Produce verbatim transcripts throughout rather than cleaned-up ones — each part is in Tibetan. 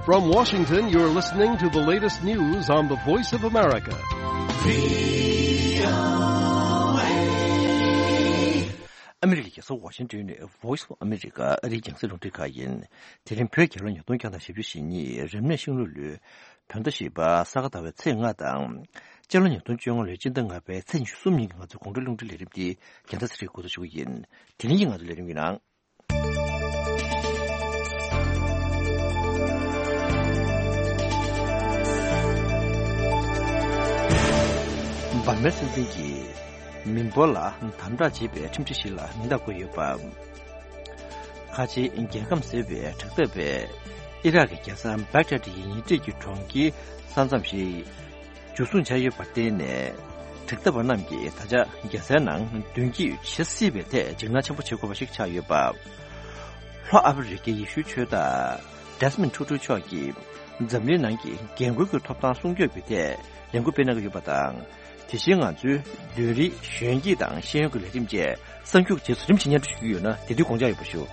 From Washington, you're listening to the latest news on the Voice of America. ཨ་མི་རི་ཀའི་རྒྱལ་ས་ཝ་ཤིང་ཏོན་ནས་Voice of America ཨ་རིའི་རྒྱང་སྲིང་རླུང་འཕྲིན་ཁང་ཡིན། དེ་རིང་བོད་རྒྱལ་ལོ་ཉིས་སྟོང་བརྒྱ་དང་བཞི་བཅུ་ཞེ་གཉིས་རབ་གནས་ཤིང་ལོ་ལོའི་བོད་ཟླ་བཞི་པ་ས་ག་ཟླ་བའི་ཚེས་ལྔ་དང་། སྤྱི་ལོ་ཉིས་སྟོང་བཅོ་ལྔ་ལོའི་སྤྱི་ཟླ་ལྔ་པའི་ཚེས་ཉི་ཤུ་གསུམ་ཉིན་གྱི་ང་ཚོའི་དགོང་དྲོའི་རླུང་འཕྲིན་ལས་རིམ་འདི་རྒན་ཟླ་ཚེ་རིང་འགོ་འཛུགས་ཞུ་གི་ཡིན། དེ་རིང་གི་ང་ཚོའི་ལས་རིམ་གྱི་ནང་། འབར་མའི་སྲིད་འཛིན་གྱིས་མི་འབོར་ལ་དམ་དྲག་བྱེད་པའི་ཁྲིམས་སྒྲིག་གཞི་ལ་མིང་རྟགས་བཀོད་ཡོད་པ། ཁ་ཆེའི་རྒྱལ་ཁམས་ཟེར་བའི་དྲག་འཐབ་པས་ཨི་རག་གི་རྒྱལ་ས་བྷག་དྷ་ཡི་ཉེ་འཁྲིས་ཀྱི་གྲོང་ཁྱེར་ས་མཚམས་ཤིག་འཇུ་བཟུང་བྱས་ཡོད་པར་བརྟེན་ནས། དྲག་འཐབ་པ་རྣམས་ཀྱིས་ད་ཆ་རྒྱལ་སའི་ནང་མདུན་སྐྱོད་བྱེད་སྲིད་པའི་ཐད་འཇིགས་སྣང་ཆེན་པོ་བྱེད་དགོས་པ་ཞིག་ཆགས་ཡོད་པ། ལྷོ་ཨ་ཧྥེ་རི་ཁའི་ཡེ་ཤུའི་ཆོས་བདག་Desmond Tutu མཆོག་གིས་འཛམ་གླིང་ནང་གི་རྒན་རྒོན་གྱི་ཐོབ་ཐང་སྲུང་སྐྱོབ་ཀྱི་ཐད་ལས་འགུལ་སྤེལ་གནང་གི་ཡོད་པ་དང་། དེ་བཞིན་ང་ཚོའི་བདུན་རིག་གཞོན་སྐྱེས་དང་ཤེས་ཡོན་གྱི་ལས་རིམ་བཅས་གསར་འགྱུར་གྱི་རྗེས་སུ་རིམ་བཞིན་སྙན་སྒྲོན་ཞུ་གི་ཡོད་ན་དེ་དུས་དགོངས་འཇགས་ཡོད་པ་ཞུ།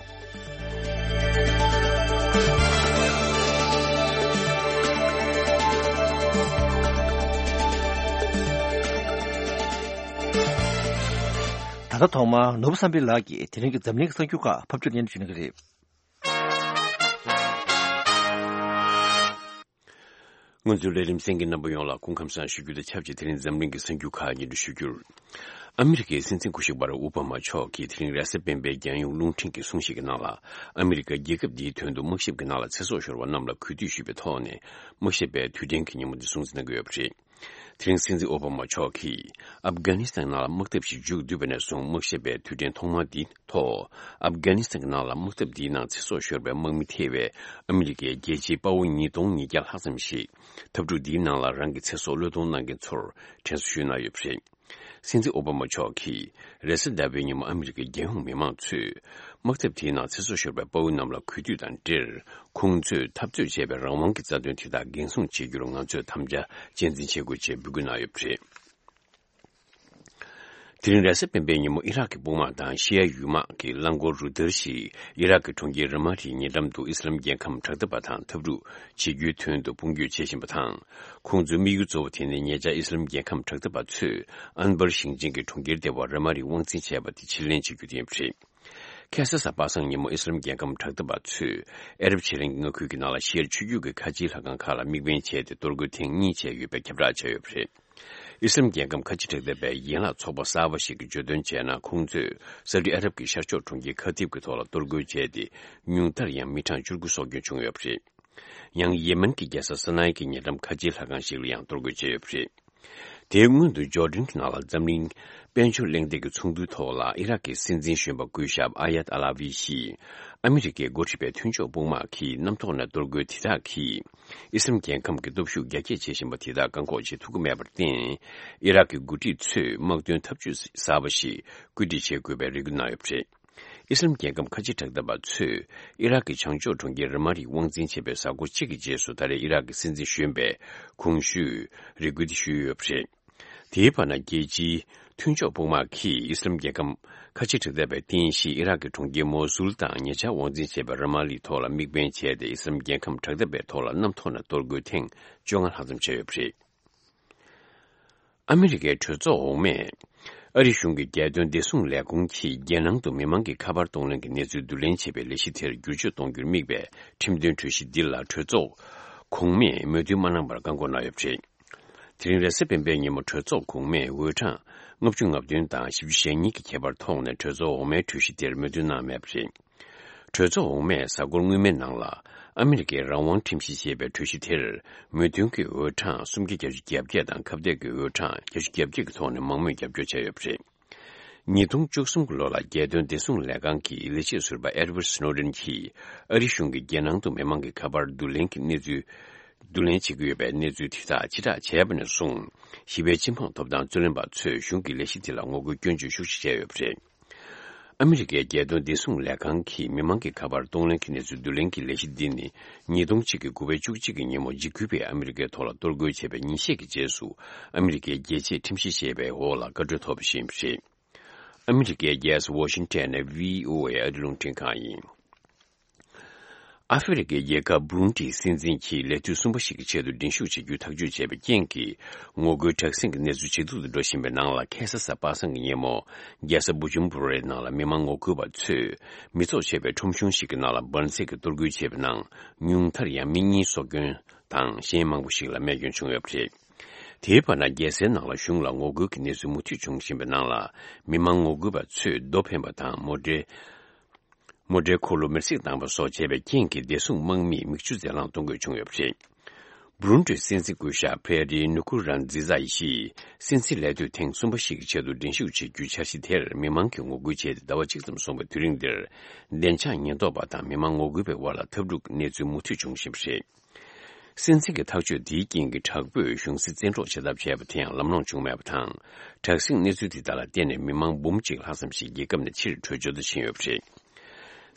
ད་ལྟ་ཐོག་མར་ནོར་བུ་བསམ་འཕེལ་ལགས་ཀྱིས་དེ་རིང་གི་འཛམ་གླིང་གི་གསར་འགྱུར་ཁག་ཕབ་སྒྱུར་སྙན་སྒྲོན་ཞུ་གནང་གི་རེད། ང་ཚོའི་ལས་རིམ་གསན་མཁན་རྣམ་པ་ཡོངས་ལ་སྐུ་ཁམས་བཟང་ཞུ་རྒྱུ་དང་ཆབས་ཅིག་དེ་རིང་འཛམ་གླིང་གི་གསར་འགྱུར་ཁག་སྙན་སྒྲོན་ཞུ་རྒྱུར། ཨ་མི་རི་ཀའི་སྲིད་འཛིན་སྐུ་ཞབས་བྷ་རག་ཨོ་བྷ་མ་མཆོག་གིས་དེ་རིང་རེས་གཟའ་སྤེན་པའི་རྒྱལ་ཡོངས་རླུང་འཕྲིན་གྱི་གསུང་བཤད་ཀྱི་ནང་ལ། ཨ་མི་རི་ཀ་རྒྱལ་ཁབ་འདིའི་དོན་དུ་དམག་ཞབས་ཀྱི་ནང་ལ་ཚེ་སྲོག་ཤོར་བ་རྣམས་ལ་གུས་འདུད་ཞུས་པའི་ཐོག་ནས། དམག་ཞབས་པའི་དུས་དྲན་གྱི་ཉིན་མོ་འདི་སྲུང་བརྩི་གནང་གི་ཡོད་པ་རེད། དེ་རིང་སྲིད་འཛིན་ཨོ་བྷ་མ་མཆོག་གིས་ཨབ་གྷ་ནི་སི་ཐན་ནང་ལ་དམག་འཐབ་ཞིག་མཇུག་བསྡུས་པ་ནས་བཟུང་དམག་ཞབས་པའི་དུས་དྲན་ཐོག་མ་འདི་ཐོག་ཨབ་གྷ་ནི་སི་ཐན་གྱི་ནང་ལ་དམག་འཐབ་འདིའི་ནང་ཚེ་སྲོག་ཤོར་བའི་དམག་མི་ཐེ་བའི་ཨ་མི་རི་ཀའི་རྒྱལ་སྤྱིའི་དཔའ་བོ་ཉིས་སྟོང་ཉིས་བརྒྱ་ལྷག་ཙམ་ཞིག་འཐབ་འཁྲུག་འདིའི་ནང་ལ་རང་གི་ཚེ་སྲོག་བློས་གཏོང་གནང་མཁན་ཚོར་དྲན་གསོ་ཞུས་གནང་ཡོད་པ་རེད། སྲིད་འཛིན་ཨོ་བྷ་མ་མཆོག་གིས་རེས་གཟའ་ཟླ་བའི་ཉིན་མོ་ཨ་མི་རི་ཀའི་རྒྱལ་ཡོངས་མི་མང་ཚོས་དམག་འཐབ་དེའི་ནང་ཚེ་སྲོག་ཤོར་བའི་དཔའ་བོ་རྣམས་ལ་གུས་འདུད་དང་འབྲེལ། ཁོང་ཚོས་འཐབ་རྩོད་བྱས་པའི་རང་དབང་གི་རྩ་དོན་དེ་དག་འགན་སྲུང་བྱེད་རྒྱུར་ང་ཚོས་དམ་བཅའ་གཅེས་འཛིན་བྱེད་དགོས་ཅེས་འབོད་སྐུལ་གནང་ཡོད་པ་རེད། དེ་རིང་རེས་གཟའ་སྤེན་པའི་ཉིན་མོ་ཨི་རག་གི་དཔུང་དམག་དང་ཤི་ཡ་ཡུལ་དམག་གི་རླངས་འཁོར་རུ་སྟར་ཞིག་ཨི་རག་གི་གྲོང་ཁྱེར་ར་མ་ཏིའི་ཉེ་འགྲམ་དུ་ཨི་སི་ལམ་རྒྱལ་ཁམས་དྲག་འཐབ་པ་དང་འཐབ་འཁྲུག་བྱེད་རྒྱུའི་དོན་དུ་དཔུང་སྐྱོད་བྱེད་བཞིན་པ་དང་། ཁོང་ཚོའི་དམིགས་ཡུལ་གཙོ་བོ་དེ་ནི་ཉེ་ཆར་ཨི་སི་ལམ་རྒྱལ་ཁམས་དྲག་འཐབ་པ་ཚོས་ཨན་བར་ཞིང་ཆེན་གྱི་གྲོང་ཁྱེར་ལྟེ་བ་ར་མ་ཏི་དབང་འཛིན་བྱས་པ་དེ་ཕྱིར་ལེན་བྱེད་རྒྱུ་དེ་ཡིན་པ་རེད། ཁ་སང་གཟའ་པ་སངས་ཉིན་མོ་ཨི་སི་ལམ་རྒྱལ་ཁམས་དྲག་འཐབ་པ་ཚོས་ཨ་རབ་ཕྱེད་གླིང་གི་མངའ་ཁུལ་གྱི་ནང་ལ་ཤི་ཡར་ཆུ་རྒྱུད་ཀྱི་ཁ་ཆེའི་ལྷ་ཁང་ཁག་ལ་དམིགས་འབེན་བྱས་ཏེ་གཏོར་རྒོལ་ཐེངས་གཉིས་བྱས་ཡོད་པའི་ཁྱབ་བསྒྲགས་བྱས་ཡོད་པ་རེད། ཨི་སི་ལམ་རྒྱལ་ཁམས་ཁ་ཆེ་དྲག་འཐབ་པའི་ཡན་ལག་ཚོགས་པ་གསར་པ་ཞིག་གིས་བརྗོད་དོན་བྱས་ན། ཁོང་ཚོས་སའུ་ཏི་ཨ་རབ་ཀྱི་ཤར་ཕྱོགས་གྲོང་ཁྱེར་ཁ་ཐིབ་ཀྱི་ཐོག་ལ་གཏོར་རྒོལ་བྱས་ཏེ། ཉུང་མཐར་ཡང་མི་གྲངས་བཅུ་དགུ་སྲོག་སྐྱོན་བྱུང་ཡོད་པ་རེད། ཡང་ཡེ་མེན་གྱི་རྒྱལ་ས་ས་ན་ཡ་གི་ཉེ་འགྲམ་ཁ་ཆེའི་ལྷ་ཁང་ཞིག་ལ་ཡང་གཏོར་རྒོལ་བྱས་ཡོད་པ་རེད། དེའི་སྔོན་དུ་ཇོར་ཌན་གྱི་ནང་ལ་འཛམ་གླིང་དཔལ་འབྱོར་གླེང་སྟེགས་ཀྱི་ཚོགས་འདུའི་ཐོག་ལ་ཨི་རག་གི་སྲིད་འཛིན་གཞོན་པ་སྐུ་ཞབས་ཨ་ཡད་ཨ་ལ་ཝི་ཞིས། ཨ་མི་རི་ཀས་འགོ་ཁྲིད་པའི་མཐུན་ཕྱོགས་དཔུང་དམག་གིས་གནམ་ཐོག་ནས་གཏོར་རྒོལ་དེ་དག་གིས་ཨི་སི་ལམ་རྒྱལ་ཁམས་ཀྱི་སྟོབས་ཤུགས་རྒྱ་སྐྱེད་བྱེད་བཞིན་པ་དེ་དག་བཀག་འགོག་བྱེད་ཐུབ་ཀྱི་མེད་པར་བརྟེན། ཨི་རག་གི་འགོ་ཁྲིད་ཚོས་དམག་དོན་འཐབ་ཇུས་གསར་པ་ཞིག་བཀོད་སྒྲིག་བྱེད་དགོས་པའི་རེ་སྐུལ་གནང་ཡོད་པ་རེད། ཨི་སི་ལམ་རྒྱལ་ཁམས་ཁ་ཆེ་དྲག་འཐབ་པ་ཚོས་ཨི་རག་གི་བྱང་ཕྱོགས་གྲོང་ཁྱེར་ར་མ་ཏིའི་དབང་འཛིན་བྱས་པའི་གཟའ་འཁོར་གཅིག་གི་རྗེས་སུ་ད་རེས་ཨི་རག་གི་སྲིད་འཛིན་གཞོན་པས་གོང་ཞུས་རེ་སྐུལ་དེ་ཞུས་ཡོད་པ་རེད། དེའི་བར་ན་རྒྱལ་སྤྱིའི་མཐུན་ཕྱོགས་དཔུང་དམག་གིས་ཨི་སི་ལམ་རྒྱལ་ཁམས་ཁ་ཆེ་དྲག་འཐབ་པའི་རྟེན་གཞི་ཨི་རག་གི་གྲོང་ཁྱེར་མོ་སུལ་དང་ཉེ་ཆར་དབང་འཛིན་བྱས་པའི་ར་མ་ལིའི་ཐོག་ལ་དམིགས་འབེན་བྱས་ཏེ། ཨི་སི་ལམ་རྒྱལ་ཁམས་དྲག་འཐབ་པའི་ཐོག་ལ་གནམ་ཐོག་ནས་གཏོར་རྒོལ་ཐེངས་བཅོ་ལྔ་ལྷག་ཙམ་བྱས་ཡོད་པ་རེད། ཨ་མི་རི་ཀའི་གྲོས་ཚོགས་འོག་མས་ཨ་རི་གཞུང་གི་རྒྱལ་དོན་བདེ་སྲུང་ལས་ཁུངས་ཀྱིས་རྒྱལ་ནང་དུ་མི་མང་གི་ཁ་པར་གཏོང་ལེན་གྱི་གནས་ཚུལ་བསྡུ་ལེན་བྱེད་པའི་ལས་གཞི་དེར་བསྒྱུར་བཅོས་གཏོང་རྒྱུར་དམིགས་པའི་ཁྲིམས་དོན་གྲོས་གཞི་འདི་ལ་གྲོས་ཚོགས་གོང་མས་མོས་མཐུན་མ་གནང་བར་བཀག་འགོག་གནང་ཡོད་པ་རེད། དེ་རིང་རེས་གཟའ་སྤེན་པའི་ཉིན་མོ་གྲོས་ཚོགས་གོང་མས་འོས་གྲངས་ལྔ་བཅུ་ང་བདུན་དང་བཞི་བཅུ་ཞེ་གཉིས་ཀྱི་ཁྱད་པར་ཐོག་ནས་གྲོས་ཚོགས་འོག་མའི་གྲོས་གཞི་དེར་མོས་མཐུན་གནང་མེད་པ་རེད། གྲོས་ཚོགས་འོག་མས་གཟའ་འཁོར་སྔོན་མའི་ནང་ལ་ཨ་མི་རི་ཀའི་རང་དབང་ཁྲིམས་གཞི་ཞེས་པའི་གྲོས་གཞི་དེར་མོས་མཐུན་གྱི་འོས་གྲངས་སུམ་བརྒྱ་བརྒྱད་ཅུ་གྱ་བརྒྱད་དང་ཁ་གཏད་ཀྱི་འོས་གྲངས་བརྒྱད་ཅུ་གྱ་བརྒྱད་ཀྱི་ཐོག་ནས་མང་མོས་རྒྱབ་སྐྱོར་བྱས་ཡོད་པ་རེད། ཉིས་སྟོང་བཅུ་གསུམ་གྱི་ལོ་ལ་རྒྱལ་དོན་བདེ་སྲུང་ལས་ཁང་གི་ལས་བྱེད་ཟུར་པ་ཨེ་ཌི་ཝར་ཌི་སི་ནོ་ཌེན་གྱིས་ཨ་རི་གཞུང་གིས་རྒྱལ་ནང་དུ་མི་མང་གི་ཁ་པར་བསྡུ་ལེན་གྱི་གནས་ཚུལ་བསྡུ་ལེན་བྱེད་ཀྱི་ཡོད་པའི་གནས་ཚུལ་དེ་དག་ཕྱིར་བསྒྲགས་བྱས་པ་ནས་བཟུང་། ཞི་བའི་སྤྱི་དམངས་ཐོབ་ཐང་རྩོད་ལེན་པ་ཚོས་གཞུང་གི་ལས་གཞི་དེ་ལ་ངོ་རྒོལ་སྐྱོན་བརྗོད་ཤུགས་ཆེ་བྱས་ཡོད་པ་རེད། ཨ་མི་རི་ཀའི་རྒྱལ་དོན་བདེ་སྲུང་ལས་ཁང་གིས་མི་མང་གི་ཁ་པར་གཏོང་ལེན་གྱི་གནས་ཚུལ་བསྡུ་ལེན་གྱི་ལས་གཞི་འདི་ནི། ཉིས་སྟོང་གཅིག་གི་དགུ་པའི་བཅུ་གཅིག་གི་ཉིན་མོ་འཇིགས་སྐུལ་བས་ཨ་མི་རི་ཀའི་ཐོག་ལ་གཏོར་རྒོལ་བྱས་པའི་ཉིན་ཤས་ཀྱི་རྗེས་སུ། ཨ་མི་རི་ཀའི་རྒྱལ་གཅེས་ཁྲིམས་གཞི་ཞེས་པའི་འོག་ལ་བཀའ་འཁྲོལ་ཐོབ་པ་ཞིག་ཡིན་པ་རེད། ཨ་མི་རི་ཀའི་རྒྱལ་ས་ཝ་ཤིང་ཊོན་ནས་བྷི་ཨོ་ཨེ་ཨ་རི་རླུང་འཕྲིན་ཁང་ཡིན། ཨ་ཧྥེ་རི་ཁའི་རྒྱལ་ཁབ་བུ་རུན་ཏིའི་སྲིད་འཛིན་གྱིས་ལས་དུས་གསུམ་པ་ཞིག་གི་ཆེད་དུ་འགྲན་ཞུགས་བྱེད་རྒྱུའི་ཐག་གཅོད་བྱས་པའི་རྐྱེན་གྱིས། ངོ་རྒོལ་དྲག་ཟིང་གི་གནས་ཚུལ་ཇེ་སྡུག་ཏུ་འགྲོ་བཞིན་པའི་ནང་ལ། ཁ་སང་གཟའ་པ་སངས་ཀྱི་ཉིན་མོ། རྒྱལ་ས་བུ་ཇུམ་བུ་རའི་ནང་ལ་མི་མང་ངོ་རྒོལ་བ་ཚོས། མི་ཚོགས་ཆེ་བའི་ཁྲོམ་གཞུང་ཞིག་གི་ནང་ལ་འབར་རྫས་ཀྱིས་གཏོར་རྒོལ་བྱས་པའི་ནང་། ཉུང་མཐར་ཡང་མི་གཉིས་སྲོག་སྐྱོན་དང་། གཞན་མང་པོ་ཞིག་ལ་རྨས་སྐྱོན་བྱུང་ཡོད་པ་རེད། དེའི་བར་ན། རྒྱལ་སའི་ནང་ལ་གཞུང་ལ་ངོ་རྒོལ་གྱི་གནས་ཚུལ་མུ་མཐུད་འབྱུང་བཞིན་པའི་ནང་ལ། མི་མང་ངོ་རྒོལ་བ་ཚོས་རྡོ་འཕེན་པ་དང་། མོ་ཊའི། མོ་ཊའི་འཁོར་ལོ་མེར་སྲེག་བཏང་བ་སོགས་བྱས་པའི་རྐྱེན་གྱིས། བདེ་སྲུང་དམག་མིས་མིག་ཆུ་རྫས་རླངས་གཏོང་དགོས་བྱུང་ཡོད་པ་རེད། བུ་རུན་ཏིའི་སྲིད་འཛིན་སྐུ་ཞབས་ཕེ་རི་ནུ་ཀུ་རན་ཛི་ཛ་ཡིས། སྲིད་འཛིན་ལས་དུས་ཐེངས་གསུམ་པ་ཞིག་གི་ཆེད་དུ་འགྲན་ཞུགས་བྱེད་རྒྱུའི་འཆར་གཞི་དེར་མི་མང་གིས་ངོ་རྒོལ་བྱས་ཏེ། ཟླ་བ་གཅིག་ཙམ་སོང་བའི་དུས་རིང་འདིར། བདེ་འཇགས་ཉེན་རྟོག་པ་དང་མི་མང་ངོ་རྒོལ་བའི་དབར་ལ་འཐབ་འཁྲུག་གི་གནས་ཚུལ་མུ་མཐུད་འབྱུང་བཞིན་པ་རེད། སྲིད་འཛིན་གྱི་ཐག་གཅོད་དེའི་རྐྱེན་གྱིས། དྲག་པོས་གཞུང་སྲིད་བཙན་འཕྲོག་བྱེད་ཐབས་བྱས་པ་དེ་ཡང་ལམ་ལྷོང་བྱུང་མེད་པ་དང་། དྲག་ཟིང་གནས་ཚུལ་དེ་དག་ལ་བརྟེན་ནས། མི་མང་འབུམ་གཅིག་ལྷག་ཙམ་ཞིག་རྒྱལ་ཁབ་ནས་ཕྱིར་བྲོས་བྱོལ་དུ་ཕྱིན་ཡོད་པ་རེད།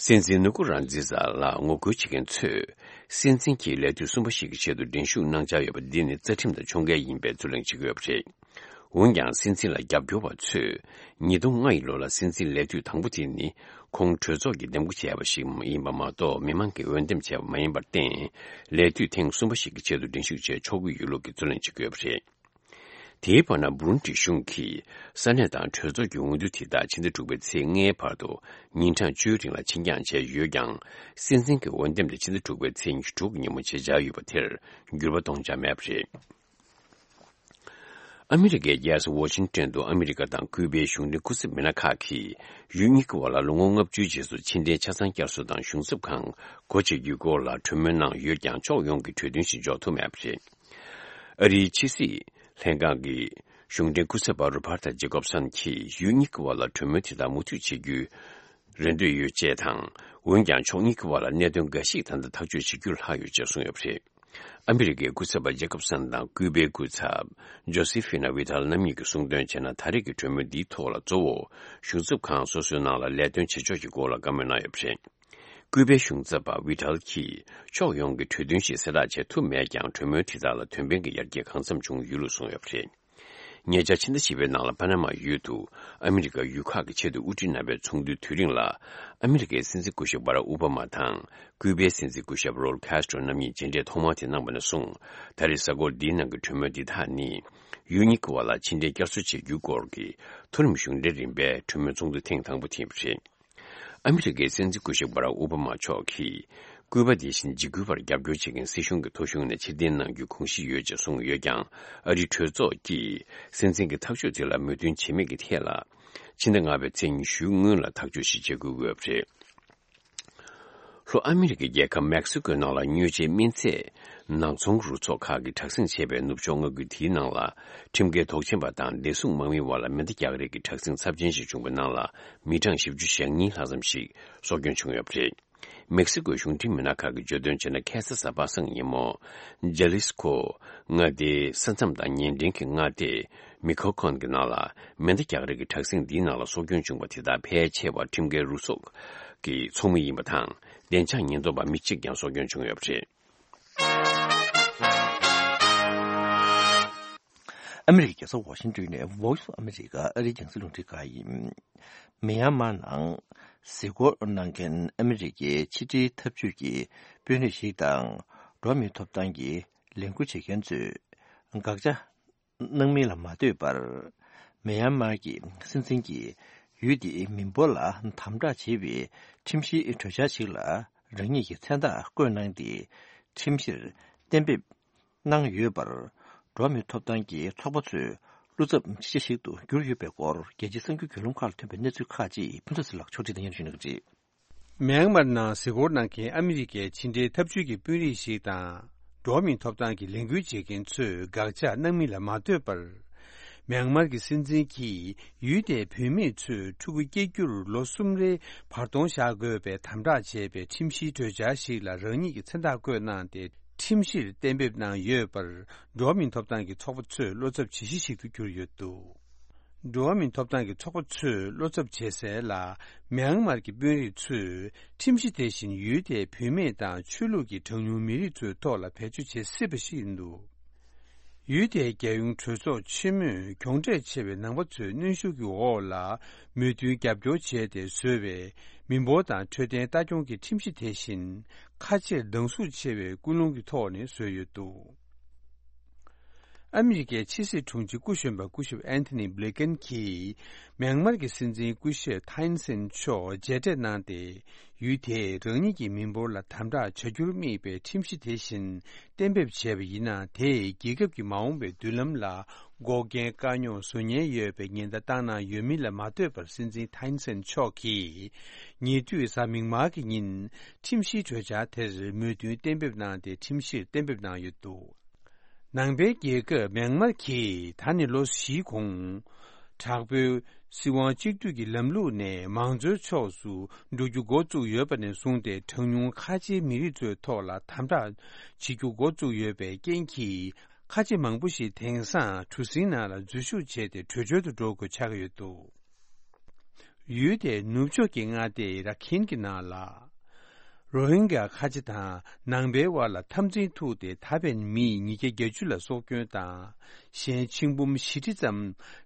སྲིད་འཛིན་ནུ་ཀུ་རན་ཛི་ཛ་ལ་ངོ་རྒོལ་བྱེད་མཁན་ཚོས། སྲིད་འཛིན་གྱིས་ལས་དུས་གསུམ་པ་ཞིག་གི་ཆེད་དུ་འགྲན་ཞུགས་གནང་འཆར་ཡོད་པ་འདི་ནི་རྩ་ཁྲིམས་དང་ཕྱོགས་འགལ་ཡིན་པའི་རྩོད་གླེང་བྱེད་ཀྱི་ཡོད་པ་རེད། འོན་ཀྱང་། སྲིད་འཛིན་ལ་རྒྱབ་སྐྱོར་བ་ཚོས། ཉིས་སྟོང་ལྔ་ཡི་ལོ་ལ་སྲིད་འཛིན་ལས་དུས་དང་པོ་དེ་ནི། ཁོང་གྲོས་ཚོགས་ཀྱིས་འདེམས་བསྐོ་བྱས་པ་ཞིག་ཡིན་པ་མ་གཏོགས། མི་མང་གིས་འོས་འདེམས་བྱས་པ་མ་ཡིན་པར་བརྟེན། ལས་དུས་ཐེངས་གསུམ་པ་ཞིག་གི་ཆེད་དུ་འགྲན་ཞུགས་བྱས་ཆོག་གི་ཡོད་ལུགས་ཀྱི་རྩོད་གླེང་བྱེད་ཀྱི་ཡོད་པ་རེད། དེའི་བར་ན། བུ་རུན་ཏི་གཞུང་གིས་ས་གནས་དང་གྲོས་ཚོགས་ཀྱི་འོས་བསྡུ་དེ་དག་ཕྱི་ཟླ་དྲུག་པའི་ཚེས་ལྔའི་བར་དུ་ཉིན་གྲངས་བཅུའི་རིང་ལ་ཕྱིར་འགྱངས་བྱས་ཡོད་ཀྱང་། སྲིད་འཛིན་གྱི་འོས་འདེམས་དེ་ཕྱི་ཟླ་དྲུག་པའི་ཚེས་ཉི་ཤུ་དྲུག་གི་ཉིན་མོ་བྱེད་འཆར་ཡོད་པ་དེར་འགྱུར་བ་གཏོང་འཆར་མེད་པ་རེད། ཨ་མི་རི་ཀའི་རྒྱལ་ས་ཝ་ཤིང་ཏོན་དུ་ཨ་མི་རི་ཀ་དང་ཀུའུ་པའི་གཞུང་འབྲེལ་སྐུ་ཚབ་མི་སྣ་ཁག་གིས་ཡུལ་གཉིས་ཀྱི་བར་ལ་ལོ་ངོ་ལྔ་བཅུའི་རྗེས་སུ་ཕྱི་འབྲེལ་ཆ་ཚང་བསྐྱར་གསོ་དང་གཞུང་ཚབ་ཁང་སྒོ་འབྱེད་རྒྱུའི་སྐོར་ལ་གྲོས་མོལ་གནང་ཡོད་ཀྱང་། ཕྱོགས་ཡོངས་ཀྱི་གྲོས་མཐུན་ཞིག་འཇོག་ཐུབ་མེད་པ་རེད། ཨ་རིའི་ཕྱི་སྲིད་ལྷན་ཁང་གི་གཞུང་འབྲེལ་སྐུ་ཚབ་པ་རོ་བྷར་ཐ་ཇེ་ཀོབ་སན་གྱིས་ཡུལ་གཉིས་ཀྱི་བར་ལ་གྲོས་མོལ་དེ་དག་མུ་མཐུད་བྱེད་རྒྱུའི་རེ་འདོད་ཡོད་ཅེས་དང་། འོན་ཀྱང་ཕྱོགས་གཉིས་ཀྱི་བར་ལ་གནད་དོན་འགའ་ཞིག་ད་ལྟ་ཐག་གཅོད་བྱེད་རྒྱུར་ལྷག་ཡོད་ཅེས་གསུངས་ཡོད་པ་རེད། ཨ་མི་རི་ཀའི་སྐུ་ཚབ་པ་ཇེ་ཀོབ་སན་དང་ཀུའུ་པའི་སྐུ་ཚབ་ཇོ་སི་ཧྥི་ན་ཝི་ཐལ་རྣམ་གཉིས་ཀྱིས་གསུངས་དོན་བྱས་ན། ད་རེས་ཀྱི་གྲོས་མོལ་འདིའི་ཐོག་ལ་གཙོ་བོ་གཞུང་ཚབ་ཁང་སོ་སོའི་ནང་ལ་ལས་དོན་བྱེད་ཕྱོགས་ཀྱི་སྐོར་ལ་བཀའ་མོལ་གནང་ཡོད་པ་རེད། ཀུའུ་པའི་གཞུང་ཚབ་པ་ཝི་ཐལ་གྱིས་ཕྱོགས་ཡོངས་ཀྱི་གྲོས་མཐུན་ཞིག་གསལ་བསྒྲགས་བྱེད་ཐུབ་མེད་ཀྱང་། གྲོས་མོལ་དེ་དག་ལ་དོན་ཕན་གྱི་ཡར་རྒྱས་གང་འཚམ་བྱུང་ཡོད་ལུགས་གསུངས་ཡོད་པ་རེད། ཉེ་ཆར་ཕྱི་ཟླ་བཞི་པའི་ནང་ལ་པ་ན་མ་ཡུལ་དུ་ཨ་མི་རི་ཀ་ཡུལ་ཁག་གི་ཆེད་དུ་དབུ་ཁྲིད་རྣམ་པའི་ཚོགས་འདུའི་དུས་རིང་ལ། ཨ་མི་རི་ཀའི་སྲིད་འཛིན་སྐུ་ཞབས་བྷ་རག་ཨོ་བྷ་མ་དང་ཀུའུ་པའི་སྲིད་འཛིན་སྐུ་ཞབས་རོལ་ཁཱ་སི་ཏྲོ་རྣམ་གཉིས་མཇལ་འཕྲད་ཐོག་མ་དེ་གནང་བ་ནས་བཟུང་། ད་རེས་གཟའ་འཁོར་འདིའི་ནང་གི་གྲོས་མོལ་འདི་དག་ནི། ཡུལ་གཉིས་ཀྱི་བར་ལ་ཕྱི་འབྲེལ་བསྐྱར་གསོ་བྱེད་རྒྱུའི་སྐོར་གྱི་མཐོ་རིམ་གཞུང་འབྲེལ་རིམ་པའི་གྲོས་མོལ་ཚོགས་འདུ་ཐེངས་དང་པོ་དེ་ཡིན་པ་རེད། ཨ་མི་རི་ཀའི་སྲིད་འཛིན་སྐུ་ཞབས་བྷ་རག་ཨོ་བྷ་མ་མཆོག་གིས། ཀུའུ་པ་དེ་བཞིན་འཇིགས་སྐུལ་བར་རྒྱབ་སྐྱོར་བྱེད་མཁན་སྲིད་གཞུང་གི་ཐོ་གཞུང་ནས་ཕྱིར་འཐེན་གནང་རྒྱུའི་དགོངས་གཞི་ཡོད་ཅེས་གསུངས་ཡོད་ཀྱང་། ཨ་རིའི་གྲོས་ཚོགས་ཀྱིས་སྲིད་འཛིན་གྱི་ཐག་གཅོད་དེ་ལ་མོས་མཐུན་བྱེད་མེད་ཀྱི་ཐད་ལ། ཕྱི་ཟླ་ལྔ་པའི་ཚེས་ཉི་ཤུའི་སྔོན་ལ་ཐག་གཅོད་ཞིག་བྱེད་དགོས་ཀྱི་ཡོད་པ་རེད། ལྷོ་ཨ་མི་རི་ཀའི་རྒྱལ་ཁབ་མེག་སི་ཀོའི་ནང་ལ་སྨྱོ་བྱེད་སྨན་རྫས་ནག་ཚོང་རུ་ཚོགས་ཁག་གིས་དྲག་ཟིང་བྱས་པའི་ནུབ་ཕྱོགས་མངའ་ཁུལ་དེའི་ནང་ལ། ཁྲིམས་འགལ་དོགས་ཆེན་པ་དང་བདེ་སྲུང་དམག་མིའི་དབར་ལ་མེ་མདའ་རྒྱག་རེས་ཀྱི་དྲག་ཟིང་ཚབས་ཆེན་ཞིག་བྱུང་བའི་ནང་ལ། མི་གྲངས་བཞི་བཅུ་ཞེ་གཉིས་ལྷག་ཙམ་ཞིག་སྲོག་སྐྱོན་བྱུང་ཡོད་པ་རེད། མེག་སི་ཀོའི་གཞུང་འབྲེལ་མི་སྣ་ཁག་གིས་བརྗོད་དོན་བྱས་ན། ཁ་སང་གཟའ་པ་སངས་ཉིན་མོ། ཇ་ལི་སི་ཁོ་མངའ་སྡེའི་ས་མཚམས་དང་ཉེ་འབྲེལ་གྱི་མངའ་སྡེ་མི་ཁོ་ཁོན་གྱི་ནང་ལ། མེ་མདའ་རྒྱག་རེས་ཀྱི་དྲག་ཟིང་འདིའི་ནང་ལ་སྲོག་སྐྱོན་བྱུང་བ་དེ་དག་ཕལ་ཆེ་བ་ཁྲིམས་འགལ་རུ་ཚོགས་ཀྱི་ཚོགས་མི་ཡིན་པ་དང་། བདེ་འཇགས་ཉེན་རྟོག་པ་མི་གཅིག་ཀྱང་སྲོག་སྐྱོན་བྱུང་ཡོད་པ་རེད། ཨ་མི་རི་ཀའི་རྒྱལ་ས་ཝ་ཤིང་ཏོན་ནས་Voice of America ཨ་རིའི་རྒྱང་སྲིང་རླུང་འཕྲིན་ཁང་ཡིན། མི་ཡན་མར་ནང་གཟིགས་སྐོར་གནང་མཁན་ཨ་མི་རི་ཀའི་ཕྱི་འབྲེལ་འཐབ་ཇུས་ཀྱི་དཔོན་རིགས་ཤིག་དང་། འགྲོ་བ་མིའི་ཐོབ་ཐང་གི་ལས་འགུལ་བྱེད་མཁན་ཚོས་དགག་བྱ་གནང་མིན་ལ་མ་ལྟོས་པར། མི་ཡན་མར་གྱི་སྲིད་འཛིན་གྱིས་ཡུལ་དེའི་མི་འབོར་ལ་དམ་དྲག་བྱེད་པའི་ཁྲིམས་གཞིའི་གྲོས་འཆར་ཞིག་ལ་རང་ཉིད་ཀྱི་མཚན་རྟགས་བཀོད་གནང་སྟེ། ཁྲིམས་གཞིར་གཏན་འབེབས་གནང་ཡོད་པར། འགྲོ་བ་མིའི་ཐོབ་ཐང་གི་ཚོགས་པ་ཚོས་བློ་འཚབ་ཆེ་ཤོས་ཤིག་ཏུ་གྱུར་ཡོད་པའི་སྐོར། རྒྱལ་སྤྱིའི་གསར་འགྱུར་བརྒྱུད་ལམ་ཁག་ལ་ཐོན་པའི་གནས་ཚུལ་ཁག་ཅིག་ཕུན་ཚོགས་ཚེ་ལགས་ཕྱོགས་སྒྲིག་དང་སྙན་ཞུ་གནང་གི་རེད། མེན་མར་ནང་གཟིགས་སྐོར་གནང་མཁན་ཨ་མི་རི་ཀའི་ཕྱི་འབྲེལ་འཐབ་ཇུས་ཀྱི་དཔོན་རིགས་ཤིག་དང་། འགྲོ་བ་མིའི་ཐོབ་ཐང་གི་ལས་འགུལ་བྱེད་མཁན་ཚོས་དགག་བྱ་གནང་མིན་ལ་མ་ལྟོས་པར། མེན་མར་གྱི་སྲིད་འཛིན་གྱིས་ཡུལ་དེའི་བུད་མེད་ཚོས་ཕྲུ་གུ་སྐྱེ་རྒྱུར་ལོ་གསུམ་རེའི་བར་སྟོང་བཞག་དགོས་པའི་དམ་དྲག་བྱས་པའི་ཁྲིམས་གཞིའི་གྲོས་འཆར་ཞིག་ལ་རང་ཉིད་ཀྱི་མཚན་རྟགས་བཀོད་གནང་སྟེ། ཁྲིམས་གཞིར་གཏན་འབེབས་གནང་ཡོད་པར། འགྲོ་བ་མིའི་ཐོབ་ཐང་གི་ཚོགས་པ་ཚོས་བློ་འཚབ་བྱེད་གཞི་ཞིག་ཏུ་གྱུར་ཡོད་འདུག་འགྲོ་བ་མིའི་ཐོབ་ཐང་གི་ཚོགས་པ་ཚོས་བློ་འཚབ་བྱེད་གསལ་ལ། མེན་མར་གྱི་དཔོན་རིགས་ཚོས་ཁྲིམས་གཞི་དེ་བཞིན་ཡུལ་དེའི་བུད་མེད་དང་ཆོས་ལུགས་ཀྱི་གྲངས་ཉུང་མི་རིགས་ཚོའི་ཐོག་ལ་བེད་སྤྱོད་བྱེད་སྲིད་པ་ཞིག་ཡིན་འདུག་ཡུལ་དེའི་རྒྱལ་ཡོངས་གྲོས་ཚོགས་ཆེན་མོས་གྱོང་ཕྲད་ཆེ་བའི་ནང་པ་ཚོའི་གནོན་ཤུགས་ཀྱི་འོག་ལ་མོས་མཐུན་རྒྱབ་སྐྱོར་བྱས་ཏེ་བཟོས་པའི་མི་འབོར་དང་འཕྲོད་བསྟེན་ལྟ་སྐྱོང་གི་ཁྲིམས་གཞི་དེ་བཞིན་ཁ་ཕྱིར་སྡང་ཟུག་ཆེ་བའི་ཀུན་སློང་གི་ཐོག་ནས་བཟོས་ཡོད་འདུག་ཨ་མི་རི་ཀའི་ཕྱི་སྲིད་དྲུང་ཆེ་སྐུ་གཞོན་པ་སྐུ་ཞབས་ཨན་ཐོ་ནི་བྷི་ལི་ཀེན་གྱིས་མྱན་མར་གྱི་སྲིད་འཛིན་སྐུ་ཞབས་ཐའེ་ཨིན་སན་མཆོག་མཇལ་འཕྲད་གནང་སྟེ། ཡུལ་དེས་རང་ཉིད་ཀྱི་མི་འབོར་ལ་དམ་དྲག་བྱ་རྒྱུར་དམིགས་པའི་ཁྲིམས་གཞི་དེ་བཞིན་གཏན་འབེབས་བྱས་པ་ཡིན་ན། དེས་རྒྱལ་ཁབ་ཀྱི་མ་འོངས་པའི་མདུན་ལམ་ལ་འགོག་རྐྱེན་དཀའ་རྙོག་བཟོ་ཉེན་ཡོད་པའི་ཉེན་བརྡ་བཏང་གནང་ཡོད་མིན་ལ་མ་ལྟོས་པར། སྲིད་འཛིན་ཐའེ་ཨིན་སན་མཆོག་གིས་ཉེ་དུས་གཟའ་མིག་དམར་གྱི་ཉིན་ཁྲིམས་གཞིའི་གྲོས་འཆར་དེར་མོས་མཐུན་གཏན་འབེབས་གནང་སྟེ། ཁྲིམས་གཞིར་གཏན་འབེབས་གནང་ཡོད་འདུག་ནང་པའི་རྒྱལ་ཁབ་མྱན་མར་གྱིས་ད་ནི་ལོ་བཞིའི་གོང་། དྲག་པོའི་སྲིད་དབང་གཅིག་སྡུད་ཀྱི་ལམ་ལུགས་ནས་མང་གཙོའི་ཕྱོགས་སུ་འགྲོ་རྒྱུ་འགོ་བཙུགས་ཡོད་པ་ནས་བཟུང་སྟེ། གྲངས་ཉུང་ཁ་ཆེའི་མི་རིགས་ཚོའི་ཐོག་ལ་དམ་དྲག་བྱེད་རྒྱུ་འགོ་བཙུགས་ཡོད་པའི་རྐྱེན་གྱིས། ཁ་ཆེ་མང་པོ་ཞིག་དེང་སང་གྲུ་གཟིངས་ནང་ལ་འཛུལ་ཞུགས་བྱས་ཏེ། བྲོས་བྱོལ་དུ་འགྲོ་དགོས་ཆགས་ཀྱི་ཡོད་འདུག་ཡུལ་དེའི་ནུབ་ཕྱོགས་ཀྱི་མངའ་སྡེ་ར་ཁིན་གྱི་ནང་ལ། རོ་ཧིན་གྱ་ཁ་ཆེ་དང་ནང་པའི་དབར་ལ་འཐབ་འཛིང་ཐུག་སྟེ། ད་ཕན་མི་ཉིས་བརྒྱ་བརྒྱད་ཅུ་ལ་སྲོག་སྐྱོན་དང་། གཞན་ཆིག་འབུམ་བཞི་ཁྲི་ཙམ་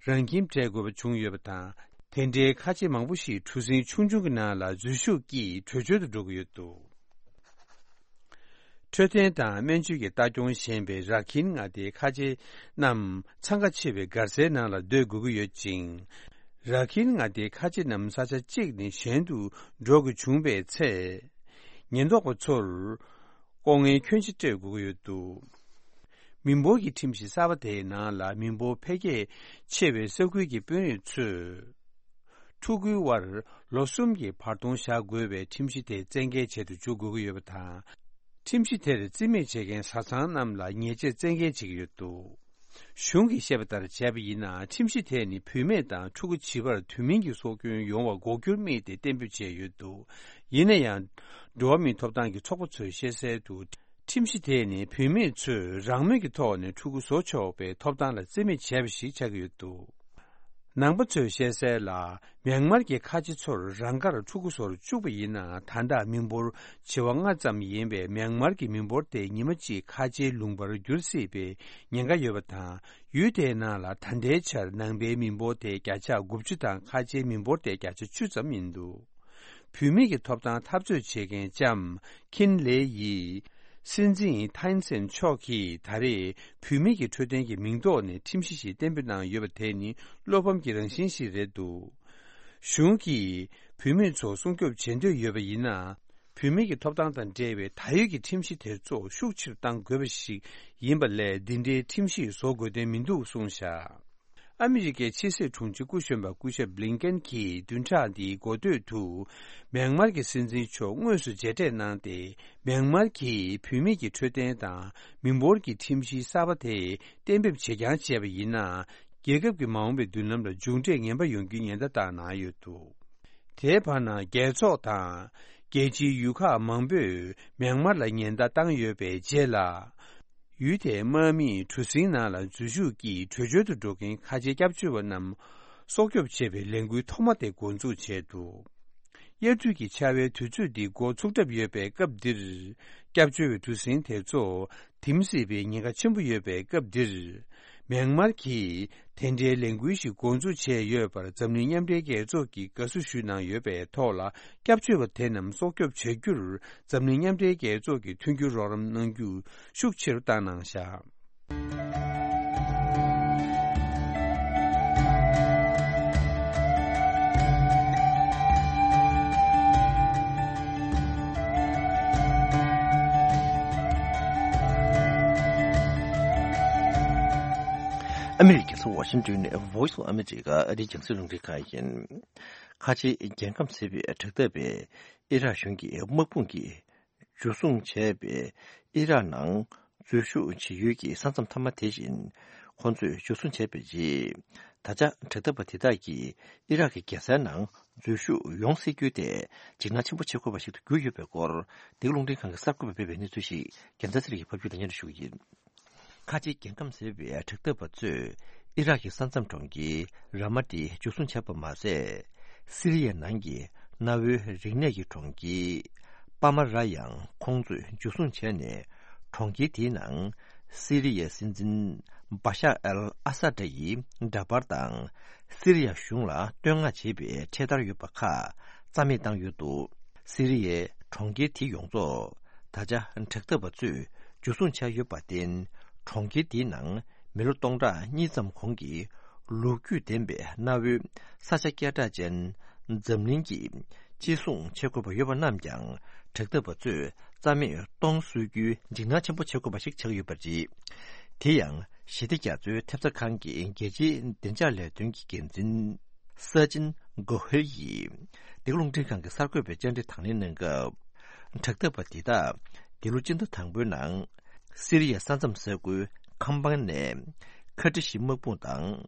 རང་ཁྱིམ་བྲལ་དགོས་པ་བྱུང་ཡོད་པ་དང་། དེ་འདྲའི་ཁ་ཆེ་མང་པོ་ཞིག་གྲུ་གཟིངས་ཆུང་ཆུང་གི་ནང་ལ་འཛུལ་ཞུགས་ཀྱིས་བྲོས་བྱོལ་དུ་འགྲོ་གི་ཡོད་འདུག་འཕྲོད་བསྟེན་དང་སྨན་བཅོས་ཀྱི་ལྟ་སྐྱོང་ཞན་པའི་ར་ཁིན་མངའ་སྡེའི་ཁ་ཆེ་རྣམས་འཚང་ཁ་ཆེ་བའི་སྒར་སའི་ནང་ལ་སྡོད་དགོས་ཀྱི་ཡོད་ཅིང་། ར་ཁིན་མངའ་སྡེའི་ཁ་ཆེ་རྣམས་ས་ཆ་གཅིག་ནས་གཞན་དུ་འགྲོ་དགོས་བྱུང་བའི་ཚེ། ཉེན་རྟོག་པ་ཚོར་ལྐོག་རྔན་ཁྱོན་ཆེ་སྤྲོད་དགོས་ཀྱི་ཡོད་འདུག་མི་འབོར་གྱི་ཁྲིམས་གཞི་གསར་པ་དེའི་ནང་ལ། མི་འབོར་འཕེལ་རྒྱས་ཆེ་བའི་ས་ཁུལ་གྱི་དཔོན་རིགས་ཚོས། ཕྲུ་གུའི་དབར་ལོ་གསུམ་གྱི་བར་སྟོང་བཞག་དགོས་པའི་ཁྲིམས་གཞི་དེ་བཙན་འགེལ་བྱེད་དུ་འཇུག་དགོས་ཀྱི་ཡོད་པ་དང་། ཁྲིམས་གཞི་དེར་རྩིས་མེད་བྱེད་མཁན་བཟའ་ཚང་རྣམས་ལ་ཉེས་ཆད་བཙན་འགེལ་བྱེད་ཀྱི་ཡོད་འདུག་གཞུང་གིས་བཤད་པ་ལྟར་བྱས་པ་ཡིན་ན། ཁྲིམས་གཞི་དེ་ནི་བུད་མེད་དང་ཕྲུ་གུ་བྱིས་པར་དུས་མིན་གྱི་སྲོག་སྐྱོན་ཡོང་བ་འགོག་རྒྱུར་དམིགས་ཏེ་གཏན་འབེབས་བྱས་ཡོད་འདུག་ཡིན་ན་ཡང་། འགྲོ་བ་མིའི་ཐོབ་ཐང་གི་ཚོགས་པ་ཚོས་བཤད་གསལ་དུ། ཁྲིམས་གཞི་དེ་ནི་བུད་མེད་ཚོས་རང་མོས་ཀྱི་ཐོག་ནས་ཕྲུ་གུ་བཟོ་ཆོག་པའི་ཐོབ་ཐང་ལ་རྩིས་མེད་བྱས་པ་ཞིག་ཆགས་ཀྱི་ཡོད་འདུག་ནང་པ་ཚོས་བཤད་གསལ་ལ། མྱན་མར་གྱི་ཁ་ཆེ་ཚོར་རང་དགར་ཕྲུ་གུ་བཟོར་བཅུག་པ་ཡིན་ན། ད་ལྟ་མི་འབོར་བྱེ་བ་ལྔ་ཙམ་ཡིན་པའི་མྱན་མར་གྱི་མི་འབོར་དེ་ཉི་མ་གཅིག་ཁ་ཆེའི་ལུང་པར་འགྱུར་སྲིད་པའི་ཉེན་ཁ་ཡོད་པ་དང་། ཡུལ་དེའི་ནང་ལ་ད་ལྟའི་ཆར་ནང་པའི་མི་འབོར་དེ་བརྒྱ་ཆ་དགུ་བཅུ་དང་། ཁ་ཆེའི་མི་འབོར་དེ་བརྒྱ་ཆ་བཅུ་ཙམ་ཡིན་འདུག་བུད་མེད་ཀྱི་ཐོབ་ཐང་འཐབ་རྩོད་བྱེད་མཁན་ལྕམ་ཁིན་ལེ་ཡིས། སྲིད་འཛིན་ཐའི་ཨིན་སན་མཆོག་གིས་ད་རེས་བུད་མེད་ཀྱི་འཕྲོད་བསྟེན་གྱི་མིང་ཐོག་ནས་ཁྲིམས་གཞི་ཞིག་གཏན་འབེབས་གནང་ཡོད་པ་དེ་ནི་བློ་ཕམ་གྱི་རང་བཞིན་ཞིག་རེད་འདུག་གཞུང་གིས་བུད་མེད་ཚོ་སྲུང་སྐྱོབ་བྱེད་འདོད་ཡོད་པ་ཡིན་ན། བུད་མེད་ཀྱི་ཐོབ་ཐང་དང་འབྲེལ་བའི་ད་ཡོད་ཀྱི་ཁྲིམས་གཞི་དེ་ཚོ་ཤུགས་ཆེར་གཏང་དགོས་པ་ཞིག་ཡིན་པ་ལས། འདི་འདྲའི་ཁྲིམས་གཞི་བཟོ་དགོས་དོན་མི་འདུག་གསུངས་བཞག་ཨ་མི་རི་ཀའི་ཕྱི་སྲིད་དྲུང་ཆེ་སྐུ་གཞོན་པ་སྐུ་ཞབས་བྷི་ལིན་ཀེན་གྱིས་བདུན་ཕྲག་འདིའི་འགོ་སྟོད་དུ། མྱན་མར་གྱི་སྲིད་འཛིན་མཆོག་དངོས་སུ་མཇལ་འཕྲད་གནང་སྟེ། མྱན་མར་གྱིས་བུད་མེད་ཀྱི་འཕྲོད་བསྟེན་དང་མི་འབོར་གྱི་ཁྲིམས་གཞི་གསར་པ་དེ་གཏན་འབེབས་བྱེད་རྐྱང་བྱས་པ་ཡིན་ན། རྒྱལ་ཁབ་ཀྱི་མ་འོངས་པའི་མདུན་ལམ་ལ་མཇུག་འབྲས་ངན་པ་ཡོང་རྒྱུའི་ཉེན་བརྡ་བཏང་གནང་ཡོད་འདུག་དེའི་བར་ན། རྒྱལ་ཚོགས་དང་རྒྱལ་སྤྱིའི་ཡུལ་ཁག་མང་པོས་མྱན་མར་ལ་ཉེན་བརྡ་བཏང་ཡོད་པའི་རྗེས་ལ། ཡུལ་དེའི་དམག་མིས་གྲུ་གཟིངས་ནང་ལ་འཛུལ་ཞུགས་ཀྱིས་བྲོས་བྱོལ་དུ་འགྲོ་མཁན་ཁ་ཆེའི་སྐྱབས་བཅོལ་བ་རྣམས་སྲོག་སྐྱོབ་བྱེད་པའི་ལས་འགུལ་ཐོག་མ་དེ་འགོ་འཛུགས་བྱས་འདུག་དབྱར་དུས་ཀྱི་ཆར་པའི་དུས་ཚོད་འདི་འགོ་ཚུགས་གྲབས་ཡོད་པའི་སྐབས་འདིར། སྐྱབས་བཅོལ་བའི་གྲུ་གཟིངས་དེ་ཚོ་དིམ་སྲིད་པའི་ཉེན་ཁ་ཆེན་པོ་ཡོད་པའི་སྐབས་འདིར། མྱན་མར་གྱིས་དེ་འདྲའི་ལས་འགུལ་ཞིག་འགོ་འཛུགས་བྱས་ཡོད་པར། འཛམ་གླིང་མཉམ་འབྲེལ་རྒྱལ་ཚོགས་ཀྱིས་དགའ་བསུ་ཞུས་གནང་ཡོད་པའི་ཐོག་ལ། སྐྱབས་བཅོལ་བ་དེ་རྣམས་སྲོག་སྐྱོབ་བྱ་རྒྱུར། འཛམ་གླིང་མཉམ་འབྲེལ་རྒྱལ་ཚོགས་ཀྱིས་མཐུན་འགྱུར་རོགས་རམ་གནང་རྒྱུ་ཤུགས་ཆེ་རུ་བཏང་གནང་བཞག་ཨ་མི་རི་ཀའི་རྒྱལ་ས་ཝ་ཤིང་ཏོན་ནས་Voice of America ཨ་རིའི་རྒྱང་སྲིང་རླུང་འཕྲིན་ཁང་ཡིན། ཁ་ཆེའི་རྒྱལ་ཁམས་ཟེར་བའི་དྲ་ཐག་པས་ཨི་རག་གཞུང་གི་དམག་དཔུང་གིས་འཇུ་བཟུང་བྱས་པའི་ཨི་རག་ནང་འཛུལ་ཞུགས་བྱེད་ཡུལ་གྱི་ས་མཚམས་མཐའ་མ་དེ་བཞིན་ཁོང་ཚོས་འཇུ་བཟུང་བྱས་པའི་རྗེས། ད་ཆ་དྲ་ཐག་པ་དེ་དག་གིས་ཨི་རག་གི་རྒྱལ་སའི་ནང་འཛུལ་ཞུགས་ཡོང་སྲིད་རྒྱུ་དེ་འཇིགས་སྣང་ཆེན་པོ་བྱེད་དགོས་པ་ཞིག་ཏུ་གྱུར་ཡོད་པའི་སྐོར། འདི་ག་རླུང་འཕྲིན་ཁང་གི་གསར་འགོད་པས་སྤེལ་བའི་གནས་ཚུལ་ཞིག་རྒྱལ་མཚན་ཚེ་རིང་གིས་ཕབ་སྒྱུར་དང་སྙན་སྒྲོན་ཞུ་གི་ཡིན། ཁ་ཆེའི་རྒྱལ་ཁམས་ཟེར་བའི་དྲ་ཐག་པ་ཚོས་ཨི་རག་གི་ས་མཚམས་གྲོང་ཁྱེར་ར་མ་ཏི་འཇུ་བཟུང་བྱས་པ་མ་ཟད། སི་རི་ཡའི་ནང་གི་གནའ་བོའི་རིག་གནས་ཀྱི་གྲོང་ཁྱེར་པ་མ་ར་ཡང་ཁོང་ཚོས་འཇུ་བཟུང་བྱས་ནས། གྲོང་ཁྱེར་དེའི་ནང་ སི་རི་ཡའི་སྲིད་འཛིན་བ་ཤར་ཨལ་ཨ་ས་ཏྲ་ཡི་འདྲ་པར་དང་། སི་རི་ཡ་གཞུང་ལ་བསྟོད་བསྔགས་བྱེད་པའི་འཕྲེད་དར་ཡོད་པ་ཁག་རྩ་མེད་བཏང་ཡོད་འདུག་སི་རི་ཡའི་གྲོང་ཁྱེར་དེ་ཡོངས་རྫོགས་ད་ཆ་དྲག་འཐབ་པ་ཚོས་འཇུ་བཟུང་བྱས་ཡོད་པར་བརྟེན། གྲོང་ཁྱེར་དེའི་ནང་མི་ལོ་སྟོང་ཕྲག་གཉིས་ཙམ་གོང་གི་ལོ་རྒྱུས་ལྡན་པའི་གནའ་བོའི་ས་ཆ་སྐད་གྲགས་ཅན་འཛམ་གླིང་གི་གཅེས་སྲུང་བྱེད་དགོས་པ་ཡོད་པ་རྣམས་ཀྱང་དྲག་འཐབ་པ་ཚོས་རྩ་མེད་གཏོང་སྲོལ་རྒྱུའི་འཇིགས་སྣང་ཆེན་པོ་བྱེད་དགོས་པ་ཞིག་ཆགས་ཡོད་པ་རེད། དེ་ཡང་ཞི་བདེ་རྒྱ་མཚོའི་ཐེབས་རྩ་ཁང་གི་རྒྱལ་སྤྱིའི་བདེ་འཇགས་ལས་དོན་གྱི་འགན་འཛིན་ས་ཅིན་གོ་ཧེ་ཡིས་འདི་ག་རླུང་འཕྲིན་ཁང་གི་གསར་འགོད་པའི་བཅར་འདྲི་དང་ལེན་གནང་སྐབས། དྲག་འཐབ་པ་འདི་དག་འདི་ལོ་སྤྱི་ཟླ་དང་པོའི་ནང་སི་རི་ཡའི་ས་མཚམས་ས་ཁུལ་ཁམ་པང་ནས་ཁ་ཏི་ཤི་དམག་དཔུང་དང་།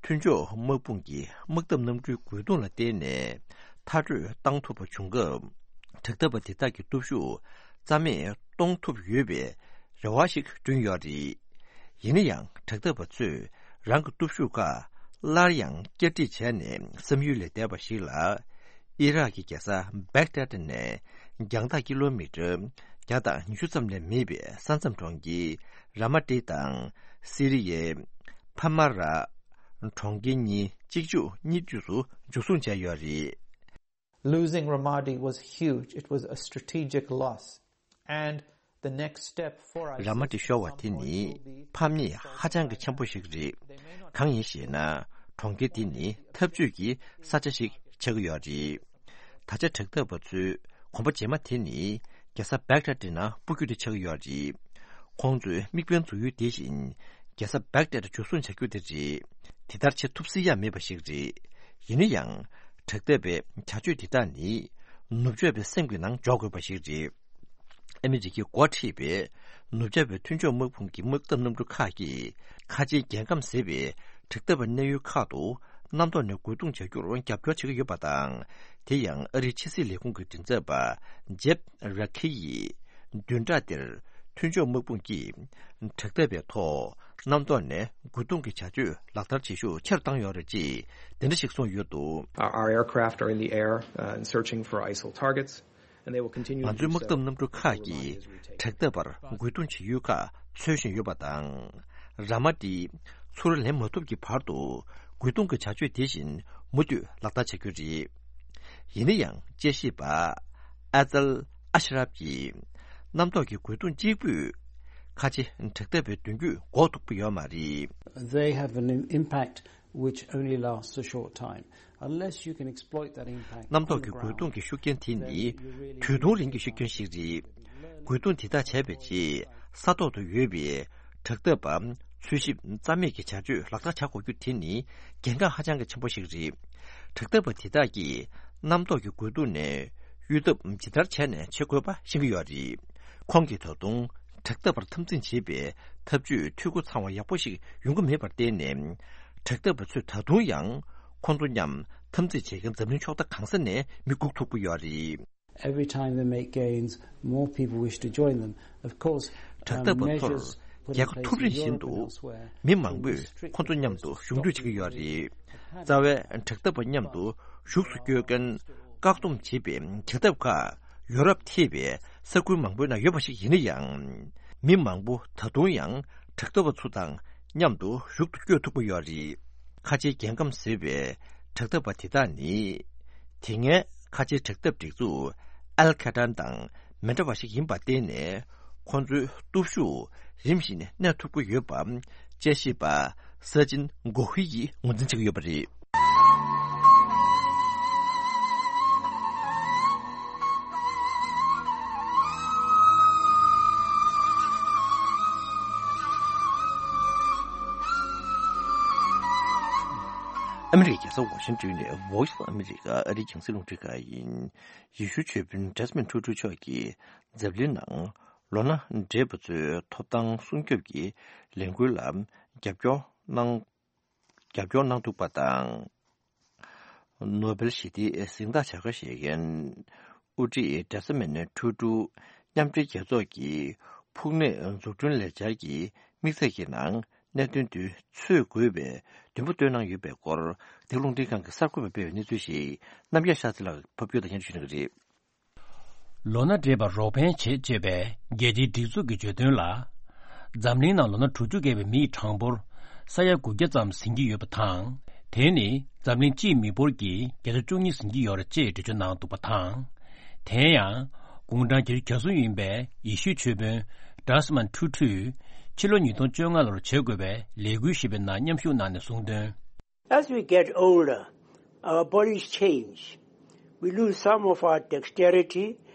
མཐུན་ཕྱོགས་དམག་དཔུང་གི་དམག་འཐབ་གནམ་གྲུའི་རྒོལ་རྡུང་ལ་བརྟེན་ནས་མཐར་སྐྲོད་བཏང་ཐུབ་པ་བྱུང་སྐབས། དྲག་འཐབ་པ་དེ་དག་གི་སྟོབས་ཤུགས་རྩ་མེད་གཏོང་ཐུབ་ཡོད་པའི་རེ་བ་ཞིག་བསྐྲུན་ཡོད་རེད། ཡིན་ན་ཡང་དྲག་འཐབ་པ་ཚོས་རང་གི་སྟོབས་ཤུགས་ཁག་སླར་ཡང་བསྐྱར་སྒྲིག་བྱས་ནས་བསམ་ཡུལ་ལས་འདས་པ་ཞིག་ལ། ཨི་རག་གི་རྒྱལ་ས་བེག་དཱད་ནས་རྒྱང་ཐག་ཀི་ལོ་མི་ཊར་བརྒྱ་དང་ཉི་ཤུ་ཙམ་ལས་མེད་པའི་ས་མཚམས་གྲོང་ཁྱེར་ར་མ་ཏི་དང་སི་རི་ཡའི་ཕ་མ་ར་གྲོང་ཁྱེར་གཉིས་གཅིག་མཇུག་གཉིས་མཐུད་དུ་འཇུ་བཟུང་བྱས་ཡོད་རེད། Losing Ramadi was huge. It was a strategic loss. And the next step for ར་མ་ཏི་ཤོར་བ་དེ་ནི་ཕམ་ཉེས་ཧ་ཅང་གི་ཆེན་པོ་ཞིག་རེད། གང་ཡིན་ཞེ་ན། གྲོང་ཁྱེར་དེ་ནི་འཐབ་ཇུས་ཀྱི་ས་ཆ་ཞིག་ཆགས་ཀྱི་ཡོད་རེད། ད་ཆ་དྲག་འཐབ་པ་ཚོས་གོམ་པ་རྗེས་མ་དེ་ནི་རྒྱལ་ས་བེག་དཱད་ནང་སྤོ་རྒྱུ་དེ་ཆགས་ཀྱི་ཡོད་རེད། ཁོང་ཚོའི་དམིགས་འབེན་འཛུགས་ཡུལ་དེ་བཞིན་རྒྱལ་ས་བེག་དཱད་འཇུ་བཟུང་བྱ་རྒྱུ་དེ་རེད། དེ་ལྟར་བྱེད་ཐུབ་སྲིད་ཡ་མེད་པ་ཞིག་རེད། ཡིན་ན་ཡང་། དྲག་འཐབ་པའི་བྱ་སྤྱོད་འདི་དག་ནི་ནུབ་ཕྱོགས་པའི་སེམས་ཀྱི་ནང་འཇོག་དགོས་པ་ཞིག་རེད། ཨ་མི་རི་ཀས་འགོ་ཁྲིད་པའི་ནུབ་ཕྱོགས་པའི་མཐུན་ཕྱོགས་དམག་དཔུང་གི་དམག་འཐབ་གནམ་གྲུ་ཁག་གིས་ཁ་ཆེའི་རྒྱལ་ཁམས་ཟེར་བའི་དྲག་འཐབ་པའི་གནས་ཡུལ་ཁག་ཏུ་གནམ་ཐོག་ནས་རྒོལ་རྡུང་བྱ་རྒྱུར་རྒྱབ་སྐྱོར་བྱེད་ཀྱི་ཡོད་པ་དང་། དེ་ཡང་ཨ་རིའི་ཕྱི་སྲིད་ལས་ཁུངས་ཀྱི་མགྲིན་ཚབ་པ་ཇེབ་ར་ཁི་ཡིས་བདུན་ཕྲག་འདིར་མཐུན་ཕྱོགས་དམག་དཔུང་གིས་དྲག་འཐབ་པའི་ཐོག་གནམ་ཐོག་ནས་རྒོལ་རྡུང་གི་བྱ་སྤྱོད་ལག་བསྟར་བྱེད་ཤུགས་ཆེ་རུ་བཏང་ཡོད་རེད་ཅེས་དེ་འདྲ་ཞིག་གསུངས་ཡོད་འདུག། Our aircraft are in the air, uh, and searching for ISIL targets, and they will continue to ང་ཚོའི་དམག་འཐབ་གནམ་གྲུ་ཁག་གིས་དྲག་འཐབ་པར་རྒོལ་རྡུང་བྱེད་ཡུལ་ཁག་འཚོལ་བཞིན་ཡོད་པ་དང་། ར་མ་ཏི་ཚུར་ལེན་མ་ཐུབ་ཀྱི་བར་དུ་རྒོལ་རྡུང་གི་བྱ་སྤྱོད་དེ་བཞིན་མུ་མཐུད་ལག་བསྟར་བྱ་རྒྱུ་རེད། ཡིན་ན་ཡང་དཔྱད་ཞིབ་པ་ཨ་ཙལ་ཨ་ཤ་རབ་ཀྱིས། གནམ་ཐོག་གི་རྒོལ་རྡུང་གཅིག་པུས་ཁ་ཆེ་དྲག་འཐབ་པའི་མདུན་སྐྱོད་འགོག་ཐུབ་ཀྱི་ཡོད་མ་རེད། They have an impact which only lasts a short time. Unless you can exploit that impact on the ground, གནམ་ཐོག་གི་རྒོལ་རྡུང་གི་ཤུགས་རྐྱེན་དེ་ནི་དུས་ཐུང་རིང་གི་ཤུགས་རྐྱེན་ཞིག་རེད། རྒོལ་རྡུང་དེ་དག་བྱས་པའི་རྗེས་ས་ཐོག་ཏུ་ཡོད་པའི་དྲག་འཐབ་པ་འཚོལ་ཞིབ་རྩ་མེད་ཀྱི་བྱ་སྤྱོད་ལག་བསྟར་བྱ་དགོས་རྒྱུ་དེ་ནི་གལ་འགངས་ཧ་ཅང་གི་ཆེན་པོ་ཞིག་རེད། དྲག་འཐབ་པ་དེ་དག་གིས་གནམ་ཐོག་གི་རྒོལ་རྡུང་ནས་གཡོལ་ཐབས་ཇི་ལྟར་བྱས་ནས་བྱེད་དགོས་པ་ཤེས་ཀྱི་ཡོད་རེད། ཁོང་གིས་ད་དུང་དྲག་འཐབ་པར་འཐབ་འཛིང་བྱེད་པའི་ཐབས་ཇུས་འཐུས་སྒོ་ཚང་བ་ཡག་པོ་ཞིག་ཡོང་གི་མེད་པར་བརྟེན་ནས། དྲག་འཐབ་པ་ཚོས་ད་དུང་ཡང་ཁོང་ཚོ་མཉམ་འཐབ་འཛིང་བྱེད་མཁན་འཛམ་གླིང་ཕྱོགས་མཐའ་གང་ས་ནས་མི་སྒུག་ཐུབ་ཀྱི་ཡོད་རེད། Every time they make gains, more people wish to join them. Of course, དྲག་འཐབ་པ་ཚོར་measures རྒྱལ་ཁ་ཐོབ་རིང་བཞིན་དུ་མི་མང་པོས་ཁོང་ཚོ་མཉམ་དུ་གཞུང་འབྲེལ་བྱེད་ཀྱི་ཡོད་རེད། རྩ་བའི་དྲག་འཐབ་པ་མཉམ་དུ་གཞུག་ཏུ་སྐྱོད་མཁན་བཀག་སྡོམ་བྱེད་པའི་བྱ་ཐབས་ཁག་ཡོ་རོབ་ཐེ་བའི་ས་ཁུལ་མང་པོའི་ནང་ཡོད་པ་ཞིག་ཡིན་ན་ཡང་། མི་མང་པོ་ད་དུང་ཡང་དྲག་འཐབ་པ་ཚོ་དང་མཉམ་དུ་གཞུག་ཏུ་སྐྱོད་ཐུབ་ཀྱི་ཡོད་རེད། ཁ་ཆེའི་རྒྱལ་ཁམས་ཟེར་བའི་དྲག་འཐབ་པ་དེ་དག་ནི། དེ་སྔའི་ཁ་ཆེའི་དྲག་འཐབ་སྒྲིག་འཛུགས་ཨལ་ཁ་ཏྲན་དང་མི་འདྲ་བ་ཞིག་ཡིན་པར་བརྟེན་ནས། ཁོང་ཚོའི་སྟོབས་ཤུགས་རིམ་བཞིན་གནས་ཐུབ་ཀྱི་ཡོད་པ། དཔྱད་ཞིབ་པ་ས་ཅིན་གོ་ཧི་ཡིས་ངོས་འཛིན་བྱེད་ཀྱི་ཡོད་པ་རེད། ཨ་མི་རི་ཀའི་རྒྱལ་ས་ཝ་ཤིང་ཏོན་ནས་Voice of America ཨ་རིའི་རྒྱང་སྲིང་རླུང་འཕྲིན་ཁང་ཡིན། ཡེ་ཤུའི་ཆོས་དཔོན་ཇ་སི་མིན་ཁྲུ་ཁྲུ་མཆོག་གིས་འཛམ་གླིང་ནང་ལོ་ན་བགྲེས་པ་ཚོའི་ཐོབ་ཐང་སྲུང་སྐྱོབ་ཀྱི་ལས་འགུལ་ལ་རྒྱབ་སྐྱོར་གནང་། རྒྱབ་སྐྱོར་གནང་འདུག་པ་དང་། ནོ་བེལ་ཞི་བདེའི་གཟེངས་རྟགས་བྱ་དགའ་བཞེས་མཁན་དབུ་ཁྲིད་ཇ་སི་མིན་ཁྲུ་ཁྲུ་མཉམ་འབྲེལ་རྒྱལ་ཚོགས་ཀྱི་ཕུགས་ནུས་འཛུགས་སྐྲུན་ལས་འཆར་གྱི་དམིགས་ཚད་ཀྱི་ནང་གནད་དོན་དེ་ཚུད་དགོས་པའི་འདུན་པ་བཏོན་གནང་ཡོད་པའི་སྐོར་འདི་ག་རླུང་འཕྲིན་ཁང་གི་གསར་འགོད་པས་སྤེལ་བའི་གནས་ཚུལ་ཞིག་རྣམ་རྒྱལ་ཤཱ་ཚེ་ལགས་ཕབ་སྒྱུར་དང་སྙན་སྒྲོན་ཞུ་གནང་གི་རེད། ལོ་ན་བགྲེས་པར་རོགས་ཕན་བྱེད་ཅེས་པའི་རྒྱལ་སྤྱིའི་སྒྲིག་འཛུགས་ཀྱི་བརྗོད་དོན་ལ། འཛམ་གླིང་ནང་ལོ་ན་དྲུག་ཅུ་བརྒལ་བའི་མི་ཡི་གྲངས་འབོར་ས་ཡ་དགུ་བརྒྱ་ཙམ་ཟིན་གྱི་ཡོད་པ་དང་། དེ་ནི་འཛམ་གླིང་སྤྱིའི་མི་འབོར་གྱི་བརྒྱ་ཆ་བཅུ་གཉིས་ཟིན་གྱི་ཡོད་རེད་ཅེས་འགྲེལ་བརྗོད་གནང་འདུག་པ་དང་། དེ་ཡང་། དགུང་གྲངས་བརྒྱད་ཅུ་གྱ་གསུམ་ཡིན་པའི་ཡེ་ཤུའི་ཆོས་དཔོན་ཌ་སི་མན་ཊུ་ཊུས་ཕྱི་ལོ་ཉིས་སྟོང་བཅོ་ལྔ་ལོར་བྱེད་དགོས་པའི་ལས་འགུལ་ཞེས་པའི་ནང་མཉམ་ཞུགས་གནང་ནས་གསུངས་དོན། As we get older, our bodies change. We lose some of our dexterity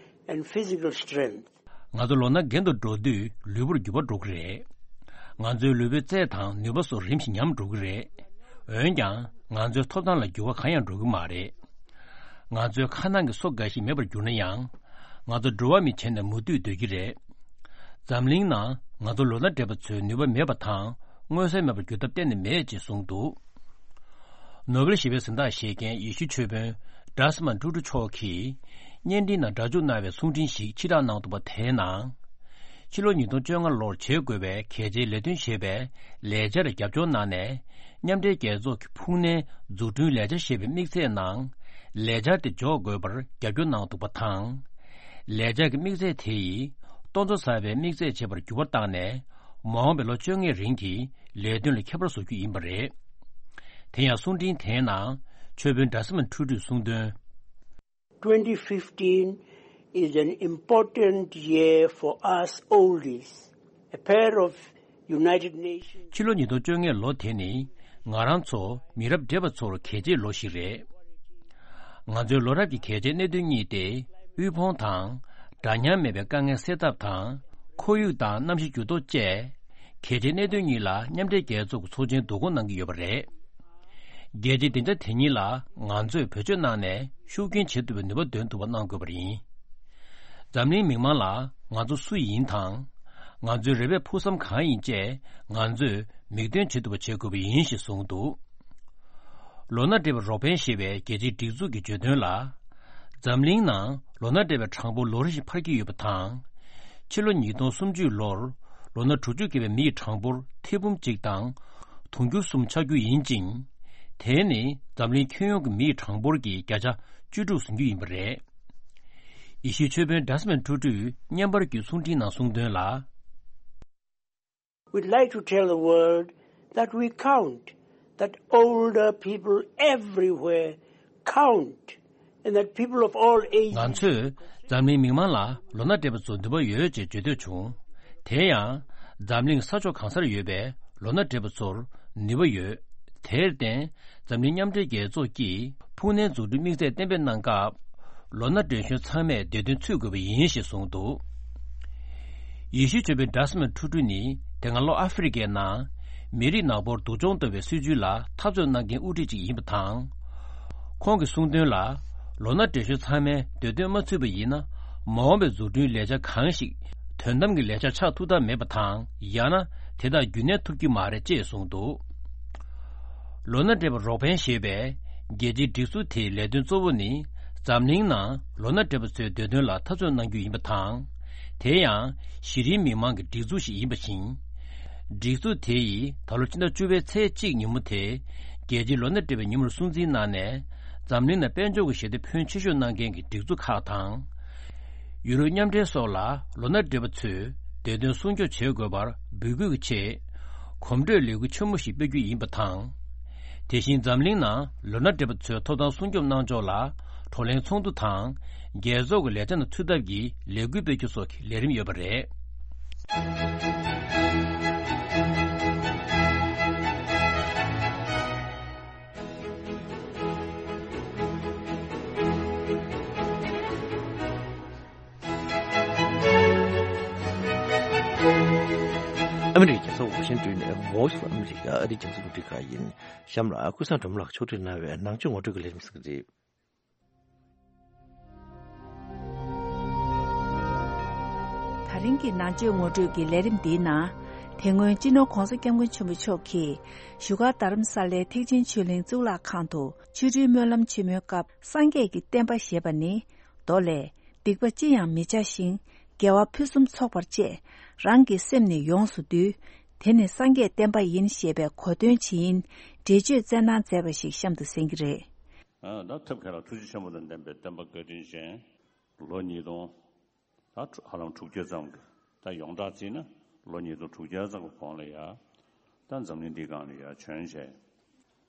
and physical strength. ང་ཚོ་ལོ་ན་རྒན་དུ་འགྲོ་དུས་ལུས་པོར་འགྱུར་བ་འགྲོ་གི་རེད། ང་ཚོའི་ལུས་པོའི་རྩལ་དང་ནུས་པ་སོགས་རིམ་བཞིན་ཉམས་འགྲོ་གི་རེད། འོན་ཀྱང་ང་ཚོའི་ཐོབ་ཐང་ལ་འགྱུར་བ་གང་ཡང་འགྲོ་གི་མ་རེད། ང་ཚོའི་ཁ་ནང་གི་སོ་འགའ་ཞིག་མེད་པར་གྱུར་ན་ཡང་། ང་ཚོ་འགྲོ་བ་མི་བྱས་ནས་མུ་མཐུད་སྡོད་ཀྱི་རེད། འཛམ་གླིང་ནང་ང་ཚོ་ལོ་ན་བགྲེས་པ་ཚོའི་ནུས་པ་མེད་པ་དང་མངོན་གསལ་མེད་པར་གྱུར་ཐབས་གཏན་ནས་མེད་ཅེས་གསུངས་འདུག་ནོ་བེལ་ཞི་བའི་གཟེངས་རྟགས་བཞེས་མཁན་ཡེ་ཤུའི་ཆོས་དཔོན་ཌ་སི་མན་ཊུ་ཊུ་མཆོག་གིས་བརྙན་འཕྲིན་ནང་སྒྲ་འཇུག་གནང་བའི་གསུང་འཕྲིན་ཞིག་ཕྱིར་བསྒྲགས་གནང་འདུག་པ་དེའི་ནང་། ཕྱི་ལོ་ཉིས་སྟོང་བཅོ་ལྔ་ལོར་བྱེད་དགོས་པའི་གལ་ཆེའི་ལས་དོན་ཞེས་པའི་ལས་འཆར་རྒྱབ་སྐྱོར་གནང་ནས། མཉམ་འབྲེལ་རྒྱལ་ཚོགས་ཀྱི་ཕུགས་ནན་འཛུགས་སྐྲུན་ལས་འཆར་ཞེས་པའི་དམིགས་ཚད་ནང་ལས་འཆར་དེ་འཇོག་དགོས་པར་རྒྱབ་སྐྱོར་གནང་འདུག་པ་དང་། ལས་འཆར་གྱི་དམིགས་ཚད་དེ་ཡིས་ལྟོ་འཚོ་ཟ་བའི་དམིགས་ཚད་བྱེད་པར་འགྱུར་བ་བཏང་ནས། མ་འོངས་པའི་ལོ་བཅོ་ལྔའི་རིང་གི་ལས་དོན་ལ་ཁྱད་པར་བཟོ་རྒྱུ་ཡིན་པ་རེད། དེ་ཡང་གསུང་འཕྲིན་དེའི་ནང་ཆོས་དཔོན་ཌ་སི་མན་ཊུ་ཊུས་གསུངས་དོན། Twenty fifteen is an important year for us oldies, a pair of United Nations. ཕྱི་ལོ་ཉིས་སྟོང་བཅོ་ལྔའི་ལོ་དེ་ནི་ང་རང་ཚོ་མི་རབས་བགྲེས་པ་ཚོར་གལ་ཆེའི་ལོ་ཞིག་རེད། ང་ཚོའི་ལོ་རབས་ཀྱི་གལ་ཆེའི་གནད་དོན་གཉིས་ཏེ། དབུལ་ཕོངས་དང་། འདྲ་མཉམ་མེད་པའི་དཀའ་ངལ་སེལ་ཐབས་དང་། ཁོར་ཡུག་དང་གནམ་གཤིས་འགྱུར་ལྡོག་བཅས། གལ་ཆེའི་གནད་དོན་གཉིས་ལ་མཉམ་འབྲེལ་རྒྱལ་ཚོགས་ཀྱི་ཚོགས་ཆེན་བསྡུ་སྐོང་གནང་གི་ཡོད་པ་རེད། རྒྱལ་སྤྱིའི་སྡིངས་ཆ་དེ་ཉིད་ལ་ང་ཚོས་བེད་སྤྱོད་གནང་ནས་ཤུགས་རྐྱེན་བྱེད་ཐུབ་པའི་ནུས་པ་འདོན་ཐུབ་པ་གནང་དགོས་པ་ཡིན། འཛམ་གླིང་མི་མང་ལ་ང་ཚོ་སུ་ཡིན་དང་། ང་ཚོའི་རེ་བའི་ཕུགས་བསམ་གང་ཡིན་བཅས་ང་ཚོས་མིག་སྟོན་བྱེད་ཐུབ་པ་བྱེད་དགོས་པ་ཡིན་ཞེས་གསུངས་འདུག་ལོ་ན་བགྲེས་པ་རོགས་ཕན་ཞེས་པའི་རྒྱལ་སྤྱིའི་སྒྲིག་འཛུགས་ཀྱིས་བརྗོད་དོན་ལ། འཛམ་གླིང་ནང་ལོ་ན་བགྲེས་པའི་གྲངས་འབོར་ལོ་རེ་བཞིན་འཕར་གྱི་ཡོད་པ་དང་། ཕྱི་ལོ་ཉིས་སྟོང་སུམ་ཅུ་ལོར་ལོ་ན་དྲུག་ཅུ་བརྒལ་བའི་མི་ཡི་གྲངས་འབོར་ཐེར་འབུམ་གཅིག་དང་དུང་ཕྱུར་གསུམ་ཆགས་རྒྱུ་ཡིན་ཅིང་། དེ་ནི་འཛམ་གླིང་ཁྱོན་ཡོངས་ཀྱི་མི་ཡི་གྲངས་འབོར་གྱི་བརྒྱ་ཆ་བཅུ་དྲུག་ཟིན་རྒྱུ་ཡིན་པ་རེད། ཡེ་ཤུའི་ཆོས་དཔོན་ཌ་སི་མན་ཊུ་ཊུས་བརྙན་པར་བརྒྱུད་གསུང་འཕྲིན་ནང་གསུངས་དོན་ལ། We'd like to tell the world that we count, that older people everywhere count, and that people of all ages. ང་ཚོས་འཛམ་གླིང་མི་མང་ལ་ལོ་ན་བགྲེས་པ་ཚོར་ནུས་པ་ཡོད་ཅེས་བརྗོད་འདོད་བྱུང་། དེ་ཡང་། འཛམ་གླིང་ས་ཕྱོགས་གང་སར་ཡོད་པའི་ལོ་ན་བགྲེས་པ་ཚོར་ནུས་པ་ཡོད། དེར་བརྟེན། འཛམ་གླིང་མཉམ་འབྲེལ་རྒྱལ་ཚོགས་ཀྱིས་ཕུགས་ནན་འཛུགས་སྐྲུན་དམིགས་ཚད་གཏན་འབེབས་གནང་སྐབས། ལོ་ན་བགྲེས་གཞོན་ཚང་མས་བདེ་དོན་འཚོལ་དགོས་པ་ཡིན་ཞེས་གསུངས་འདུག་ཡེ་ཤུའི་ཆོས་དཔོན་ཌ་སི་མན་ཊུ་ཊུ་ནི་དེ་སྔ་ལྷོ་ཨ་ཧྥེ་རི་ཁའི་ནང་མི་རིགས་ནག་པོར་སྡུག་སྦྱོང་གཏོང་བའི་སྲིད་བྱུས་ལ་འཐབ་རྩོད་གནང་མཁན་དབུ་ཁྲིད་ཅིག་ཡིན་པ་དང་། ཁོང་གིས་གསུངས་དོན་ལ། ལོ་ན་བགྲེས་གཞོན་ཚང་མས་བདེ་དོན་མ་འཚོལ་བ་ཡིན་ན། མ་འོངས་པའི་འཛུགས་སྐྲུན་ལས་འཆར་གང་ཞིག་དོན་དམ་གྱི་ལས་འཆར་ཆགས་ཐུབ་ཐབས་མེད་པ་དང་། ཡང་ན་དེ་དག་རྒྱུན་གནས་ཐུབ་ཀྱི་མ་རེད་ཅེས་གསུངས་འདུག་ལོ་ན་བགྲེས་པ་རོགས་ཕན་ཞེས་པའི་རྒྱལ་སྤྱིའི་སྒྲིག་འཛུགས་དེའི་ལས་དོན་གཙོ་བོ་ནི། འཛམ་གླིང་ནང་ལོ་ན་བགྲེས་པ་ཚོའི་བདེ་དོན་ལ་འཐབ་རྩོད་གནང་རྒྱུ་ཡིན་པ་དང་། དེ་ཡང་གཞི་རིམ་མི་མང་གི་སྒྲིག་འཛུགས་ཤིག་ཡིན་པ་བཞིན། སྒྲིག་འཛུགས་དེ་ཡིས་ད་ལོ་སྤྱི་ཟླ་བཅུ་པའི་ཚེས་གཅིག་ཉིན་མོ་དེ། རྒྱལ་སྤྱིའི་ལོ་ན་བགྲེས་པའི་ཉིན་མོར་སྲུང་བརྩི་གནང་ནས། འཛམ་གླིང་ནང་དཔལ་འབྱོར་གྱི་ཞི་བདེ་ཕོན་ཆེ་ཤོས་གནང་མཁན་གྱི་སྒྲིག་འཛུགས་ཁག་དང་། ཡུ་རོབ་མཉམ་འབྲེལ་སོགས་ལ་ལོ་ན་བགྲེས་པ་ཚོས་བདེ་དོན་སྲུང་སྐྱོབ་བྱེད་དགོས་པར་འབོད་སྐུལ་གྱི་ཆེད། གོམ་བགྲོད་ལས་འགུལ་ཆེན་མོ་ཞིག་སྤེལ་རྒྱུ་ཡིན་པ་དང་། དེ་བཞིན་འཛམ་གླིང་ནང་ལོ་ན་བགྲེས་པ་ཚོའི་ཐོབ་ཐང་སྲུང་སྐྱོབ་གནང་ཕྱོགས་ལ་བགྲོ་གླེང་ཚོགས་འདུ་དང་། རྒྱལ་ཚོགས་ཀྱི་ལས་འཆར་ནང་ཚུད་ཐབས་ཀྱི་ལས་འགུལ་སྤེལ་རྒྱུ་སོགས་ཀྱི་ལས་རིམ་ཡོད་པ་རེད། ཨ་མི་རི་ཀའི་རྒྱལ་ས་ཝ་ཤིང་ཏོན་ནས་Voice of America ཨ་རིའི་རྒྱང་སྲིང་རླུང་འཕྲིན་ཁང་ཡིན། གཤམ་ལ་ཀུན་བཟང་སྒྲོལ་མ་ལགས་ཕྱོགས་སྒྲིག་གནང་བའི་ནང་ཆོས་ངོ་སྤྲོད་ཀྱི་ལས་རིམ་གསན་གྱི་རེད། ད་རིང་གི་ནང་ཆོས་ངོ་སྤྲོད་ཀྱི་ལས་རིམ་འདིའི་ནང་། དེ་སྔོན་སྤྱི་ནོར་༧གོང་ས་༧སྐྱབས་མགོན་ཆེན་པོ་མཆོག་གིས་བཞུགས་སྒར་རྡ་རམ་ས་ལའི་ཐེག་ཆེན་ཆོས་གླིང་གཙུག་ལག་ཁང་དུ་ཆོ་འཕྲུལ་སྨོན་ལམ་ཆེན་མོའི་སྐབས། སངས་རྒྱས་ཀྱི་བསྟན་པ་ཞེས་པ་ནི་མདོ་ལས། སྡིག་པ་ཅི་ཡང་མི་བྱ་ཞིང་། དགེ་བ་ཕུན་སུམ་ཚོགས་པར་སྤྱད། རང་གི་སེམས་ནི་ཡོངས་སུ་འདུལ། དེ་ནི་སངས་རྒྱས་བསྟན་པ་ཡིན་ཞེས་པའི་གོ་དོན་ཇི་ཡིན་འགྲེལ་བརྗོད་སྩལ་གནང་མཛད་པ་ཞིག་གཤམ་དུ་གསན་གྱི་རེད། ད་ཐུབ་མཁན་ལ་ཐུགས་རྗེ་ཆེན་པོ་དང་ལྡན་པའི་བསྟན་པ་བཀའ་དྲིན་ཅན། ལོ་ཉིས་སྟོང་ད་ཧ་ལམ་དྲུག་ཅུ་ཙམ་གྱི་ད་ཡོངས་གྲགས་བརྩིས་ན་ ལོ་ཉིས་སྟོང་དྲུག་བརྒྱ་ཙམ་གྱི་གོང་ལ་ཡ། ད་འཛམ་གླིང་འདིའི་སྒང་ལ་ཡ་བྱོན་བྱས།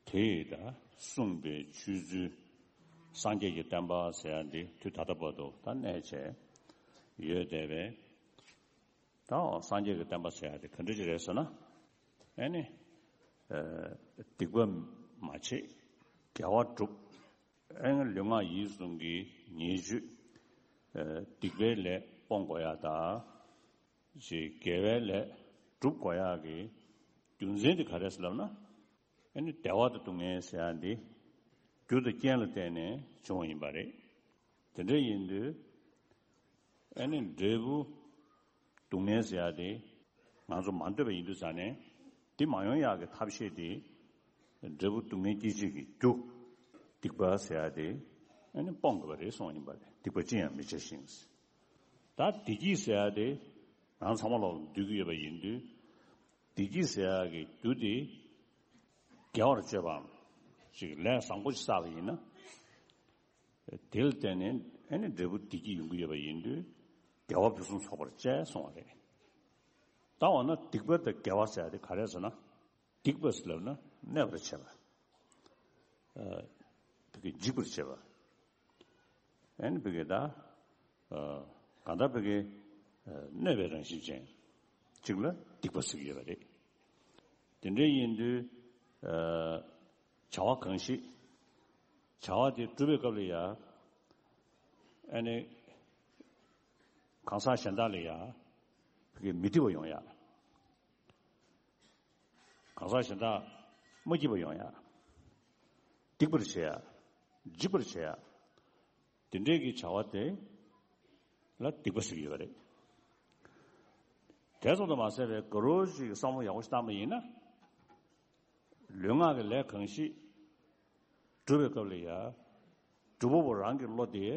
དེ་ཡིས་ད་གསུངས་པའི་ཆོས་ཚུལ། སངས་རྒྱས་ཀྱི་བསྟན་པ་ཟེར་ཡ་འདི་དུས་ད་ལྟ་བར་དུ་ད་གནས་བྱས་ཡོད་བསྡད་པས། ད་འོ་སངས་རྒྱས་ཀྱི་བསྟན་པ་ཟེར་ཡ་དེ་ག་འདྲ་ཅིག་རེད་ཟེར་ན། ཨེ་ནི། ཨ། སྡིག་པ་མ་བྱེད། དགེ་བ་སྒྲུབ། ཨེ་ནི་ལུས་ངག་ཡིད་གསུམ་གྱི་ཉེས་སྤྱོད། ཨ། སྡིག་པའི་ལས་སྤོང་དགོས་ཡ་དང་། ཅིག་དགེ་བའི་ལས་སྒྲུབ་དགོས་ཡ་གི་རྒྱུ་མཚན་དེ་ག་རེ་ཟེར་ལབ་ན། ཨེ་ནི་བདེ་བ་དང་སྡུག་བསྔལ་ཟེར་ཡ་འདི་རྒྱུ་དང་རྐྱེན་ལ་བརྟེན་ནས་བྱུང་བ་ཡིན་པ་རེད། དེ་འདྲ་ཡིན་དུས་ཨེ་ནི་འབྲས་བུ་སྡུག་བསྔལ་ཟེར་ཡ་དེ་ང་ཚོ་མ་འདོད་པ་ཡིན་དུས་ཙང་ནས། འདི་མ་ཡོང་ཡག་གི་ཐབས་ཤེས་དེ་འབྲས་བུ་སྡུག་བསྔལ་སྐྱེད་བྱེད་ཀྱི་རྒྱུ་སྡིག་པ་ཟེར་ཡ་དེ་ཨེ་ནི་སྤོང་དགོས་པ་རེད་གསུངས་ཡིན་པ་རེད། སྡིག་པ་ཅི་ཡང་མི་བྱ་ཞིང་། ད་བདེ་སྐྱིད་ཟེར་ཡ་དེ་ང་ཚང་མ་ལོག་འདོད་ཀྱི་ཡོད་པ་ཡིན་དུས། བདེ་སྐྱིད་ཟེར་ཡག་གི་རྒྱུ་དེ་དགེ་བར་སྤྱོད་པའམ་ཅིག་ལས་བཟང་པོ་ཞིག་བསགས་པ་ཡིན་ན། དེ་ལ་བརྟེན་ནས་ཨེ་ནི་འབྲས་བུ་བདེ་སྐྱིད་ཡོང་གི་ཡོད་པ་ཡིན་དུས། དགེ་བ་ཕུན་སུམ་ཚོགས་པར་སྤྱད་གསུངས་པ་རེད། ད་འོ་ན་སྡིག་པ་དང་དགེ་བ་ཟེར་ཡ་དེ་ག་རེ་ཟེར་ན། སྡིག་པ་ཟེར་ལབ་ན་གནོད་པར་བྱེད་པ། ཨ། བོད་སྐད་འཇིགས་པར་བྱེད་པ། ཨེ་ནི་བོད་སྐད་ད། ཨ། གང་ལྟར་བོད་སྐད། ཨ། གནོད་པའི་རང་བཞིན་ཅན་ཅིག་ལ་སྡིག་པ་ཟེར་གྱི་ཡོད་པ་རེད། དེ་འདྲ་ཡིན་དུས། ཨ། བྱ་བ་གང་ཞིག་བྱ་བ་དེ་སྒྲུབ་པའི་སྐབས་ལ་ཡ། ཨེ་ནི། གང་ཟག་གཞན་དག་ལ་ཡ། བོད་སྐད་མི་སྡིག་པ་ཡོང་ཡ། གང་ཟག་གཞན་དག་མ་སྐྱིད་པ་ཡོང་ཡ། སྡིག་པར་བྱེད་ཡ། འཇིགས་པར་བྱེད་ཡ། དེ་འདྲའི་གི་བྱ་བ་དེ་ལ་སྡིག་པ་ཟེར་གྱི་ཡོད་པ་རེད། དེ་ཙམ་དུ་མ་ཟད་པའི་དགའ་རོགས་ཅིག་བསམ་བློ་ཡག་པོ་ཞིག་བཏང་པ་ཡིན་ན། ལུས་ངག་གི་ལས་གང་ཞིག་སྒྲུབ་པའི་སྐབས་ལ་ཡ། སྒྲུབ་པ་པོ་རང་གི་བློ་དེ།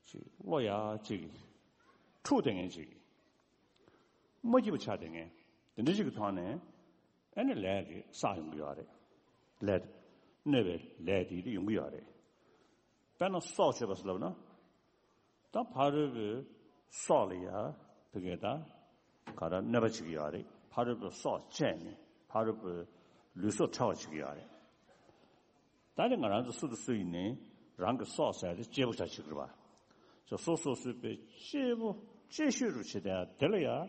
ཅིག་བློ་ཡ་ཅིག་འཁྲུག་བསྡད་མཁན་ཅིག་མ་སྐྱིད་པ་ཆགས་བསྡད་མཁན། དེ་འདྲ་ཅིག་གི་ཐོག་ནས་ཨེ་ནི་ལས་ཀྱི་བསགས་ཡོང་གི་ཡོད་རེད། ལས། གནོད་པའི་ལས་དེ་ཡོང་གི་ཡོད་རེད། དཔེར་ན་སྲོག་གཅོད་པ་ཟེར་ལབ་ན། ད་ཕ་རོལ་པོའི་སྲོག་ལ་ཡ་བོད་སྐད་ད་ག་རེ་གནོད་པ་བྱེད་ཀྱི་ཡོད་རེད། ཕ་རོལ་པོའི་སྲོག་བཅད་ནས་ཕ་རོལ་པོའི་ལུས་སྲོག་འཕྲོག་པ་བྱེད་ཀྱི་ཡོད་རེད། ད་ནི་ང་རང་ཚོ་སུ་དང་སུ་ཡིན་ནའི་རང་གི་སྲོག་ཟེར་ཡ་དེ་གཅེས་པོ་ཆགས་བྱེད་དགོས་པ། སོ་སོ་སོ་སོའི་དཔེ་གཅེས་པོ་གཅེས་ཤོས་རུ་བྱེད་དེ་ཡ་དེ་ལ་ཡ། ཨ།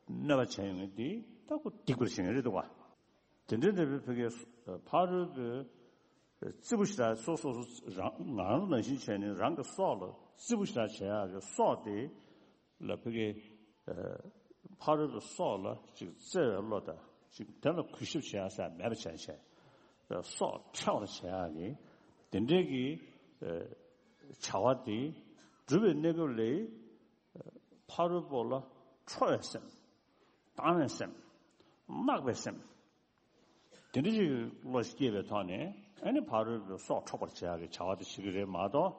གནོད་པ་བྱས་ཡོང་ངེས་དེ་ད་ཁོ་སྡིག་པར་བྱེད་ངེས་རེད་འདུག་བ། དེ་འདྲའི་འདྲ་བའི་བོད་སྐད་ཕ་རོལ་པོའི་རྩིས་པོ་ཞེ་དྲག་སོ་སོ་སོ་རང་ང་རང་ནང་བཞིན་བྱས་ནས་རང་གི་སྲོག་ལ་རྩིས་པོ་ཞེ་དྲག་བྱེད་ཡག་གི་སྲོག་དེ་ལ་བོད་སྐད། ཨ། ཕ་རོལ་པོའི་སྲོག་ལ་ཅིག་བརྩེ་བའི་བློ་དང་ཅིག་དེ་ལ་གུས་ཞབས་བྱེད་ཡ་ཟེར་མེད་པ་བྱས་བྱས། སྲོག་འཕྲོག་པར་བྱེད་ཡ་གི་དེ་འདྲའི་གི། ཨ། བྱ་བ་དེ་སྒྲུབ་པའི་གནས་སྐབས་ལ། ཨ། ཕ་རོལ་པོ་ལ་ཁྲོ་བའི་སེམས། སྡང་བའི་སེམས། བརྣག་པའི་སེམས། དེ་འདྲ་ཞིག་བློ་ཞིག་སྐྱེས་པའི་ཐོག་ནས་ཨ་ནི་ཕ་རོལ་པོའི་སྲོག་འཕྲོག་པར་བྱེད་ཡག་གི་བྱ་བ་དེ་བྱེད་ཀྱི་རེད་མ་གཏོགས།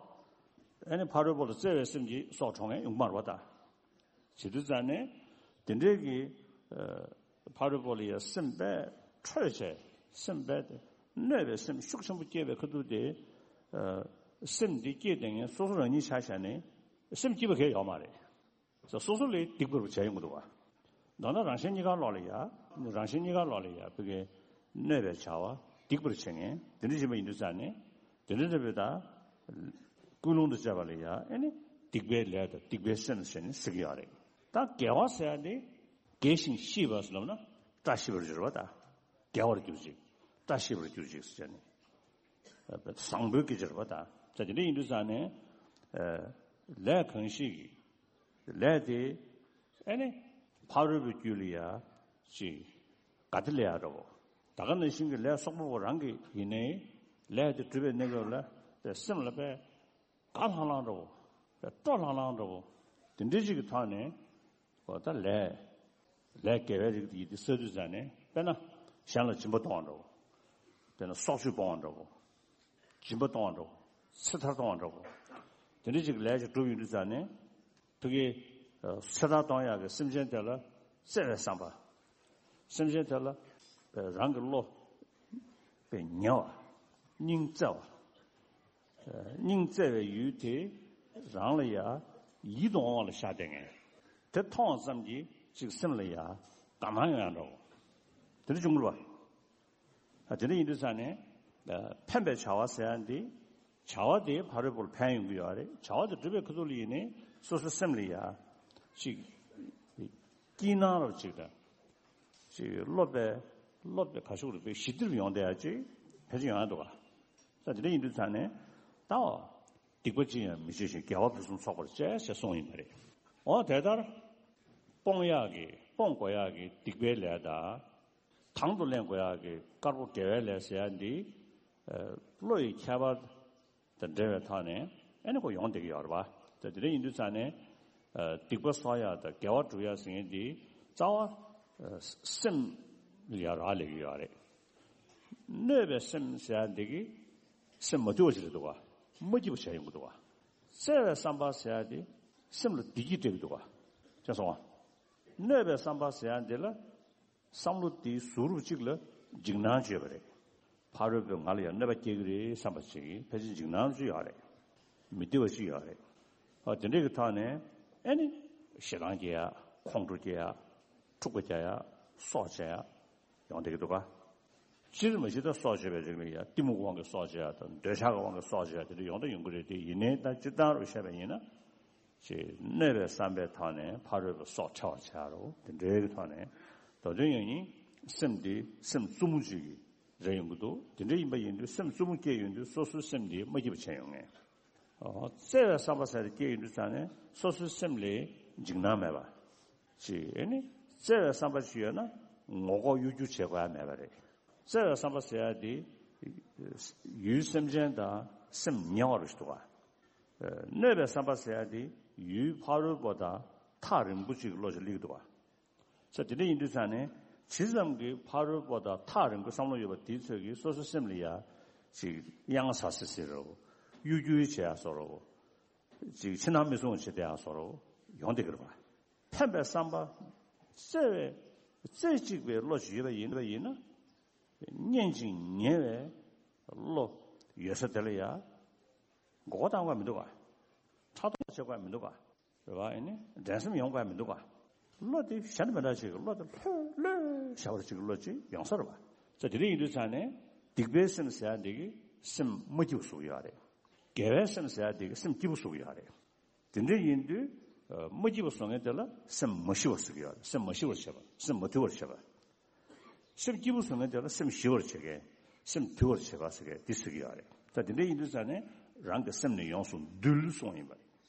ཨ་ནི་ཕ་རོལ་པོ་ལ་བརྩེ་བའི་སེམས་ཀྱིས་སྲོག་འཕྲོག་མཁན་ཡོང་གི་མ་རེད་པ་ད། བྱེད་དུས་ཙང་ནས་དེ་འདྲའི་གི། ཨ། ཕ་རོལ་པོ་ལ་ཡ་སེམས་དཔའ་ཁྲོས་བྱས་སེམས་དཔའ་དེ་གནོད་པའི་སེམས་ཤུགས་ཆེན་པོ་སྐྱེས་པའི་ཁ་ཐུག་དེ། ཨ། སེམས་འདི་སྐྱེས་བསྡད་མཁན་སོ་སོ་རང་ཉིད་ཆ་བཞག་ནས་སེམས་སྐྱིད་པ་གང་ཡང་ཡོད་མ་རེད། སོ་སོ་ལ་སྡིག་པར་བྱས་ཡོང་གི་འདུག་བ། མདོར་ན་རང་གཞན་གཉིས་ཀ་ལོག་ལ་ཡ། རང་གཞན་གཉིས་ཀ་ལོག་ལ་ཡ་བོད་སྐད་གནོད་པའི་བྱ་བ་སྡིག་པར་བྱེད་མཁན་དེ་འདྲ་ཡིན་པ་ཡིན་དུས་ཙང་ནས་དེ་འདྲ་འདྲ་བོའི་ད་ཀུན་སློང་དུ་བྱས་པ་ལ་ཡ་ཨེ་ནི་སྡིག་པའི་ལས་དང་སྡིག་པའི་སེམས་ཟེར་ནས་ཟེར་གྱི་ཡོད་རེད། ད་དགེ་བ་ཟེར་ཡ་དེ་དགེ་ཞིང་ཤེས་པ་ཟེར་ལབ་ན་བཀྲ་ཤིས་པར་གྱུར་པ་ད། དགེ་བར་གྱུར་ཅིག་བཀྲ་ཤིས་པར་གྱུར་ཅིག་ཟེར་ནས། བཟང་པོའི་སྐད་ཆ་རེད་པ་ད། ད་དེ་འདྲ་ཡིན་དུས་ཙང་ནས། ཨ། ལས་གང་ཞིག་གི་ལས་དེ་ཨེ་ནི་ཕ་རོལ་པོའི་རྒྱུད་ལ་ཡ་ཅིག་དགའ་བདེ་སླེབས་ཡ་འདྲ་བོ། ད་ག་ནང་བཞིན་གྱི་ལས་བསོག་པ་པོ་རང་གི་ཡིན་ནའི་ལས་དེ་སྒྲུབ་པའི་གནས་སྐབས་ལ་དེ་སེམས་ལ་དཔེ་དགའ་ལྷང་ལྷང་འདྲ་བོ། དཔེ་སྤྲོ་ལྷང་ལྷང་འདྲ་བོ། དེ་འདྲའི་ཅིག་གི་ཐོག་ནས་འོ་ད་ལས་ལས་དགེ་བའི་རིགས་དེ་ཡིན་དེ་བསགས་དུས་ཙང་ནས་དཔེར་ན་གཞན་ལ་སྦྱིན་པ་གཏོང་བ་འདྲ་བོ། དཔེར་ན་སྲོག་གཅོད་སྤོང་བ་འདྲ་བོ། སྦྱིན་པ་གཏོང་བ་འདྲ་བོ། ཚེ་ཐར་གཏོང་བ་འདྲ་བོ། དེ་འདྲ་ཅིག་ལས་ཅིག་སྒྲུབ་ཡོང་དུས་ཙང་ནས་ཕ་གི། ཨ། ཚེ་ཐར་གཏོང་ཡག་གི་སེམས་ཅན་དེ་ལ་བརྩེ་བའི་བསམ་པ། སེམས་ཅན་དེ་ལ། ཨ། རང་གི་བློ་དཔེ་ཉེ་བ། སྙིང་བརྩེ་བ། ཨ། སྙིང་བརྩེ་བའི་ཡུལ་དེ་རང་ལ་ཡ་ཡིད་དུ་འོང་བ་ལ་བཞག་བསྡད་མཁན། དེ་མཐོང་བ་ཙམ་གྱིས་ཅིག་སེམས་ལ་ཡ་དགའ་སྣང་ཡོང་ཡ་འདྲ་བོ། དེ་འདྲ་བྱུང་གི་རེད་པ། ཨ། དེ་འདྲ་ཡིན་དུས་ཙང་ནས། ཨ། ཕན་པའི་བྱ་བ་ཟེར་ཡ་འདི། བྱ་བ་དེ་ཕ་རོལ་པོར་ཕན་ཡོང་གི་ཡོད་རེད། བྱ་བ་དེ་སྒྲུབ་པའི་ཁ་ཐུག་ལ་ཡིན་ནའི་སོ་སོའི་སེམས་ལ་ཡ་ཅིག་སྐྱིད་སྣང་རབ་ཅིག་དང་། ཅིག་སློབ་པའི་སློབ་པའི་ག་ཤུགས་རེད་པའི་ཞི་བདེ་རུ་ཡོང་བསྡད་ཡ་ཅིག་ཕལ་ཆེར་ཡོང་ཡ་འདུག་ག། ད་དེ་འདྲ་ཡིན་དུས་ཙང་ནས་ད་སྡིག་པ་ཅི་ཡང་མི་བྱེད་ཅིང་དགེ་བ་ཕུན་སུམ་ཚོགས་པར་སྤྱད་ཅེས་གསུངས་ཡིན་པ་རེད། འོ་དེ་ལྟར་སྤོང་ཡག་གི་སྤོང་དགོས་ཡག་གི་སྡིག་པའི་ལས་དང་། དང་དུ་ལེན་དགོས་ཡག་གི་དཀར་པོ་དགེ་བའི་ལས་ཟེར་ཡ་འདི། ཨ། བློ་ཡི་ཁྱད་པར་དང་འབྲེལ་བའི་ཐོག་ནས་ཨ་ནི་ཁོ་ཡོང་བསྡད་ཀྱི་ཡོད་རེད་པ། ད་དེ་འདྲ་ཡིན་དུས་ཙང་ནས། ཨ། སྡིག་པ་གསོག་ཡག་དང་དགེ་བ་སྒྲུབ་ཡག་ཟེར་མཁན་འདི་རྩ་བ། ཨ། སེམས་ལ་ཡ་རག་ལས་ཀྱི་ཡོད་རེད། གནོད་པའི་སེམས་ཟེར་ཡག་འདི་གིས་སེམས་མ་དུལ་བ་ཞིག་རེད་འདུག་ག། མ་སྐྱིད་པ་བྱས་ཡོང་གི་འདུག་ག། བརྩེ་བའི་བསམ་པ་ཟེར་ཡག་འདི་སེམས་ལ་བདེ་སྐྱིད་སྤྲད་ཀྱི་འདུག་ག། ཅེས་གསུངས་པ། གནོད་པའི་བསམ་པ་ཟེར་ཡག་འདི་ལ། བསམ་བློ་དེའི་གཟུགས་རུས་གཅིག་ལ་འཇིགས་སྣང་བྱེད་པ་རེད། ཕ་རོལ་པོས་ང་ལ་ཡང་གནོད་པ་སྐྱེལ་གྱི་རེད་བསམ་པ་ཞིག་ཕལ་ཆེར་འཇིགས་སྣང་ཅིག་ཡོད་རེད། མི་བདེ་བ་ཞིག་ཡོད་རེད། ཨ། དེ་འདྲ་གི་ཐོག་ནས་ཨ་ནི་ཞེ་སྡང་སྐྱེ་ཡག། ཁོང་ཁྲོ་སྐྱེ་ཡག། འཁྲུག་པ་སྐྱེ་ཡག། སྲོག་བཅད་ཡག་ཡོང་བསྡད་ཀྱི་འདུག་ག། སྤྱིར་མ་གཞི་ད་སྲོག་བཅད་པའི་རིགས་ལ་ཡ་གཏི་མུག་གི་དབང་གིས་སྲོག་བཅད་ཡག་དང་འདོད་ཆགས་ཀྱི་དབང་གིས་སྲོག་བཅད་ཡག་དེ་འདྲ་ཡོང་དང་ཡོང་གི་རེད་དེ། ཡིན་ནའི་ད་སྤྱིར་བཏང་རུ་བཤད་པ་ཡིན་ན། ཅེས་གནོད་པའི་བསམ་པའི་ཐོག་ནས་ཕ་རོལ་པོའི་སྲོག་འཕྲལ་བར་བྱ་རོགས། དེ་འདྲའི་གི་ཐོག་ནས་ད་དུང་ཡང་ཡིན། སེམས་འདི་སེམས་རྩུབ་མོ་ཅིག་གི་རེ་ཡོང་གི་འདུག། དེ་འདྲ་ཡིན་པ་ཡིན་དུས་སེམས་རྩུབ་མོ་སྐྱེས་ཡོང་དུས་སོ་སོའི་སེམས་འདི་མ་སྐྱིད་པ་བྱས་ཡོང་ངེས། ཨོ། བརྩེ་བའི་བསམ་པ་ཟེར་དེ་སྐྱེས་ཡོང་དུས་ཙང་ནས་སོ་སོའི་སེམས་ལ་འཇིགས་སྣང་མེད་པ། ཅེས་ཨ་ནི་བརྩེ་བའི་བསམ་པ་ཅིག་ཡོད་ན་ངོ་ལྐོག་གཡོ་སྒྱུ་བྱེད་དགོས་ཡ་མེད་པ་རེད། བརྩེ་བའི་བསམ་པ་ཟེར་ཡ་དེ་ཡུལ་སེམས་ཅན་དང་སེམས་ཉེ་བ་རུ་ཞིག་འདུག་ག། གནོད་པའི་བསམ་པ་ཟེར་ཡ་དེ་ཡུལ་ཕ་རོལ་པོ་དང་ཐག་རིང་པོ་ཅིག་གི་བློ་ཅིག་སླེབས་ཀྱི་འདུག་ག། ས་དེ་འདྲ་ཡིན་དུས་ཙང་ནས་ཇི་ཙམ་གྱིས་ཕ་རོལ་པོ་དང་ཐག་རིང་པོའི་བསམ་བློ་ཡོད་པ་དེའི་ཚོད་ཀྱིས་སོ་སོའི་སེམས་ལ་ཡ་ཅིག་གཡང་ཟ་སི་སི་རོ། གཡོ་སྒྱུ་བྱེད་ཡ་བཟོ་འདྲ། ཅིག་ཕྱི་ནང་མི་སྲུང་བྱེད་བསྡད་ཡ་བཟོ་འདྲ་ཡོང་བསྡད་ཀྱི་རེད་པ། ཕན་པའི་བསམ་པ། བརྩེ་བའི། རྩེ་གཅིག་པའི་བློ་ཞིག་ཡོད་པ་ཡིན་པ་ཡིན་ན། སྙན་ཅིང་ཉེ་བའི་བློ་ཡོད་ས་དེ་ལ་ཡ་མགོ་སྐོར་བཏང་དགོས་མི་འདུག་ག། ཕྲག་དོག་བྱེད་དགོས་མི་འདུག་ག། རེད་པ། ཨེ་ནི་འགྲན་སེམས་ཡོང་དགོས་མི་འདུག་ག། བློ་དེ་གཞན་མི་འདྲ་ཞིག་གི་བློ་དེ་ལྷོད་ལྷོད་བྱ་བར་ཅིག་གི་བློ་ཅིག་ཡོང་ས་རེད་པ། ས་དེ་འདྲ་ཡིན་དུས་ཙང་ནས་སྡིག་པའི་སེམས་ཟེར་ཡ་འདི་གིས་སེམས་མ་སྐྱིད་པ་བཟོ་གི་ཡོད་རེད། དགེ་བའི་སེམས་ཟེར་ཡ་འདི་གིས་སེམས་སྐྱིད་པོ་བཟོ་གི་ཡོད་རེད། དེ་འདྲ་ཡིན་དུས། ཨ། མ་སྐྱིད་པ་བཟོ་མཁན་དེ་ལ་སེམས་མ་ཞི་བར་ཟེར་གྱི་ཡོད་རེད། སེམས་མ་ཞི་བར་བྱེད་པ། སེམས་མ་དུལ་བར་བྱེད་པ། སེམས་སྐྱིད་པོ་བཟོ་མཁན་དེ་ལ་སེམས་ཞི་བར་བྱེད་མཁན། སེམས་དུལ་བར་བྱེད་པ་ཟེར་མཁན་འདི་ཟེར་གྱི་ཡོད་རེད། ད་དེ་འདྲ་ཡིན་དུས་ཙང་ནས་རང་གི་སེམས་ནི་ཡོངས་སུ་འདུལ་གསུངས་ཡིན་པ་རེད།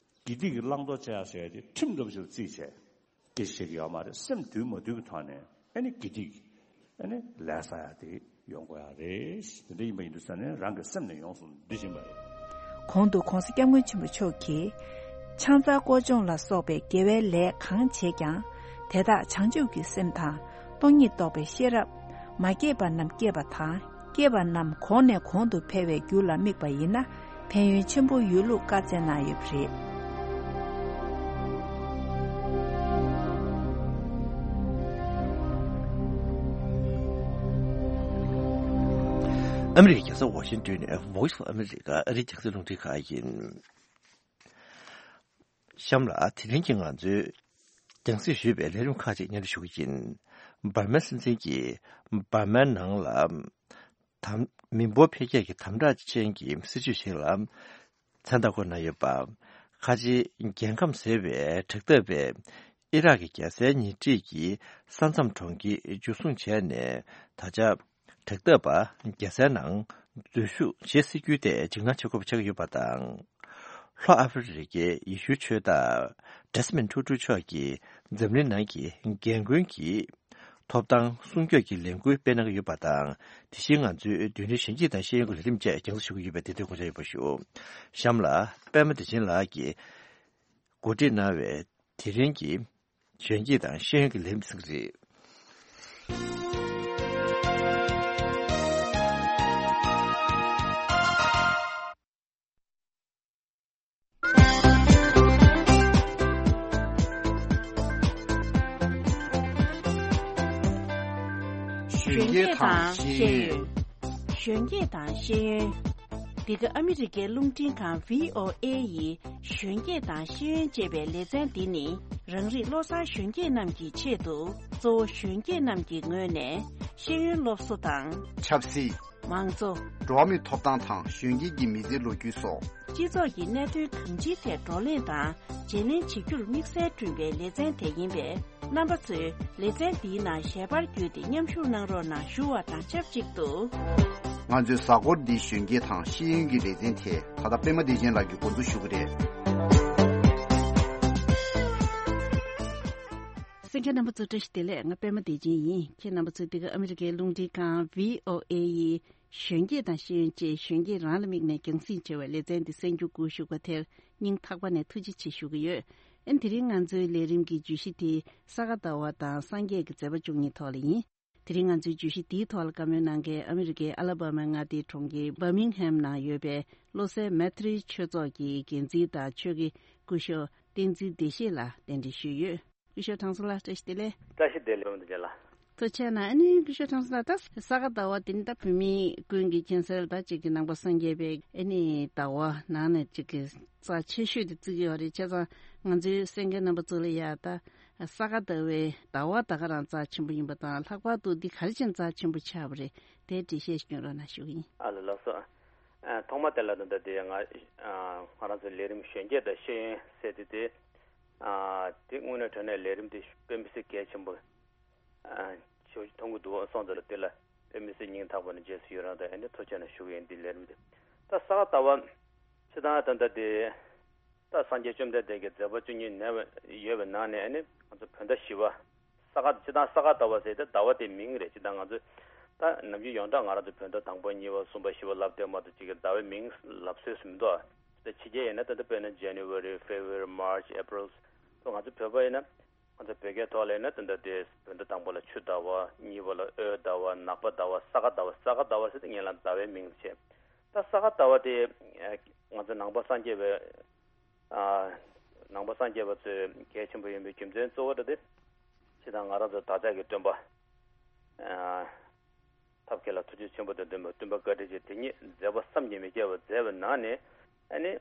དགེ་སྡིག་གི་བླང་དོར་བྱེད་ཡ་ཟེར་ཡ་དེ་ཁྲིམས་འདྲ་པོ་ཞིག་ལ་བརྩིས་བྱས། སྐད་ཆ་བཤད་ཀྱི་ཡོད་མ་རེད། སེམས་དུལ་མ་དུལ་གྱི་ཐོག་ནས་ཨ་ནི་དགེ་སྡིག་ཨ་ནི་ལས་བསགས་ཡ་དེ་ཡོང་དགོས་ཡ་རེད། དེ་འདྲ་ཡིན་པ་ཡིན་དུས་ཙང་ནས་རང་གི་སེམས་ནི་ཡོངས་སུ་འདུལ་བཞིན་པ་རེད། གོང་དུ་༧གོང་ས་༧སྐྱབས་མགོན་ཆེན་པོ་མཆོག་གིས། ཕྱག་འཚལ་སྐོར་སྦྱོང་ལ་སོགས་པའི་དགེ་བའི་ལས་གང་བྱེད་ཀྱང་། དེ་དག་བྱང་ཆུབ་ཀྱི་སེམས་དང་། སྟོང་ཉིད་རྟོགས་པའི་ཤེས་རབ། མ་སྐྱེས་པ་རྣམས་སྐྱེས་པ་དང་། སྐྱེས་པ་རྣམས་གོང་ནས་གོང་དུ་འཕེལ་བའི་རྒྱུ་ལ་དམིགས་པ་ཡིན་ན། ཕན་ཡོན་ཆེན་པོ་ཡོད་ལུགས་བཀའ་སྩལ་གནང་ཡོད་པ་རེད། ཨ་མི་རི་ཀའི་རྒྱལ་ས་ཝ་ཤིང་ཏོན་ནས་Voice of America ཨ་རིའི་རྒྱང་སྲིང་རླུང་འཕྲིན་ཁང་ཡིན། གཤམ་ལ་དེ་རིང་གི་ང་ཚོའི་རྒྱང་སྲིང་ཞུས་པའི་ལས་རིམ་ཁག་ཅིག་སྙན་སྒྲོན་ཞུ་གི་ཡིན། འབར་མའི་སྲིད་འཛིན་གྱིས་འབར་མའི་ནང་ལ་དམ། མི་འབོར་འཕེལ་རྒྱས་ཀྱི་དམ་དྲག་ཅན་གྱི་སྲིད་ཇུས་ཤིག་ལ་མཚན་རྟགས་བཀོད་གནང་ཡོད་པ། ཁ་ཆེའི་རྒྱལ་ཁམས་ཟེར་བའི་དྲག་འཐབ་པས་ཨི་རག་གི་རྒྱལ་སའི་ཉེ་འཁྲིས་ཀྱི་ས་མཚམས་གྲོང་ཁྱེར་འཇུ་བཟུང་བྱས་ནས། ད་ཆ་དྲག་འཐབ་པ་རྒྱལ་སའི་ནང་འཛུལ་ཞུགས་བྱེད་སྲིད་རྒྱུའི་ཐད་འཇིགས་སྣང་ཆེ་ཁོ་པ་ཆགས་ཀྱི་ཡོད་པ་དང་། ལྷོ་ཨ་ཧྥེ་རི་ཁའི་ཡེ་ཤུའི་ཆོས་བདག་ཌེ་སི་མོན་ཊུ་ཊུ་མཆོག་གིས་འཛམ་གླིང་ནང་གི་རྒན་རྒོན་གྱི་ཐོབ་ཐང་སྲུང་སྐྱོབ་ཀྱི་ལས་འགུལ་སྤེལ་གནང་གི་ཡོད་པ་དང་། དེ་བཞིན་ང་ཚོའི་རྡུལ་ཕྲན་གཞོན་སྐྱེས་དང་ཤེས་ཡོན་གྱི་ལས་རིམ་བཅས་རྒྱང་སྲིང་ཞུ་གི་ཡོད་པའི་བདེ་དོན་སྐོར་བྱ་ཡོད་པ་ཞུ། གཤམ་ལ་པད་མ་བདེ་ཆེན་ལགས་ཀྱིས་གོ་སྒྲིག་གནང་བའི་དེ་རིང་གི་གཞོན་སྐྱེས་དང་ཤེས་ཡོན་གྱི་ལས་རིམ་གསན་གྱི་རེད། གཞོན་སྐྱེས་དང་ཤེས་ཡོན། གཞོན་སྐྱེས་དང་ཤེས་ཡོན། འདི་ག་ཨ་མི་རི་ཀའི་རླུང་འཕྲིན་ཁང་བྷི་ཨོ་ཨེ་ཡི་གཞོན་སྐྱེས་དང་ཤེས་ཡོན་ཅེས་པའི་ལེ་ཚན་འདི་ནི། རང་རིགས་བློ་བཟང་གཞོན་སྐྱེས་རྣམས་ཀྱི་ཆེད་དུ། གཙོ་བོ་གཞོན་སྐྱེས་རྣམས་ཀྱི་ངོས་ནས་ཤེས་ཡོན་སློབ་གསོ་དང་། ཆབ་སྲིད། མང་གཙོ། འགྲོ་བ་མིའི་ཐོབ་ཐང་དང་གཞོན་སྐྱེས་ཀྱི་མི་ཚེའི་ལོ་རྒྱུས་སོགས། སྤྱི་ཚོགས་ཀྱི་གནད་དོན་གང་ཅིའི་ཐད་བགྲོ་གླེང་དང་བརྗེ་ལེན་བྱེད་རྒྱུར་དམིགས་བསལ་བསྐྲུན་པའི་ལེ་ཚན་དེ་ཡིན་པས། རྣམ་པ་ཚོས་ལེ་ཚན་འདིའི་ནང་ཞལ་པར་བརྒྱུད་དེ་མཉམ་ཞུགས་གནང་རོགས་གནང་ཞུ་བ་དང་ཆབས་ཅིག་ཏུ། ང་ཚོའི་གཟའ་འཁོར་འདིའི་གཞོན་སྐྱེས་དང་ཤེས་ཡོན་གྱི་ལེ་ཚན་དེ་ད་ལྟ་པད་མ་བདེ་ཆེན་ལགས་ཀྱིས་འགོ་འཛུགས་ཞུ་གི་རེད། གསན་མཁན་རྣམ་པ་ཚོ་བཀྲ་ཤིས་བདེ་ལེགས། ང་པད་མ་བདེ་ཆེན་ཡིན། ཁྱེད་རྣམ་པ་ཚོས་འདི་ག་ཨ་མི་རི་ཀའི་རླུང་འཕྲིན་ཁང་བྷི་ཨོ་ཨེ་ཡི་གཞོན་སྐྱེས་དང་ཤེས་ཡོན་ཅེས་གཞོན་སྐྱེས་རང་ལ་དམིགས་ནས་རྒྱང་སྲིང་བྱས་པའི་ལེ་ཚན་འདི་གསན་རྒྱུ་སྒུག་བཞུགས་པ་དེར་སྙིང་ཐག་པ་ནས་ཐུགས་རྗེ་ཆེ་ཞུ་གི་ཡོད། ཨ་ནི་དེ་རིང་ང་ཚོའི་ལས་རིམ་གྱི་བརྗོད་གཞི་དེ་ས་ག་ཟླ་བ་དང་སངས་རྒྱས་ཀྱི་མཛད་པ་བཅུ་གཉིས་ཐོག་ལ་ཡིན། དེ་རིང་ང་ཚོའི་བརྗོད་གཞི་འདིའི་ཐོག་ལ་བཀའ་མོལ་གནང་མཁན་ཨ་མི་རི་ཀའི་ཨ་ལ་བྷ་མའི་མངའ་སྡེའི་གྲོང་ཁྱེར་བྷར་མིང་ཧེམ་ནང་ཡོད་པའི་བློ་གསལ་མེ་ཏྲི་ཆོས་ཚོགས་ཀྱི་འགན་འཛིན་དང་ཆོས་དགེ་སྐུ་ཞབས་བསྟན་འཛིན་བདེ་གཤེགས་ལགས་གདན་འདྲེན་ཞུས་ཡོད། སྐུ་ཞབས་དྲང་སྲོང་ལགས་བཀྲ་ཤིས་བདེ་ལེགས། བཀྲ་ཤིས་བདེ་ལེགས་འོང་དུ་ལ། ཐུགས་རྗེ་གནང་། ཨ་ནི་སྐུ་ཞབས་དྲང་སྲོང་ལགས། ད་ས་ག་ཟླ་བ་འདི་ནི་ད་བོད་མི་ཀུན་གྱི་མཁྱེན་གསལ་ད་ཅིག་གི་ནང་པ་སངས་རྒྱས་པའི་ཨ་ནི་ཟླ་བ་ནང་ནས་ཅིག་གི་རྩ་ཆེ་ཤོས་དེ་བརྩི་གི་ཡོད་རེད། བྱས་ཙང་ང་ཚོའི་གསན་མཁན་རྣམ་པ་ཚོ་ལ་ཡ་ད་ས་ག་ཟླ་བའི་ཟླ་བ་ད་ག་རང་རྩ་ཆེན་པོ་ཡིན་པ་དང་། ལྷག་པར་དུ་འདི་ག་རེ་བྱས་ནས་རྩ་ཆེན་པོ་ཆགས་པ་རེད། དེའི་འགྲེལ་བཤད་ཞིག་སྐྱོན་རོགས་གནང་ཞུ་གི་ཡིན། ཨ་ལ་ལགས་སོ། ཨ་ཐོག་མ་དེ་ལ་ད་ལྟ་དེ་ང་ཨ་ང་རང་ཚོའི་ལས་རིམ་གཞོན་སྐྱེས་དང་ཤེས་ཡོན་ཟེར་དེ་དེ་ཨ་དེ་དངོས་གནས་དྲང་གནས་ལས་རིམ་དེ་དཔེ་མི་སྲིད་གལ་ཆེན་པོ་ཨ་ཞེ་པོ་ཅིག་མཐོང་གི་འདུག་སོང་ཙང་ལ་དེ་ལ་དཔེ་མི་སྲིད་སྙིང་ཐག་པ་ནས་རྗེས་སུ་ཡི་རང་དང་ཨ་ནི་ཐུགས་རྗེ་གནང་ཞུ་གི་ཡིན། འདི་ལས་རིམ་དེ་ད་ས་ག་ཟླ་བ་སྤྱིར་བཏང་ད་ལྟ་དེ་ད་སངས་རྒྱས་བཅོམ་ལྡན་འདས་ཀྱི་མཛད་པ་བཅུ་གཉིས་ནས་ཡོད་པའི་ནང་ནས་ཨ་ནི་ང་ཚོ་བོད་ཟླ་བཞི་པ། ས་ག་སྤྱིར་བཏང་ས་ག་ཟླ་བ་ཟེར་ཏེ་ཟླ་བ་དེའི་མིང་རེད། སྤྱིར་བཏང་ང་ཚོས་ད་ནམ་རྒྱུན་ཡོངས་གྲགས་ང་རང་ཚོ་བོད་ཟླ་དང་པོ་གཉིས་པ་གསུམ་པ་བཞི་པ་ལབ་དེ་མ་གཏོགས་གཅིག་གི་ཟླ་བའི་མིང་ལབ་སྲོལ་ཞིག་མི་འདུག་ད་ཕྱི་རྒྱལ་ཡིན་ན་ད་ལྟ་དཔེར་ན་January, February, March, April ཚོ། ང་ཚོ་བོད་པ་ཡིན་ན་ང་ཚོ་བོད་སྐད་ཐོག་ལ་ཡིན་ན་ད་ལྟ་དེ་བོད་ཟླ་དང་པོ་ལ་ཆུ་ཟླ་བ། གཉིས་པ་ལ་འོད་ཟླ་བ། ནག་པ་ཟླ་བ། ས་ག་ཟླ་བ། ས་ག་ཟླ་བ་ཟེར་ཏེ་ངེད་ལ་ཟླ་བའི་མིང་བྱས། ད་ས་ག་ཟླ་བ་དེ་ང་ཚོ་ནང་པ་སངས་རྒྱས་པའི་ཨ་ནང་པ་སངས་རྒྱས་པ་ཚོས་གལ་ཆེན་པོ་ཡིན་པའི་རྒྱུ་མཚན་གཙོ་བོ་དེ་སྤྱིར་བཏང་ང་རང་ཚོ་བདག་ཅག་གི་སྟོན་པ་ཨ་ཐབས་མཁས་ལ་ཐུགས་རྗེ་ཆེན་པོ་དང་ལྡན་པའི་སྟོན་པ་བཀའ་དྲིན་ཅན་དེ་ཉིད་མཛད་པ་བསམ་གྱིས་མི་ཁྱབ་པ་མཛད་པའི་ནང་ནས་ཨ་ནི་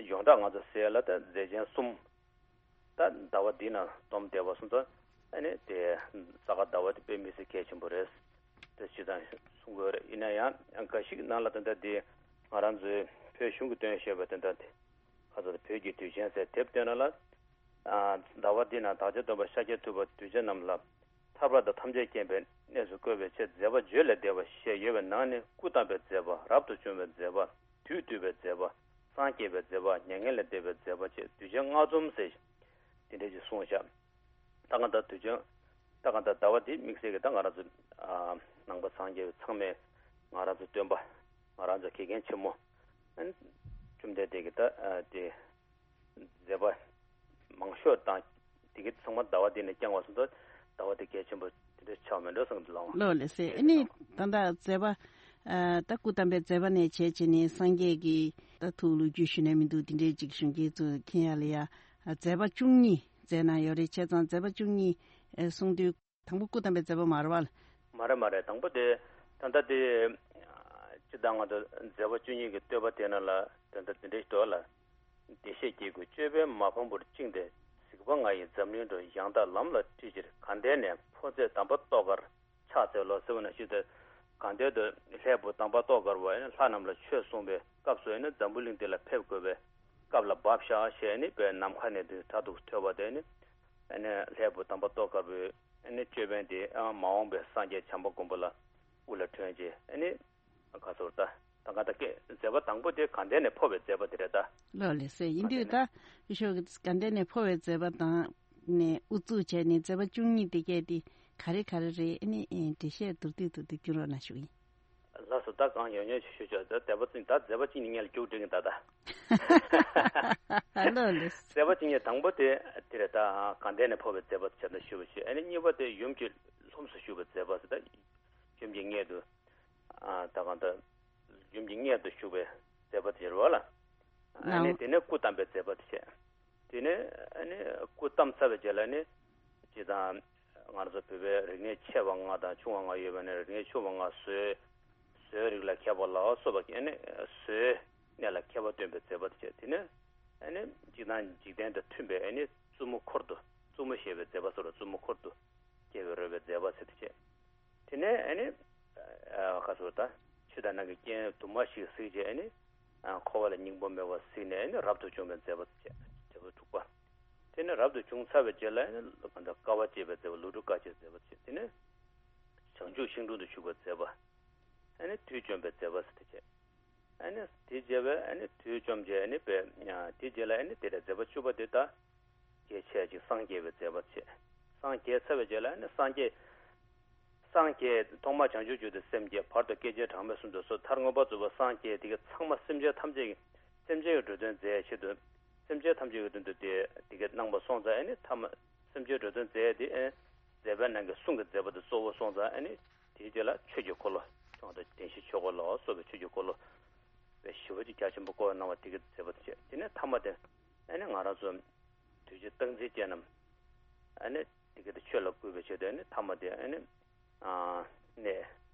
ཡོངས་གྲགས་ང་ཚོ་ཟེར་ཡ་ལ་ད་མཛད་ཆེན་གསུམ། ད་ཟླ་བ་འདི་ན་སྡོམ་བསྡད་པ་སོང་ཙང་ཨ་ནི་དེ་ས་ག་ཟླ་བ་དེ་དཔེ་མི་སྲིད་གལ་ཆེན་པོ་རེད། དེ་སྤྱིར་བཏང་གསུང་དགོས་རེད། ཡིན་ན་ཡང་འགའ་ཞིག་ནང་ལ་དེ་འདྲ་དེ་ང་རང་ཚོའི་བོད་གཞུང་གིས་བཏོན་བཞག་པའི་དེ་འདྲ་དེ་ཁ་ཚ་དང་བོད་ཀྱི་དུས་ཆེན་ཟེར་དེབ་བཏོན་ན་ལ། ཟླ་བ་འདི་ན་བདག་ཅག་སྟོན་པ་ཤཱཀྱ་ཐུབ་པ་གདུལ་བྱ་རྣམས་ལ་ཐར་པ་དང་ཐམས་ཅད་མཁྱེན་པའི་གནས་སུ་བཀོད་པའི་ཆེད་མཛད་པ་བརྗོད་ལས་འདས་པ་ཞེས་ཡོད་པའི་ནང་ནས་སྐུ་བལྟམས་པའི་མཛད་པ། རབ་ཏུ་བྱུང་བའི་མཛད་པ། དུས་བཏུད་པའི་མཛད་པ། སངས་རྒྱས་པའི་མཛད་པ། མྱ་ངན་ལས་འདས་པའི་མཛད་པ་བཅས་གདུལ་བྱ་ལྔ་འཛོམས་ཟེར་དེ་འདྲ་ཞིག་གསུངས་བཞག་ད་གང་ལྟར་དུས་ཆེན་ད་གང་ལྟར་ཟླ་བ་འདི་དམིགས་བསལ་གྱི་ད་ང་རང་ཚོ་ནང་པ་སངས་རྒྱས་པའི་ཚང་མས་ང་རང་ཚོ་སྟོན་པ་ང་རང་ཚོ་དགེ་རྒན་ཆེན་མོ་བཅོམ་ལྡན་འདས་ཀྱི་ད་དེ། མཛད་པ་མང་ཤོས་དང་དེ་གའི་ཚང་མ་ཟླ་བ་འདི་ནས་བསྐྱངས་པ་སོང་ཙང་ཟླ་བ་འདི་གལ་ཆེན་པོ་དེ་འདྲ་ཆགས་མེད་འགྲོ་བསམ་གྱི་འདུག་ལགས། ལགས་ལགས་སེ། ཨ་ནི་ད་ལྟ་མཛད་པ་ཨ་ད་སྐུ་བལྟམས་པའི་མཛད་པ་ནས་བྱས་བྱས་ནས་སངས་རྒྱས་ཀྱི་ད་ཐུགས་ལོ་རྒྱུས་ཞུ་ནས་མི་འདུག་དེ་འདྲའི་ཅིག་གཞོན་སྐྱེས་ཚོ་མཁྱེན་ཡ་ལ་ཡ་མཛད་པ་བཅུ་གཉིས་མཛད་གནང་ཡོད་རེད། བྱས་ཙང་མཛད་པ་བཅུ་གཉིས་ཨ་གསུང་དུས། དང་པོ་སྐུ་བལྟམས་པའི་མཛད་པ་མ་རེད་པ། མ་རེད་མ་རེད། དང་པོ་དེ་ད་ལྟ་དེ་སྤྱིར་བཏང་ང་ཚོ་མཛད་པ་བཅུ་གཉིས་ཀྱི་བསྟོད་པ་དེ་ནང་ལ་ད་ལྟ་དེ་འདྲ་ཞིག་འདུག་ལ། བདེ་གཤེགས་ཀྱི་སྐུ་ཅོད་པན་མ་ཕམ་པར་བཅིངས་ཏེ་གཟིགས་པ་ང་ཡི་འཛམ་གླིང་འགྲོ། ཡང་དག་ལམ་ལ་ཁྲིད་ཕྱིར་དགའ་ལྡན་ནས། འཕོ་མཛད་དམ་པ་ཏོག་དཀར་ཕྱག་འཚལ་ལོ་ཟེར་བ་ནང་བཞིན་དུ་དགའ་ལྡན་དུ་ལྷའི་བུ་དམ་པ་ཏོག་དཀར་པོ་ལྷ་རྣམས་ལ་ཆོས་གསུངས་པའི་སྐབས་སུ་འཛམ་བུ་གླིང་འདི་ལ་ཕེབས་དགོས་པའི་སྐབས་ལ་བབས་ཤག་ཞེས་ནི་པའི་ནམ་མཁའ་ནས་དུ་དྲག་ཏུ་ཐོས་པ་དེ་ནི། ཨ་ནི་ལྷའི་བུ་དམ་པ་ཏོག་དཀར་པོའི་ཨ་ནི་ཅོད་པན་དེ་ཨ་མ་འོངས་པའི་སངས་རྒྱས་བྱམས་པ་མགོན་པོ་ལ་དབུ་ལ་ཐོན་རྗེས་ཨ་ནི་ག་ཚོར་ད་ད་ག་ད་སྐད་མཛད་པ་དང་པོ་དེ་དགའ་ལྡན་ནས་འཕོ་བའི་མཛད་པ་དེ་རེད་ད། ལགས་ལགས་སེ། ཡིན་དུས་ད་ཡེ་ཤེས་ཀྱི་དགའ་ལྡན་ནས་འཕོ་བའི་མཛད་པ་དང་ནས་དབུ་བཙུགས་བྱས་ནས་མཛད་པ་བཅུ་གཉིས་དེ་གས་དེ་ག་རེ་ག་རེ་རེད། ཨ་ནི་འགྲེལ་བཤད་མདོར་བསྡུས་ཐོག་ཏུ་སྐྱོན་རོགས་གནང་ཞུ་ཡིན། ལགས་སོ། ད་གང་ཡོང་ཡོང་ཞུ་ཞུ་ཆོག་ད་མཛད་པ་བཅུ་ད་མཛད་པ་བཅུ་གཉིས་ངས་ལ་རྒྱུགས་འགྲིག་གི་ད་ད། ལགས་ལགས། མཛད་པ་བཅུ་གཉིས་དང་པོ་དེ་དེ་རེད་ད། དགའ་ལྡན་ནས་འཕོ་བའི་མཛད་པ་དེ་བྱས་ན་ཞུ་བ་ཞུ། ཨ་ནི་གཉིས་པ་དེ་ཡུམ་གྱི་ལྷུམས་སུ་ཞུགས་པའི་མཛད་པ་ཟེར་ད། ཡུམ་གྱི་མངལ་དུ་ཨ་ད་གང་ད་ཡུམ་གྱི་མངལ་དུ་ཞུགས་པའི་མཛད་པ་དེ་རེད་བ་ལ། ཨ་ནི་ལགས། དེ་ནས་སྐུ་བལྟམས་པའི་མཛད་པ་དེ་བྱས། དེ་ནས་ཨ་ནི་སྐུ་བལྟམས་ཚར་བའི་རྗེས་ལ་ནི་སྤྱིར་བཏང་ང་རང་ཚོ་བོད་པའི་རིག་གནས་ཆེ་བ་ལྔ་དང་ཆུང་བ་ལྔ་ཡོད་པ་ནས་རིག་གནས་ཆུང་བ་ལྔ་བཟོའི་བཟོའི་རིགས་ལ་མཁས་པ་ལ་སོགས་པ་ཨ་ནི་བཟོའི་ གནས་ལ་མཁས་པ་སྟོན་པའི་མཛད་པ་དེ་བྱས། དེ་ནས་ཨ་ནི་སྤྱིར་བཏང་འཇིག་རྟེན་དང་མཐུན་པའི་ཨ་ནི་བཙུན་མོ་འཁོར་དུ། བཙུན་མོ་བཞེས་པའི་མཛད་པ་སོགས་ལ་བཙུན་མོ་འཁོར་དུ་སྐྱེ་བའི་རོལ་པའི་མཛད་པ་ཟེར་དེ་བྱས། དེ་ནས་ཨ་ནི་ཁ་སོར་ད་ཆོས་དང་ནང་གི་རྐྱེན་དུ་མ་ཞིག་གཟིགས་བྱས། ཨ་ནི་འཁོར་བ་ལ་སྙིང་པོ་མེད་པ་གཟིགས་ནས། ཨ་ནི་རབ་ཏུ་བྱུང་བའི་མཛད་པ་དེ་བྱས། མཛད་པ་དྲུག་པ། དེ་ནས་རབ་ཏུ་བྱུང་ཚར་བའི་རྗེས་ལ་ཨ་ནི་དཀའ་བ་སྤྱད་པའི་མཛད་པ། ལོ་དྲུག་དཀའ་སྤྱད་མཛད་པ་བྱས། དེ་ནས་བྱང་ཆུབ་ཤིང་དྲུང་དུ་བཞུགས་པའི་མཛད་པ། ཨ་ནི་དུས་བཅོམ་པའི་མཛད་པ་ཟེར་དེ་བྱས། ཨ་ནི་དེ་རྗེས་པའི་ཨ་ནི་དུས་བཅོམ་རྗེས། ཨ་ནི་པའི་དེ་རྗེས་ལ་ཨ་ནི་དེ་འདྲ་མཛད་པ་བཅུ་པ་དེ་ད་རྒྱས་ཆེ་ཅིག་སངས་རྒྱས་པའི་མཛད་པ་བྱས། སངས་རྒྱས་ཚར་བའི་རྗེས་ལ་ཨ་ནི་སངས་རྒྱས། སངས་རྒྱས་ཐོག་མར་བྱང་ཆུབ་མཆོག་ཏུ་སེམས་བསྐྱེད། བར་དུ་སྐད་ཅིག་གྲངས་མེད་གསུམ་དུ་གསོལ། མཐར་མངོན་པར་རྫོགས་པར་སངས་རྒྱས། དེ་གའི་ཚང་མ་སེམས་ཅན་ཐམས་ཅད་ཀྱི། སེམས་ཅན་གྱི་འགྲོ་དོན་མཛད་ཆེད་དུ། སེམས་ཅན་ཐམས་ཅད་ཀྱི་དོན་དུ་དེ་དེ་གའི་གནང་བ་སོང་ཙང་། ཨ་ནི་ཐ་མ་སེམས་ཅན་འགྲོ་དོན་མཛད་དེ། ཨ་ནི་མཛད་པའི་ནང་གི་གསུང་གི་མཛད་པ་དེ་གཙོ་བོ་སོང་ཙང་། ཨ་ནི་དེའི་རྗེས་ལ་ཆོས་ཀྱི་འཁོར་ལོ། ཐོག་ཏུ་བདེན་བཞིའི་ཆོས་འཁོར་ལ་སོགས་པའི་ཆོས་ཀྱི་འཁོར་ལོ་དཔེ་ཞེ་པོ་ཅིག་རྒྱ་ཆེན་པོ་བསྐོར་གནང་བ་དེ་གའི་མཛད་པ་དེ་བྱས། དེ་ནས་ཐ་མ་དེ་ཨ་ནི་ང་རང་ཚོ་དུས་ཀྱི་སྟངས་འཛིན་ཅན་རྣམས་ཨ་ནི་དེ་གའི་དེ་ཆོས་ལ་བསྐུལ་བའི་ཆེད་དུ། ཨ་ནི་ཐ་མ་དེ་ཨ་ནི་ཨ་གནས་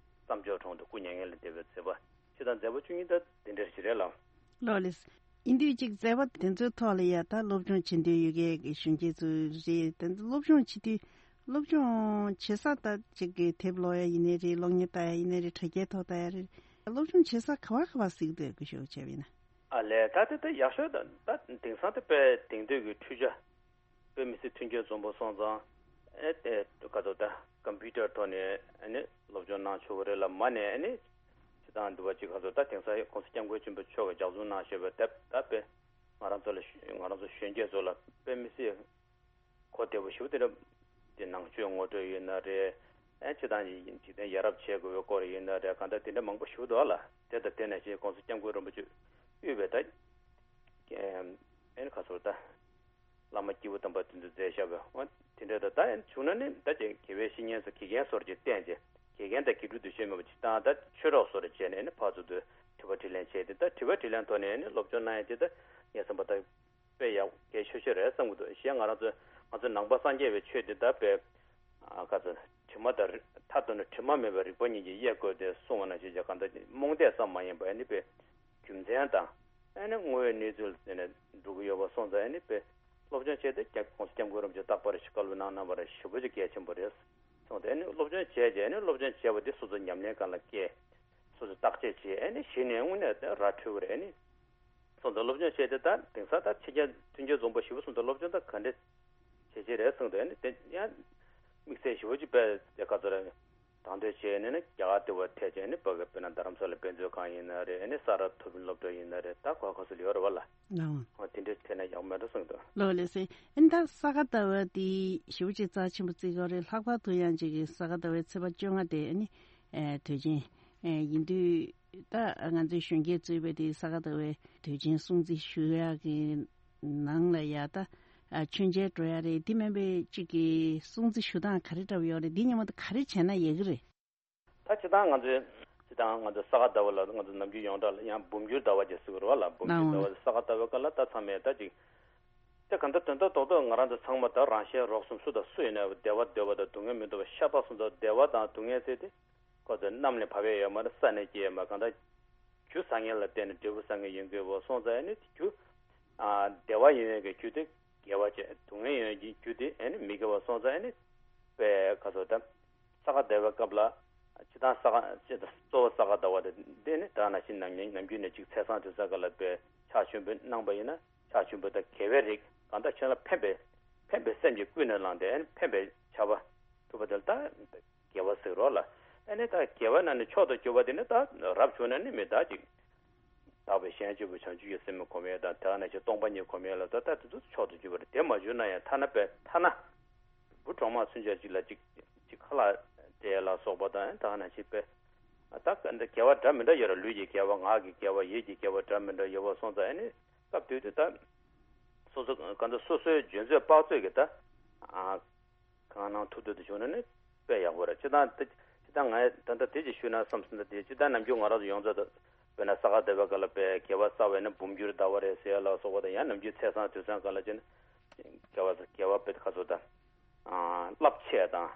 བསམ་སྦྱོར་གྲོང་དུ་སྐུ་མྱ་ངན་ལས་འདས་པའི་མཛད་པ་ཅིག་དང་། མཛད་པ་བཅུ་གཉིས་ད་དེ་འདྲ་ཞིག་རེད་ལགས། ལགས་ལགས། ཡིན་དུས་ཅིག་མཛད་པ་དེ་ཚོའི་ཐོག་ལ་ཡ་ད་སློབ་སྦྱོང་བྱེད་འདོད་ཡོད་མཁན་གྱི་གཞོན་སྐྱེས་ཚོ་རེད། དེ་ཚོ་སློབ་སྦྱོང་བྱེད་དུས། སློབ་སྦྱོང་བྱེད་ས་ད་ཅིག་གི་དེབ་ཀློག་ཡ་ཡིན་ནའི་རེད། གློག་བརྙན་ལྟ་ཡ་ཡིན་ནའི་རེད། དྲ་རྒྱའི་ཐོག་ལྟ་ཡ་རེད། སློབ་སྦྱོང་བྱེད་ས་ག་བ་ག་བ་གཟིགས་འདོད་སྐུ་ཞབས་བྱས་པ་ཡིན་ན། ཨ་ལས། ད་དེ་ད་ཡག་ཤོས་ད་ད་དེང་སང་དེ་དཔེ་དེང་དུས་ཀྱི་འཕྲུལ་ཆ། དཔེ་མི་སྲིད་མཐུན་རྐྱེན་འཛོམས་པོ་སོང་ཙང་། ཨེ་དེ་ག་ཚོད་ད་ཀམ་པུ་ཊར་ཐོག་ནས་ཨ་ནི་སློབ་སྦྱོང་གནང་ཆོག་གི་རེད་ལ། མ་ནས་ཨ་ནི་སྤྱིར་བཏང་འདུལ་བ་ཅིག་ག་ཚོད་ད་དེང་སང་༸གོང་ས་༸སྐྱབས་མགོན་ཆེན་པོ་མཆོག་གིས་ལྗགས་རྩོམ་གནང་བཞག་པའི་དེབ་ད་དཔེ་ང་རང་ཚོ་ལ་ང་རང་ཚོ་གཞོན་སྐྱེས་ཚོ་ལ་དཔེ་མི་སྲིད་གོ་བདེ་པོ་ཞིག་དེ་འདྲ། དེ་ནང་ཆོས་ངོ་སྤྲོད་ཡིན་ན་རེད། ཨ་ནི་སྤྱིར་བཏང་འཇིག་རྟེན་ཡ་རབས་བྱེད་དགོས་པའི་སྐོར་ཡིན་ན་རེད། གང་ལྟར་དེ་འདྲ་མང་པོ་ཞིག་འདུག་ལ། དེ་དང་དེ་ནང་བཞིན་༸གོང་ས་༸སྐྱབས་མགོན་རིན་པོ་ཆེ་དབུས་པའི་ད་ཨེ་ནི་ཁ་སོར་ད་བླ་མ་སྐྱེས་བུ་དམ་པ་དེ་ཚོས་མཛད་བཞག་པའི་འོ་དེ་འདྲ་ད་ད་ཡང་བྱུང་ན་ནི་ད་ཅིག་དགེ་བའི་བཤེས་གཉེན་ཚོ་དགེ་རྒན་སོར་ཅིག་བསྟེན་བྱས། དགེ་རྒན་དང་དགེ་ཕྲུག་འདུ་ཤེས་མེད་པ་ཅིག་བཏང་། ད་ཆོས་གྲོགས་སོར་བྱས་ནས་ནི་ཕར་ཚུར་དུ་དྲི་བ་དྲིས་ལན་བྱས་ཏེ། ད་དྲི་བ་དྲིས་ལན་ཐོག་ནས་ནི་སློབ་སྦྱོང་གནང་ཡ་དེ་ད་ངས་བསམ་པ་ད་དཔེ་ཡག་གལ་ཆེ་ཤོས་རེད་བསམ་གྱི་འདུག། གཞན་ང་རང་ཚོ་ང་ཚོ་ནང་པ་སངས་རྒྱས་པའི་ཆོས་དེ་ད་དཔེ་ཨ་ག་ཚོད་དྲི་མ་དང་རི་མཐའ་གཏུགས་ན་དྲི་མ་མེད་པའི་རིག་པ་ཉིད་ཀྱིས་དབྱེ་དགོས་ཏེ་གསུངས་པ་ནང་བཞིན་གྱི་གང་ལྟར་རྨོངས་དད་ཙམ་མ་ཡིན་པ་ཨ་ནི་དཔེ་རྒྱུ་མཚན་དང་ཨ་ནི་དངོས་ཡོད་གནས་ཚུལ་ལ་བརྟེན་ནས་འགྲོ་གི་ཡོད་པ་སོང་ཙང་། ཨ་ནི་དཔེ་སློབ་སྦྱོང་བྱས་ཏེ་༸གོང་ས་༸སྐྱབས་མགོན་རིན་པོ་ཆེ་རྟག་པར་ཞིག་བཀའ་སློབ་གནང་གནང་བ་རེད། ཞེ་པོ་ཅིག་གལ་ཆེན་པོ་རེད་གསུངས་ཏེ། ཨ་ནི་སློབ་སྦྱོང་བྱས་རྗེས་ཨ་ནི་སློབ་སྦྱོང་བྱས་པ་དེ་སོ་སོ་ཉམས་ལེན་སྒང་ལ་བསྐྱལ། སོ་སོ་བརྟག་དཔྱད་བྱས། ཨ་ནི་གཞི་ནས་དངོས་གནས་དེ་ར་འཕྲོད་ཀྱི་རེད། ཨ་ནི་སོང་ཙང་སློབ་སྦྱོང་བྱས་ཏེ་ད་དེང་སང་ད་ཕྱི་རྒྱལ་མཐུན་རྐྱེན་འཛོམས་པོ་ཞེ་པོ་སོང་ཙང་སློབ་སྦྱོང་ད་ག་འདྲས་བྱེད་ཀྱི་རེད་གསུངས་འདུག། ཨ་ནི་དེ་ཡང་དམིགས་བསལ་ཞེ་པོ་ཅིག་དཔེ་དེ་ག་ཚོད་རེད། དང་དོད་བྱས་ནས་ནི་རྒྱ་གར་དེ་བ་ཐད་བྱས་ནས་ཕ་གི་དཔེར་ན་རྡ་རམ་ས་ལ་དཔེ་མཛོད་ཁང་ཡིན་ན་རེད། ཨ་ནི་ས་རཱ་མཐོ་རིམ་སློབ་གྲྭ་ཡིན་ན་རེད། ད་ག་ག་ཚོད་ལ་ཡོད་རེད་བ་ལ། ལའང་། འོ་དེ་འདྲས་ཐད་ན་ཡག་མེད་འགྲོ་གསུངས་འདུག། ལོ་ལེ་སེ། ཨ་ནི་ད་ས་ག་ཟླ་བ་དེ་ཞེ་པོ་ཅིག་རྩ་ཆེན་པོ་བརྩི་གི་རེད། ལྷག་པར་དུ་ཡང་ཅིག་གི་ས་ག་ཟླ་བའི་ཚེས་པ་བཅོ་ལྔ་དེ་ཨ་ནི་ཨེ་དུས་ཆེན་ཨེ་ཡིན་དུས། ད་ང་ཚོའི་གཞོན་སྐྱེས་གཙོས་པའི་དེ་ས་ག་ཟླ་བའི་དུས་ཆེན་སྲུང་བརྩི་ཞུ་ཡག་གི་ནང་ལ་ཡ་ད་ཨ་མཆོད་མཇལ་འགྲོ་ཡག་རེད། དེ་མིན་པའི་གཅིག་གི་སྲུང་བརྩི་ཞུ་སྟངས་ག་རེ་འདྲ་བོ་ཡོད་རེད། འདི་སྔོན་མ་དེ་ག་རེ་བྱས་ན་ཡག་གི་རེད། ད་སྤྱིར་བཏང་ང་ཚོའི་སྤྱིར་བཏང་ང་ཚོ་ས་ག་ཟླ་བ་ལ་ང་ཚོ་ནམ་རྒྱུན་ཡོངས་གྲགས་ལ་ཡང་འབུམ་འགྱུར་ཟླ་བ་ཅེས་ཟེར་གི་རེད་བ་ལ། འབུམ་འགྱུར་ཟླ་བ་ཨང་། ས་ག་ཟླ་བའི་སྐབས་ལ་ད་ཚང་མས་ད་ཅིག་དེ་ག་འདྲ་དོན་དག་རྡོག་རྡོག་ང་རང་ཚོ་ཚང་མ་ད་རང་གཞན་རོགས་གསུམ་སུ་དང་སུ་ཡིན་ན་བདེ་བ་འདོད་པ་དང་སྡུག་བསྔལ་མི་འདོད་པ་ཤ་སྟག་སོང་ཙང་། བདེ་བ་དང་སྡུག་བསྔལ་ཟེར་དེ་ཁོ་ཚོ་གནམ་ནས་བབས་ཡས་ཡོད་མ་རེད། ས་ནས་སྐྱེས་ཡས་མ་རེད། གང་ལྟར་རྒྱུ་བཟང་ངན་ལ་བརྟེན་ནས་འབྲས་བུ་བཟང་ངན་ཡོང་གི་ཡོད་པ་སོང་ཙང་། ཨ་ནི་རྒྱུ་ཨ་བདེ་བ་ཡོང་ཡས་ཀྱི་རྒྱུ་དེ་དགེ་བ་བྱས། སྡུག་བསྔལ་ཡོང་ཡས་ཀྱི་རྒྱུ་དེ་ཨ་ནི་མི་དགེ་བ་སོང་ཙང་། ཨ་ནི་དཔེ་ག་ཚོད་ད་ས་ག་ཟླ་བའི་སྐབས་ལ་སྤྱིར་བཏང་ས་ག་སྤྱིར་བཏང་གཙོ་བོ་ས་ག་ཟླ་བ་དེ་འདི་ནི་ད་ནང་བཞིན་ནམ་ནམ་རྒྱུན་ནས་ཅིག་ཚེས་བཟང་དུས་བཟང་སྐབས་ལ་དཔེ་ཕྱག་མཆོད་འབུལ་གནང་པ་ཡིན་ན། ཕྱག་མཆོད་འབུལ་དང་དགེ་བའི་རིགས། གང་ལྟར་ཁྱེད་ལ་ཕན་པའི་ཕན་པའི་སེམས་ཀྱིས་ཀུན་ནས་བསླངས་ཏེ་ཨ་ནི་ཕན་པའི་བྱ་བ་སྒྲུབ་པ་དེ་ལ་ད་དགེ་བ་ཟེར་རོགས་ལ། ཨ་ནི་ད་དགེ་བ་ནང་ནས་མཆོག་ཏུ་གྱུར་པ་དེ་ནི་ད་རབ་བྱུང་ན་ནི་མི་ད་ཅིག་དག་པའི་གཞན་གཅེས་པའི་བྱང་ཆུབ་ཀྱི་སེམས་སྒོམ་ཡས་དང་། དེ་ག་ནང་བཞིན་སྟོང་པ་ཉིད་སྒོམ་ཡས་ལ་ད་ལྟ་དེ་ཚོ་མཆོག་ཏུ་གྱུར་པ་རེད། དེ་མ་བྱུང་ན་ཡང་ཐ་ན་དཔེ་ཐ་ན་བུ་གྲོག་མ་ཚུན་ཆད་ཅིག་ལ་ཅིག་ཅིག་ཁ་ལག་སྤྲད་ལ་སོགས་པ་དང་། དེ་ག་ནང་བཞིན་དཔེ་ད་དགེ་བ་འདྲ་མི་འདྲ་ཡོད་རེད། ལུས་ཀྱི་དགེ་བ། ངག་གི་དགེ་བ། ཡིད་ཀྱི་དགེ་བ་འདྲ་མི་འདྲ་ཡོད་པ་སོང་ཙང་། ཨ་ནི་སྐབས་དུས་དུ་ད་སོ་སོ་གང་ལྟར་སོ་སོའི་འཇོན་ཚོད་དཔག་ཚོད་ཀྱིས་ད་ཨ་གང་གནང་ཐུབ་ཐུབ་དུ་བྱུང་ན་ནི་དཔེ་ཡག་པོ་རེད། སྤྱིར་བཏང་དེ་སྤྱིར་བཏང་ང་ད་ལྟ་དེ་ཅིག་ཞུས་ན་བསམ་སོང་། ད་དེ་སྤྱིར་བཏང་ནམ་རྒྱུན་ང་རང་ཚོ་ཡོངས་རྫོགས་ད་དཔེར་ན་ས་ག་ཟླ་བའི་སྐབས་ལ་དཔེ་དགེ་བ་བསགས་པས་ན་འབུམ་འགྱུར་ཟླ་བ་རེད་ཟེར་ཡ་ལ་སོགས་པ་དང་། ཡང་ནམ་རྒྱུན་ཚེས་བཟང་དུས་བཟང་སྐབས་ལ་བྱས་ན་དགེ་བ་དགེ་བ་དཔེ་ཁ་སོ་ད་རླབས་ཆེ་དང་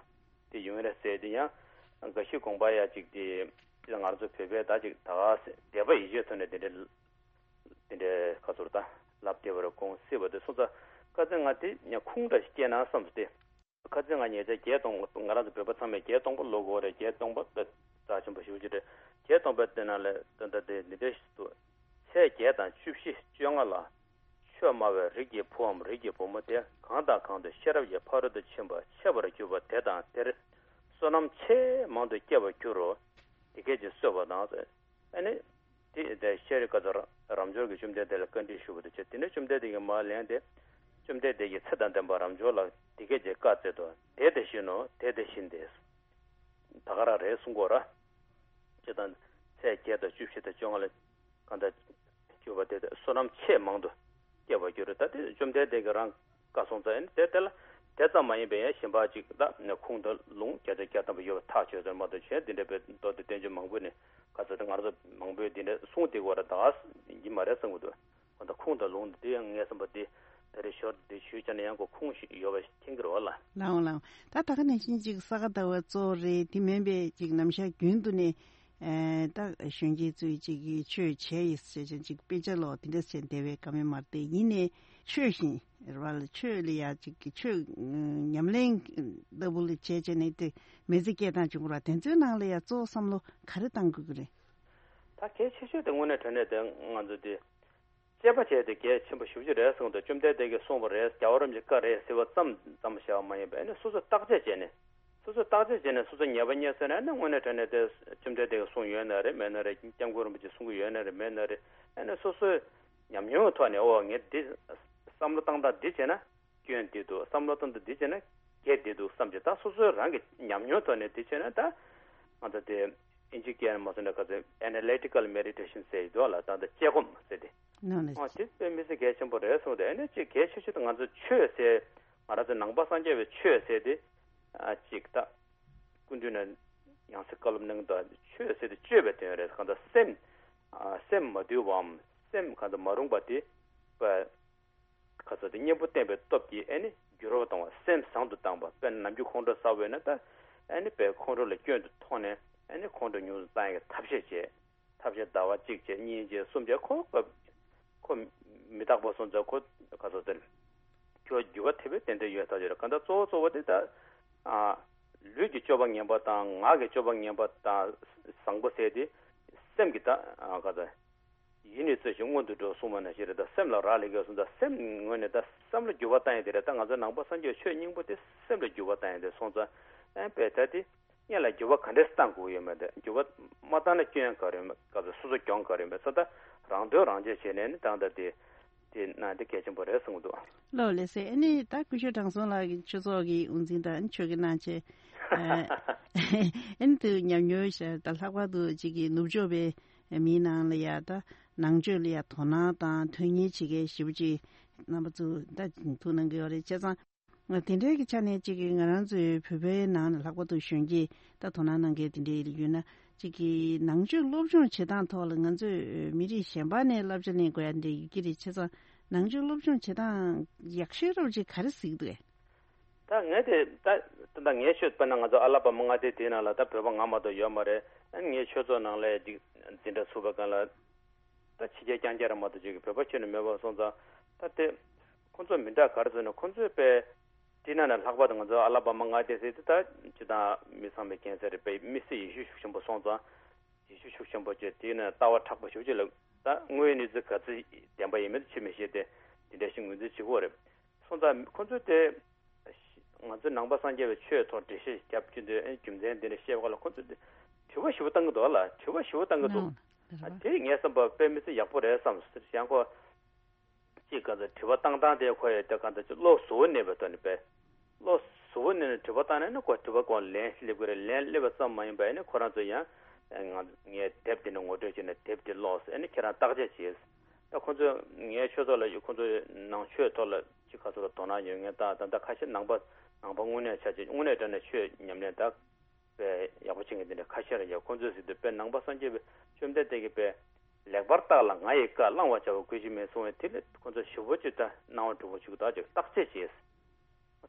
དེ་ཡོང་རེད་ཟེར། དེ་ཡང་འགའ་ཞིག་དགོངས་པ་ཡ་ཅིག་དེ་ང་རང་ཚོ་བོད་པས་ད་ཅིག་ད་ག་ཟེ་དད་པ་ཡིད་ཆེས་ཐོག་ནས་དེ་འདྲའི་ དེ་འདྲའི་ཁ་ཚུར་ད་ལབ་བདེ་བར་དགོངས་སྲིད་པ་དེ་སོང་ཙང་ཁ་ཚན་ང་དེ་ཉ་ཁུངས་འདྲ་ཞིག་སྐྱེས་ན་བསམ་སྟེ། ཁ་ཚན་ང་ཉེ་ཆར་བརྒྱད་སྟོང་པ་ང་རང་ཚོ་བོད་པ་ཚང་མས་བརྒྱད་སྟོང་པ་ལོ་དགོས་རེད། བརྒྱད་སྟོང་པ་དཔེ་རྩ་ཆེན་པོ་ཞེ་པོ་ཅིག་རེད། བརྒྱད་སྟོང་པའི་དེ་ནང་ལས་ད་ལྟ་དེ་འདི་འདྲ་ཞིག་འདུག་ཚེས་བརྒྱད་དང་བཅུ་བཞི་བཅོ་ལྔ་ལ། ཆོས་སྨྲ་བའི་རིགས་ཀྱི་བུའམ་རིགས་ཀྱི་བུ་མོ་དེ་གང་དང་གང་དུ་ཤེས་རབ་ཀྱི་ཕ་རོལ་ཏུ་ཕྱིན་པ་འཆད་པར་གྱུར་པ་དེ་དང་དེར་བསོད་ནམས་ཆེས་མང་དུ་སྐྱེ་བར་འགྱུར་རོ། དེ་སྐད་ཅེས་གསོལ་བ་དང་། ཨ་ནི། དེ་དེ་ཤེས་རིག་བཀའ་ཚོ་རབ་འབྱོར་གྱིས་བཅོམ་ལྡན་འདས་ལ་བཀའ་འདྲི་ཞུ་བ་དང་བཅས། དེ་ནས་བཅོམ་ལྡན་འདས་ཀྱིས་མར་ལན་དེ། བཅོམ་ལྡན་འདས་ཀྱིས་ཚེ་དང་ལྡན་པ་རབ་འབྱོར་ལ་དེ་སྐད་ཅེས་བཀའ་སྩལ་ཏོ། དེ་དེ་བཞིན་ནོ། དེ་དེ་བཞིན་ཏེ། ད་ག་རང་རེད་གསུང་གོ་ར། ཅེས་དང་། ཚེས་བརྒྱད་དང་བཅུ་བཞི་དང་བཅོ་ལྔ་ལ། གང་དང་། གྱུར་པ་དེ་དེ་བསོད་ནམས་ཆེས་མང་དུ་སྐྱེ་བར་འགྱུར་རོ། ད་དེ་བཅོམ་ལྡན་འདས་ཀྱིས་རང་བཀའ་གསུངས་ཙང་ཨ་ནི་དེ་དེ་ལ་དེ་ཙམ་མ་ཡིན་པའི་ཡང་གཞན་པ་ཅིག་ད་ཁུངས་དང་ལུང་བརྒྱ་ཆ་བརྒྱ་ཐམ་པ་ཡོད་པ་ཐག་ཆོད་ཟེར་མ་གཏོགས་གཞན་དེ་འདྲ་བའི་མདོ་སྡེ་བསྟན་བཅོས་མང་པོ་ནས་ག་ཚོད་དེ་ང་རང་ཚོ་མང་པོས་དེ་འདྲ་གསུངས་བསྡད་ཀྱི་ཡོད་རེད། ད་ག་ཡིན་མ་རེད་བསམ་གྱི་འདུག་ཁོ་ད་ཁུངས་དང་ལུང་དེ་ཡང་ངས་བསམ་པ་དེ་ད་རེས་ཞོར་དེ་ཞུས་བྱས་ན་ཡང་ཁོ་ཁུངས་ཤིག་ཡོད་པ་མཁྱེན་གྱི་རེད་བ་ལ། ལའང་ལའང་། ད་ད་ག་ནང་བཞིན་ཅིག་ས་ག་ཟླ་བ་གཙོ་བོ་རེད། དེ་མིན་པའི་ཅིག་ནམ་ཞག་རྒྱུན་དུ་ནས། ཨེ། ད་གཞོན་སྐྱེས་ཚོས་ཅིག་གིས་ཆོས་བྱས་ཡིས་ཟེར་ཅིག་དཔེ་ཆ་ཀློག་དེ་འདྲ་བྱས་བསྡད་པའི་ཀ་མེད་མ་རེད་དེ། ཡིན་ནའི་ཆོས་བཞིན་རེད་བ་ལ། ཆོས་ལ་ཡ་ཅིག་གི་ཆོས་ཉམས་ལེན་ལྟ་བུ་ལ་བྱས་བྱས་ནས་དེ་མི་ཚེ་སྐྱེལ་སྟངས་བྱུང་བ་ར། དེ་ཚོའི་ནང་ལ་ཡ་གཙོ་བོ་བསམ་བློ་ག་རེ་བཏང་དགོས་ཀྱི་རེད། ད་གལ་ཆེ་ཤོས་དེ་དངོས་གནས་དྲང་གནས་དེ་ང་ཚོ་དེ། དཔྱད་པ་བྱས་ཏེ་གལ་ཆེན་པོ་ཞེ་པོ་ཅིག་རེད་གསུངས་ཏེ། བཅོམ་ལྡན་འདས་ཀྱིས་གསུངས་པ་རེད། རྒྱལ་བ་རིན་པོ་ཆེའི་བཀའ་རེད་ཟེར་བ་ཙམ་ཙམ་བཞག་པ་མ་ཡིན་པར་ཨ་ནི་སོ་སོས་བརྟག་དཔྱད་བྱས་ནས། སོ་སོས་བརྟག་དཔྱད་བྱས་ནས་སོ་སོ་ཉེས་པ་རྙེད་སོང་ན་ཨ་ནི་དངོས་གནས་དྲང་གནས་དེ་བཅོམ་ལྡན་འདས་ཀྱིས་གསུངས་ཡོད་ན་རེད་མེད་ན་རེད། སྐྱབས་མགོན་རིན་པོ་ཆེས་གསུང་གི་ཡོད་ན་རེད་མེད་ན་རེད། ཨ་ནི་སོ་སོའི་ཉམས་མྱོང་གི་ཐོག་ནས་ཨོ་ངས་འདི་བསམ་བློ་བཏང་སྟངས་འདི་བྱས་ན་སྐྱོན་འདི་འདུག་བསམ་བློ་བཏང་སྟངས་འདི་བྱས་ན་གལ་འདི་འདུག་བསམ་གྱི། ད་སོ་སོའི་རང་གི་ཉམས་མྱོང་ཐོག་ནས་འདི་བྱས་ན་ད་ང་ཚོ་དེ་ཨིན་ཇི་སྐད་ནས་མ་སོང་ན་ག་ཚོད་ཨེ་ན་ལི་ཊི་ཀལ་མེ་ཌི་ཊེ་ཤན་ཟེར་ཡོད་ལ། ད་ད་དཔྱད་སྒོམ་ཟེར་ཏེ། ནོ་ནོ། ཨ་དེ་དཔེ་མི་སྲིད་གལ་ཆེན་པོ་རེད་གསུངས་ཏེ། ཨ་ནི་ཅིག་གལ་ཆེ་ཤོས་དེ་ང་ཚོ་ཆོས་ཟེར། ང་རང་ཚོ་ནང་པ་སངས་རྒྱས་པའི་ཆོས་ཟེར་དེ། ཨ་ཅིག་ད། སྐུ་མདུན་ནས་ཡང་སྲིད་བཀའ་སློབ་གནང་དུས་ཆོས་ཟེར་དེ་སྤྱོད་པའི་དོན་རེད། གང་ལྟར་སེམས། ཨ་སེམས་མ་དུལ་བའམ་སེམས་གང་ལྟར་མ་རུངས་པ་དེ། པ། ཁ་ཚ་དེ་གཉེན་པོ་བསྟེན་པའི་སྟོབས་ཀྱིས་ཨ་ནི་འགྱུར་བ་གཏོང་བ། སེམས་བཟང་དུ་བཏང་བ། དཔེར་ན་ནམ་རྒྱུན་ཁོང་ཁྲོ་ཟ་བས་ན་ད་ཨ་ནི་དཔེ་ཁོང་ཁྲོ་ལ་སྐྱོན་དུ་མཐོང་ནས་ཨ་ནི་ཁོང་ཁྲོ་ཉུང་དུ་བཏང་ཡག་གི་ཐབས་ཤེས་བྱས། ཐབས་ཤེས་ཟླ་བ་གཅིག་བྱས་གཉིས་བྱས་གསུམ་བྱས་ཁོ་ཁོ་མི་རྟག་པ་སོང་ཙང་ཁོ་ག་ཚོད་དེ་ཁྱོད་འགྱུར་བ་ཐེབས་པའི་ཏན་ཏན་ཡོད་ཐག་ཆོད་རེད། གང་ལྟར་གཙོ་བོ་གཙོ་བོ་དེ་ད་ཨ་ལུས་ཀྱི་སྤྱོད་པ་ངན་པ་དང་ངག་གི་སྤྱོད་པ་ངན་པ་དང་བཟང་པོ་ཟེར་དེ་སེམས་ཀྱི་ད་ཨ་ག་ཚོད། ཡིད་ནི་རྩོལ་ཞིང་མངོན་དུ་འགྲོ་གསུངས་པ་ནང་བཞིན་རེད། ད་སེམས་ལ་རག་ལས་ཀྱི་གསུངས། ད་སེམས་ངོས་ནས་ད་བསམ་བློ་འགྱུར་བ་བཏང་ཡས་དེ་རེད། ད་ང་ཚོ་ནང་པ་སངས་རྒྱས་ཆོས་སྙིང་པོ་དེ་སེམས་ལ་འགྱུར་བ་བཏང་ཡས་དེ་སོང་ཙང་ཨ་དཔེ་ད་དེ་སྔོན་ལ་འགྱུར་བ་ག་འདྲས་བཏང་དགོས་ཡོད་མེད། དེ་འགྱུར་བ་མ་བཏང་ན་སྐྱོན་ག་རེ་ཡོད་མེད། སྐབས་སུ་སོ་སོ་གྱོང་ག་རེ་ཡོད་མེད་ཚོ་ད་རང་དོན་རང་གཅེས་བྱས་ནས་ནི་ད་ད་དེ་དེ་ན་དེ་གལ་ཆེན་པོ་རེད་གསུངས་འདུག། ལོ་ལེ་སེ། ཨ་ནི་ད་སྐུ་ཞབས་དྲང་སྲོང་ལགས་ཀྱི་ཆོས་ཚོགས་ཀྱི་དབུ་འཛིན་དང་ཆོས་ཀྱི་གནང་ཆེད། ཨ་ནི་དུ་ཉམས་མྱོང་ཤར་ད་ལྷག་པར་དུ་གཅིག་གི་ནུབ་ཕྱོགས་པའི་མིའི་ནང་ལ་ཡ་ད་ནང་ཆོས་ལ་ཡ་དོ་སྣང་དང་དོན་གཉེར་བྱེད་མཁན་ཞེ་པོ་ཅིག་རྣམ་པ་ཚོ་ད་ཐུགས་གནང་གི་ཡོད་རེད། བྱས་ཙང་དེ་འདྲའི་གི་ཆ་ནས་གཅིག་གི་ང་རང་ཚོའི་བོད་པའི་ནང་ལ་ལྷག་པར་དུ་གཞོན་སྐྱེས་ད་དོ་སྣང་གནང་མཁན་དེ་འདྲའི་ཡོད་ན་གཅིག་གི་ནང་ཆོས་སློབ་སྦྱོང་བྱེད་སྟངས་ཐོག་ལ་ང་ཚོས་མི་རིགས་གཞན་པ་ནས་བསླབ་བྱ་ལེན་དགོས་ཡ་འདྲ་ཡོད་ཀྱི་རེད། བྱས་ཙང་ནང་ཆོས་སློབ་སྦྱོང་བྱེད་སྟངས་ཡག་ཤོས་རབ་ཅིག་ག་རེ་གཟིགས་འདུག་གས། ད་ངས་དེ་ད་ད་ངའི་ཆོས་དཔེར་ན་ང་ཚོ་ཨ་ལ་པ་མ་མངའ་སྡེ་དེའི་ནང་ལ་ད་བོད་པ་ང་མ་གཏོགས་ཡོད་མ་རེད། ཨ་ནི་ངའི་ཆོས་ཚོགས་ནང་ལ་འདི་འཛིན་གྲྭ་ཚུགས་པ་གང་ལ་ད་ཕྱི་རྒྱལ་རྐྱང་རྐྱང་རེད་མ་གཏོགས་ཅིག་གི་བོད་པ་ཁྱོན་ནས་མེད་པ་སོང་ཙང་ད་དེ་ཁོང་ཚོ་མི་འདྲ་ག་རེ་ཟེར་ན་ཁོང་ཚོས་དཔེ་དེའི་ནང་ནས་ལྷག་པར་དུ་ང་ཚོ་ཨ་ལ་པ་མ་མངའ་སྡེ་ཟེར་དེ་ད་སྤྱི་བཏང་མི་ཚང་མས་མཁྱེན་གསལ་རེད། དཔེ་དམིགས་བསལ་ཡེ་ཤུ་ཤུགས་ཆེན་པོ་སོང་ཙང་། ཡེ་ཤུ་ཤུགས་ཆེན་པོ་བྱས་དེ་ནས་ལྟ་བ་མཁྲེགས་པོ་ཞེ་པོ་ཅིག་ལ་ད་དངོས་ཡོད་གནས་ཚུལ་ག་ཚོད་བདེན་པ་ཡིན་མིན་ཆེས་མི་ཤེས་ཏེ་དེ་འདྲ་ཞིག་ངོས་འཛིན་བྱེད་ཀྱི་ཡོད་རེད། སོང་ཙང་ཁོ་ཚོས་དེ་ང་ཚོའི་ནང་པ་སངས་རྒྱས་པའི་ཆོས་ཐོག་འགྲེལ་བཤད་བརྒྱབ་རྒྱུ་འདི་རྒྱུ་མཚན་འདི་འདྲ་བཤད་པ་ལ་ཁོ་ཚོས་དེ་དྲི་བ་ཞེ་པོ་བཏང་གི་འདུག་ལ། དྲི་བ་ཞེ་པོ་བཏང་གི་འདུག། ཨ་དེ་ངས་བསམ་པ་དཔེ་མི་སྲིད་ཡག་པོ་རེད་བསམ་ཟེར་ཡང་ཁོ། ཅིག་ག་ཚོད་དྲི་བ་བཏང་སྟངས་དེ་ཁོ་ཡི་དེ་ག་ཚོད་ཅིག་བློ་གཟུ་བོ་གནས་པའི་ཐོག་ནས་པས། བློ་གཟུ་བོ་གནས་ནས་དྲི་བ་བཏང་ནས་ནི་ཁོ་དྲི་བ་ཁོ་ལན་སླེབས་ཀྱི་རེད། ལན་སླེབས་པ་ཙམ་མ་ཡིན་པ་ཨ་ནི་ཁོ་རང་ཚོ་ཡང་ང་ངས་དེབ་དེ་འདྲ་ངོ་སྤྲོད་བྱས་ནས་དེབ་དེ་ཀློག་ཟེར། ཨ་ནི་ཁྱེད་རང་བརྟག་དཔྱད་བྱས། ད་ཁོ་ཚོས་ངའི་ཆོས་ཚོགས་ལ་ཡོད་ཁོ་ཚོའི་ནང་ཆོས་ཐོག་ལ་ཅིག་ག་ཚོད་ལ་དོ་སྣང་ཡོད་མཁན་ད་ད་ད་ཁ་ཤས་ནང་པ་ནང་པ་དངོས་གནས་ཆ་ཅིག་དངོས་གནས་དྲང་གནས་ཆོས་ཉམས་ལེན་ད། དཔེ་ཡག་པོ་བྱེད་མཁན་དེ་འདྲ་ཁ་ཤས་རེད་ཡ། ཁོང་ཚོས་ཟེར་དུས་དཔེ་ནང་པ་སངས་རྒྱས་པའི་བཅོམ་ལྡན་འདས་ཀྱིས་དཔེ་ལེགས་པར་བརྟགས་ལ་ང་ཡི་བཀའ་བླང་བར་བྱ་བ་གུས་ཕྱིར་མིན་གསུངས་པས། དེ་ལས་ཁོང་ཚོ་ཞེ་པོ་ཅིག་ད་སྣང་བ་འགྲོ་གི་བཅུག་ད་ཅིག་བརྟག་དཔྱད་བྱས།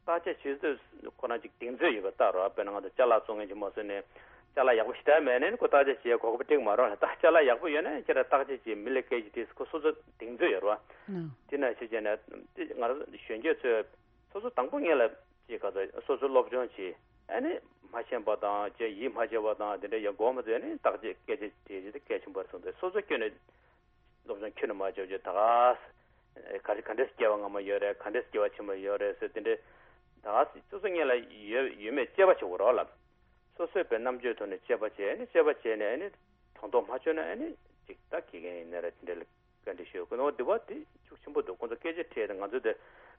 བརྟག་དཔྱད་བྱས་དུས་ཁོ་རང་ཅིག་གདེང་ཚོད་ཡོད་པ་ལྟ་རོགས། དཔེར་ན་ང་ཚོ་ཅ་ལག་བཙོང་མཁན་ཅིག་མ་བཟོས་ནས་ ཅ་ལག་ཡག་པོ་ཞེ་དྲག་མེད་ན་ཁོ་བརྟག་དཔྱད་བྱེད་གོ་སྐབས་སྤྲད་མ་རོགས་ལ། ད་ཅ་ལག་ཡག་པོ་ཡོད་ན་ཁྱེད་རང་བརྟག་དཔྱད་བྱེད་མི་ལ་སྐད་ཆ་དྲིས། ཁོ་སོ་སོ་གདེང་ཚོད་ཡོད་རེད་བ། དེ་ན་ཤེས་བྱས་ན་དེ་ང་རང་གཞོན་སྐྱེས་ཚོས་སོ་སོ་དང་པོ་ངེད་ལ་ཅིག་ག་ཚོད་སོ་སོ་སློབ་སྦྱོང་བྱེད། ཨ་ནི་མ་ཤེས་པ་དང་ཅིག་ཡིད་མ་ཆེས་པ་དང་དེ་འདྲ་ཡང་མགོ་མ་ཚོས་ནི་བརྟག་དཔྱད་སྐད་ཆ་དྲིས་རྒྱུ་དེ་གལ་ཆེན་པོ་རེད་བསམ་སྟེ། སོ་སོ་སྐྱོན་ནས་སློབ་སྦྱོང་ཁྱོན་ནས་མ་བྱས་བྱས་ད་ག་ས་ག་རེ་ག་འདྲས་སྐྱེ་བ་སྔ་མ་ཡོད་རེད། ག་འདྲས་སྐྱེ་བ་ཕྱི་མ་ཡོད་རེད་ཟེར་དེ་འདྲས་ད་ག་ས་སོ་སོ་ངེད་ལ་ཡོད་ཡོད་མེད་དཔྱད་པ་བྱེད་དགོས་རོགས་ལ། སོ་སོའི་པའི་རྣམ་དཔྱོད་ཐོག་ནས་དཔྱད་པ་བྱས་ནས་དཔྱད་པ་བྱས་ནས་ཨ་ནི་དྲང་དོག་མ་བྱུང་ན་ཨ་ནི་ཅིག་ད་དགེ་རྒན་ཡིན་ན་ར་དེ་འདྲ་ལ་བཀའ་འདྲི་ཞུ་དགོས་ནོ་འདི་བ་དེ་ཤུགས་ཆེན་པོ་འདུག་ཁོང་ཚོ་སྐད་ཆ་དྲིས་ཏེ་ང་ཚོ་དེ་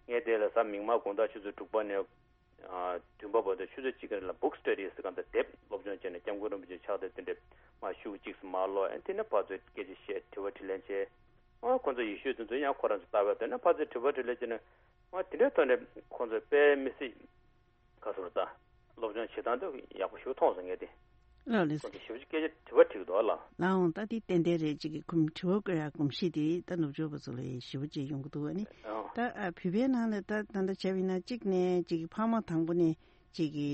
ངས་དེ་ལ་གཟའ་མིག་དམར་དགོང་དག་ཆུ་ཚོད་དྲུག་པ་ནས་ཨ་བདུན་པ་བར་དུ་ཆུ་ཚོད་གཅིག་གི་རིང་ལ་book study ཟེར་གང་ལྟར་དེབ་སློབ་སྦྱོང་བྱས་ནས་སྐྱབས་མགོན་རིན་པོ་ཆེ་ཕྱག་དེབ་དེ་འདྲ་མ་ཤུགས་གཅིག་སུ་མ་ཀློག་ཨ་དེ་ནས་ཕར་ཚུར་སྐད་ཆ་བཤད་དྲི་བ་དྲིས་ལན་བྱས། ཨ་ཁོང་ཚོ་ཡེ་ཤུ་དེ་ཚོ་ཡང་ཁོ་རང་ཚོ་ལྟ་བ་དེ་ནས་ཕར་ཚུར་དྲི་བ་དྲིས་ལན་བྱས་ནས་ཨ་དེ་འདྲའི་ཐོག་ནས་ཁོང་ཚོ་དཔེ་མི་སྲིད། ག་ཚོད་ད། སློབ་སྦྱོང་བྱེད་སྟངས་དེ་ཡག་པོ་ཞིག་མཐོང་སོང་ངས་དེ། ལགས་ལགས། ཁོང་ཚོ་ཞེ་པོ་ཅིག་སྐད་ཆ་དྲི་བ་དྲིས་འདུག་ལ། ལའང་ད་དེ་ཏན་ཏན་རེད། ཅིག་གི་གོམས་དྲི་བ་བཀོད་ཡག་གོམས་གཤིས་དེ་ད་ནུབ་ཕྱོགས་པ་ཚོ་ལ་ཞེ་པོ་ཅིག་ཡོང་གི་འདུག་ཨ་ནི། ཨོ། ད་ཨ་བོད་པའི་ནང་ལ་ད་ད་ལྟ་བྱས་པ་ཡིན་ན་གཅིག་ནས་ཅིག་གི་ཕ་མ་དང་པོ་ནས་ཅིག་གི་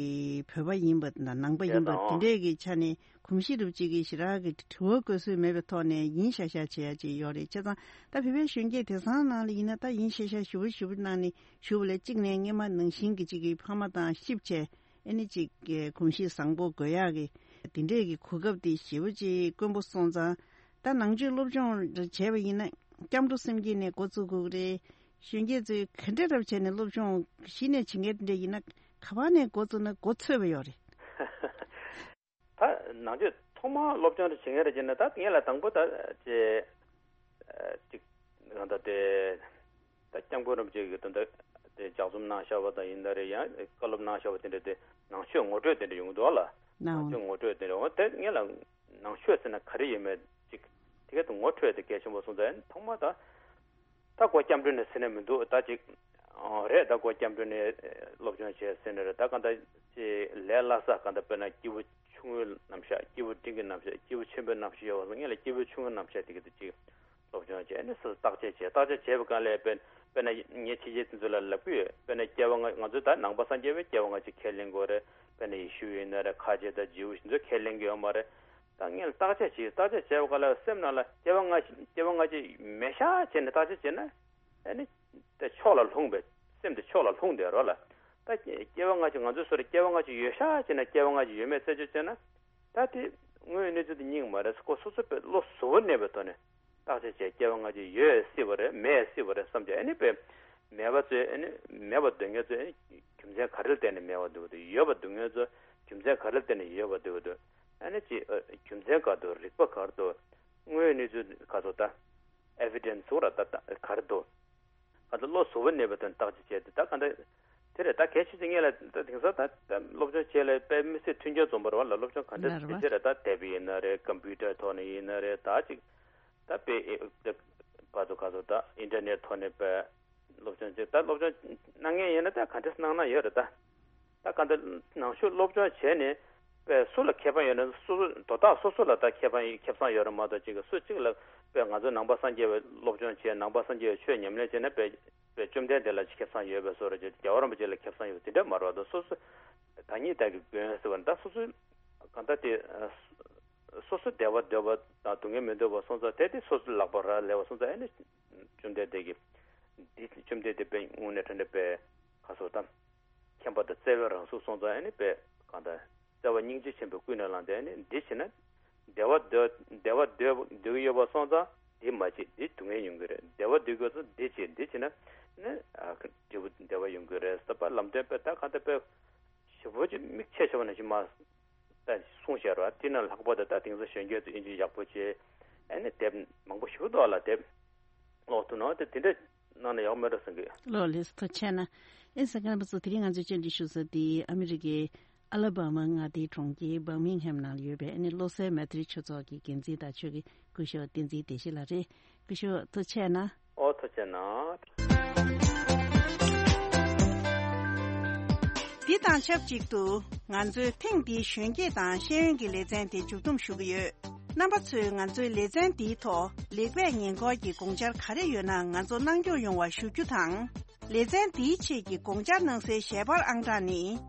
བོད་པ་ཡིན་པ་དང་ནང་པ་ཡིན་པ་དེ་འདྲས་ཀྱི་ཆ་ནས་གོམས་གཤིས་རུབ་ཅིག་གི་ཞེ་དྲག་གི་དྲི་བ་བཀོད་སྲོལ་མེད་པའི་ཐོག་ནས་ཡིན་ཤག་ཤག་བྱེད་ཡག་ཅིག་ཡོད་རེད། བྱས་ཙང་ད་བོད་པའི་གཞོན་སྐྱེས་དེང་སང་ནང་ལ་ཡིན་ན་ད་ཡིན་ཤག་ཤག་ཞེ་པོ་ཞེ་པོ་གནང་ནས། ཞུ་བ་ལས་གཅིག་ནས་སྔས་མ་ནང་བཞིན་གྱི་གཅིག་གི་ཕ་མ་དང་གཤིབ་བྱས་ཨེ་ནི་གཅིག་གི་གོམས་གཤིས་བཟང་པོ་དགོས་ཡག་གི་དེ་འདྲས་ཀྱི་གོ་སྐབས་དེ་ཞེ་པོ་ཅིག་དཀོན་པོ་སོང་ཙང་། ད་ནང་ཆོས་སློབ་སྦྱོང་བྱས་པ་ཡིན་ན་སྐྱབས་འགྲོ་སེམས་བསྐྱེད་ནས་འགོ་བཙུགས་དགོས་ཀྱི་རེད། གཞོན་སྐྱེས་ཚོས་ག་འདྲས་རབ་བྱས་ནས་སློབ་སྦྱོང་གཞི་ནས་བྱེད་མཁན་དེ་འདྲས་ཡིན་ན་ག་པ་ནས་འགོ་བཙུགས་ན་འགོ་ཚོད་པ་ཡོད་རེད། ད་ནང་ཆོས་ཐོག་མར་སློབ་སྦྱོང་རེ་བྱེད་མཁན་རེ་བྱས་ན་ད་ངེད་ལ་དང་པོ་ད་ཅེ་ཅིག་གང་ལྟར་དེ་ད་སྐྱབས་མགོན་རིན་པོ་ཆེ་གིས་ད་ལྟ་དེ་ལྗགས་རྩོམ་གནང་བཞག་པ་དང་ཡིན་ན་རེ་ཡང་བཀའ་སློབ་གནང་བཞག་པ་དེ་འདྲ་དེ་ནང་ཆོས་ངོ་སྤྲོད་དེ་འདྲ་ཡོང་གི་འདུག་ལ། ནང་ནང་ཆོས་ངོ་སྤྲོད་དེ་འདྲ་འོ་དེ་ངེད་ལ་ནང་ཆོས་ཟེར་ན་ག་རེ་ཡོད་མེད་ཅིག་དེ་ག་དུ་ངོ་འཕྲོད་དེ་གལ་ཆེན་པོ་སོང་ཙང་ཐོག་མར་ད། ད་སྒོ་སྐྱབས་འགྲོ་ནས་ཟེར་ནས་མི་འདུག་ད་ཅིག་ཨོ་རེད། ད་སྒོ་སྐྱབས་འགྲོ་ནས་སློབ་སྦྱོང་བྱས་ཟེར་ནས་རེད། ད་གང་ལྟར་ཅིག་ལས་སླ་ས་གང་ལྟར་དཔེར་ན་སྐྱེས་བུ་ཆུང་ངུའི་རྣམ་གཞག་སྐྱེས་བུ་འབྲིང་གི་རྣམ་གཞག་སྐྱེས་བུ་ཆེན་པོའི་རྣམ་གཞག་ཡོད་པ་སོང་ངས་ལ་སྐྱེས་བུ་ཆུང་ངུའི་རྣམ་གཞག་དེ་གི་དུ་ཅིག་སློབ་སྦྱོང་བྱས་ནས་སོ་སོ་བརྟག་དཔྱད་བྱས། བརྟག་དཔྱད་བྱས་པའི་སྒང་ལ་དཔེར་དཔེར་ན་ངས་ཕྱི་རྒྱལ་དེ་ཚོ་ལ་ལབ་ཀྱི་ཡོད། དཔེར་ན་སྐྱེ་བ་སྔ་ང་ཚོ་ད་ནང་པ་སངས་རྒྱས་པའི་སྐྱེ་བ་སྔ་ཕྱི་ཁས་ལེན་དགོས་རེད། དཔེར་ན་ཡེ་ཤུ་ཡིན་ན་རེད། ཁ་ཆེ་དང་ཇིའུ་ཡིན་ཚོ་ཁས་ལེན་གྱི་ཡོད་མ་རེད། ད་ངས་བརྟག་དཔྱད་བྱས། བརྟག་དཔྱད་བྱས་པ་ག་ལ་སེམས་ནང་ལ་སྐྱེ་བ་སྔ་ཕྱི་སྐྱེ་བ་སྔ་ཕྱི་མེད་ཤག་བྱས་ནས་བརྟག་དཔྱད་བྱས་ན་ཨ་ནི་དེ་ཕྱོགས་ལ་ལྷུང་བས། སེམས་དེ་ཕྱོགས་ལ་ལྷུང་བསྡད་རོགས་ལ། ད་སྐྱེ་བ་སྔ་ཕྱི་ང་ཚོའི་སོ་རེ་སྐྱེ་བ་སྔ་ཕྱི་ཡོད་ཤག་བྱས་ན་སྐྱེ་བ་སྔ་ཕྱི་ཡོད་མེད་རྩད་གཅོད་བྱས་ན་ད་དེ་དངོས་ཡོད་གནས་ཚུལ་དེ་རྙིང་མ་རེད། ཁོ་སོ་སོ་པའི་བློ་གཟུ་བོར་གནས་པའི་ཐོག་ནས་བརྟག་དཔྱད་བྱས། སྐྱེ་བ་སྔ་ཕྱི་ཡོད་སྲིད་པ་རེད། མེད་སྲིད་པ་རེད་བསམ་བྱས། ཨ་ནི་པས་མེད་པ་ཚོས་ཨ་ནི་མེད་པ་འདོད་མཁན་ཚོས་ཨ་ནི་རྒྱུ་མཚན་ག་རེ་ལ་བརྟེན་ནས་མེད་པ་འདོད་ཀྱི་འདུག་ཡོད་པ་འདོད་མཁན་ཚོས་རྒྱུ་མཚན་ག་རེ་ལ་བརྟེན་ནས་ཡོད་པ་འདོད་ཀྱི་འདུག་ཨ་ནི་ཅི་ཨ་རྒྱུ་མཚན་ག་འདུག་རིགས་པ་ག་རེ་འདུག་དངོས་ཡོད་གནས་ཚུལ་ག་ཚོད་ད་evidence ཟེར་བ་ད་ག་རེ་འདུག་ག་ཚོད་བློ་གཟུ་བོར་གནས་པའི་དོན་བརྟག་དཔྱད་བྱས་ཏེ་ད་ག་འདྲ་དེ་རེད། ད་གལ་ཆེ་ཆེ་ངེད་ལ་ད་དེང་སང་ད་ད་སློབ་སྦྱོང་བྱས་ལ་དཔེ་མི་སྲིད་མཐུན་རྐྱེན་འཛོམས་པ་རེད་བ་ལ། སློབ་སྦྱོང་ག་འདྲ་ལ་རེད་བ། དེ་རེད། ད་དེབ་ཡིན་ན་རེད། ཀམ་པུ་ཊར་ཐོག་ནས་ཡིན་ན་རེད། ད་ཅིག་ད་དཔེ་ཨེ་ཨེ་ག་ཚོད་ག་ཚོད་ད་ཨིན་ཊར་ནེཊ་ཐོག་ནས་དཔེ་སློབ་སྦྱོང་བྱས། ད་སློབ་སྦྱོང་གནང་མཁན་ཡིན་ན་ད་ག་འདྲ་གནང་ན་ཡོད་རེད་ད། ད་ག་འདྲ་ནང་ཆོས་སློབ་སྦྱོང་བྱས་ནས་དཔེ་སུ་ལ་ཁེ་ཕན་ཡོད་ན་སོ་སོ་དོ་བདག་སོ་སོ་ལ་ད་ཁེ་ཕན་ཁེ་བཟང་ཡོད་རེད་མ་གཏོགས་ཅིག་སུ་གཅིག་ལ་དཔེ་ང་ཚོ་ནང་པ་སངས་རྒྱས་པའི་སློབ་སྦྱོང་བྱས། ནང་པ་སངས་རྒྱས་པའི་ཆོས་ཉམས་ལེན་བྱས་ན་དཔེ་དཔེ་བཅོམ་ལྡན་འདས་ལ་ཁེ་བཟང་ཡོད་པའི་བཟོ་འདྲ་ཅིག་རྒྱལ་བ་རིན་པོ་ཆེ་ལ་ཁེ་བཟང་ཡོད་པ་དེ་འདྲ་མ་རེད་པ། ད་སོ་སོ་བདག་ཉིད་བདག་གི་མགོན་ཟེར་བ་ད་སོ་སོ་གང་ལྟར་དེ་སོ་སོ་བདེ་བ་འདོད་པ་དང་སྡུག་བསྔལ་མི་འདོད་པ་སོང་ཙང་དེ་དེ་སོ་སོ་ལག་པ་རག་ལས་པ་སོང་ཙང་ཨ་ནི་བཅོམ་ལྡན་འདས་ཀྱིས་འདི་བཅོམ་ལྡན་འདས་དཔེ་དངོས་གནས་དྲང་གནས་དཔེ་ག་ཚོད་དམ་མཁྱེན་པ་དང་བརྩེ་བའི་རང་གཟུགས་སོང་ཙང་ཨ་ནི་དཔེ་གང་ལྟར་བརྩེ་བ་སྙིང་རྗེ་ཆེན་པོས་ཀུན་ནས་བསླངས་ཏེ་ཨ་ནི་འདི་བྱས་ན་བདེ་བ་འདོད་བདེ་བ་འདོད་འདོད་ཀྱི་ཡོད་པ་སོང་ཙང་འདི་མ་བྱེད། འདི་སྡུག་བསྔལ་ཡོང་གི་རེད། བདེ་བ་འདོད་ཀྱི་ཡོད་ཙང་འདི་བྱེད། འདི་བྱས་ན་ནི་ཨ་འབྲས་བུ་བདེ་བ་ཡོང་གི་རེད་ཟེར་བ་ལམ་སྟོན་དཔེ་ད་གང་ལྟར་དཔེ་ཞེ་པོ་ཅིག་མིག་ཆེ་ཆེ་བ་ནང་བཞིན་མ་ད་གསུངས་བཞག་ར། དེ་ན་ལྷག་པར་དུ་ད་དེང་སང་གཞོན་སྐྱེས་ཚོ་དབྱིན་ཇི་ཡག་པོ་བྱས། ཨ་ནི་དེབ་མང་པོ་ཞིག་འདུག་ལ་དེབ་ཀློག་ཐུབ་ན་དེ་དེ་འདྲ་གནང་ན་ཡག་མེད་འགྲོ་བསམ་གི། ལགས་ལགས་སོ། ཐུགས་རྗེ་ཆེ་གནང་། ཨེ་ས་ཀར་པ་ཚོ་དེ་རིང་ང་ཚོས་བཅར་འདྲི་ཞུ་ས་དེ་ཨ་མི་རི་ཀའི་ཨ་ལ་བྷ་མ་མངའ་སྡེའི་གྲོང་ཁྱེར་བར་མིང་ཧེམ་ནང་ཡོད་པའི་ཨ་ནི་བློ་གསལ་མེ་ཏྲི་ཆོས་ཚོགས་ཀྱི་འགན་འཛིན་དང་ཆོས་ཀྱི་སྐུ་ཞབས་བསྟན་འཛིན་བདེ་སྐྱིད་ལགས་རེད། སྐུ་ཞབས་ཐུགས་རྗེ་ཆེ་གནང་། ཨོ་ཐུགས་རྗེ་གནང་། འདི་དང་ཆབས་ཅིག་ཏུ་ང་ཚོའི་ཐེངས་འདིའི་གཞོན་སྐྱེས་དང་ཤེས་ཡོན་གྱི་ལེ་ཚན་དེ་མཇུག་བསྡོམས་ཞུ་གི་ཡོད། རྣམ་པ་ཚོས་ང་ཚོའི་ལེ་ཚན་འདིའི་ཐོག་ལེགས་སྤེལ་ཉེས་འཁོར་གྱི་དགོངས་འཆར་ག་རེ་ཡོད་ན་ང་ཚོ་གནང་སྐྱོང་ཡོང་བ་ཞུ་རྒྱུ་དང་། ལེ་ཚན་འདིའི་ཆེད་ཀྱི་དགོངས་འཆར་གནང་སའི་ཞལ་པར་ཨང་གྲངས་ནི།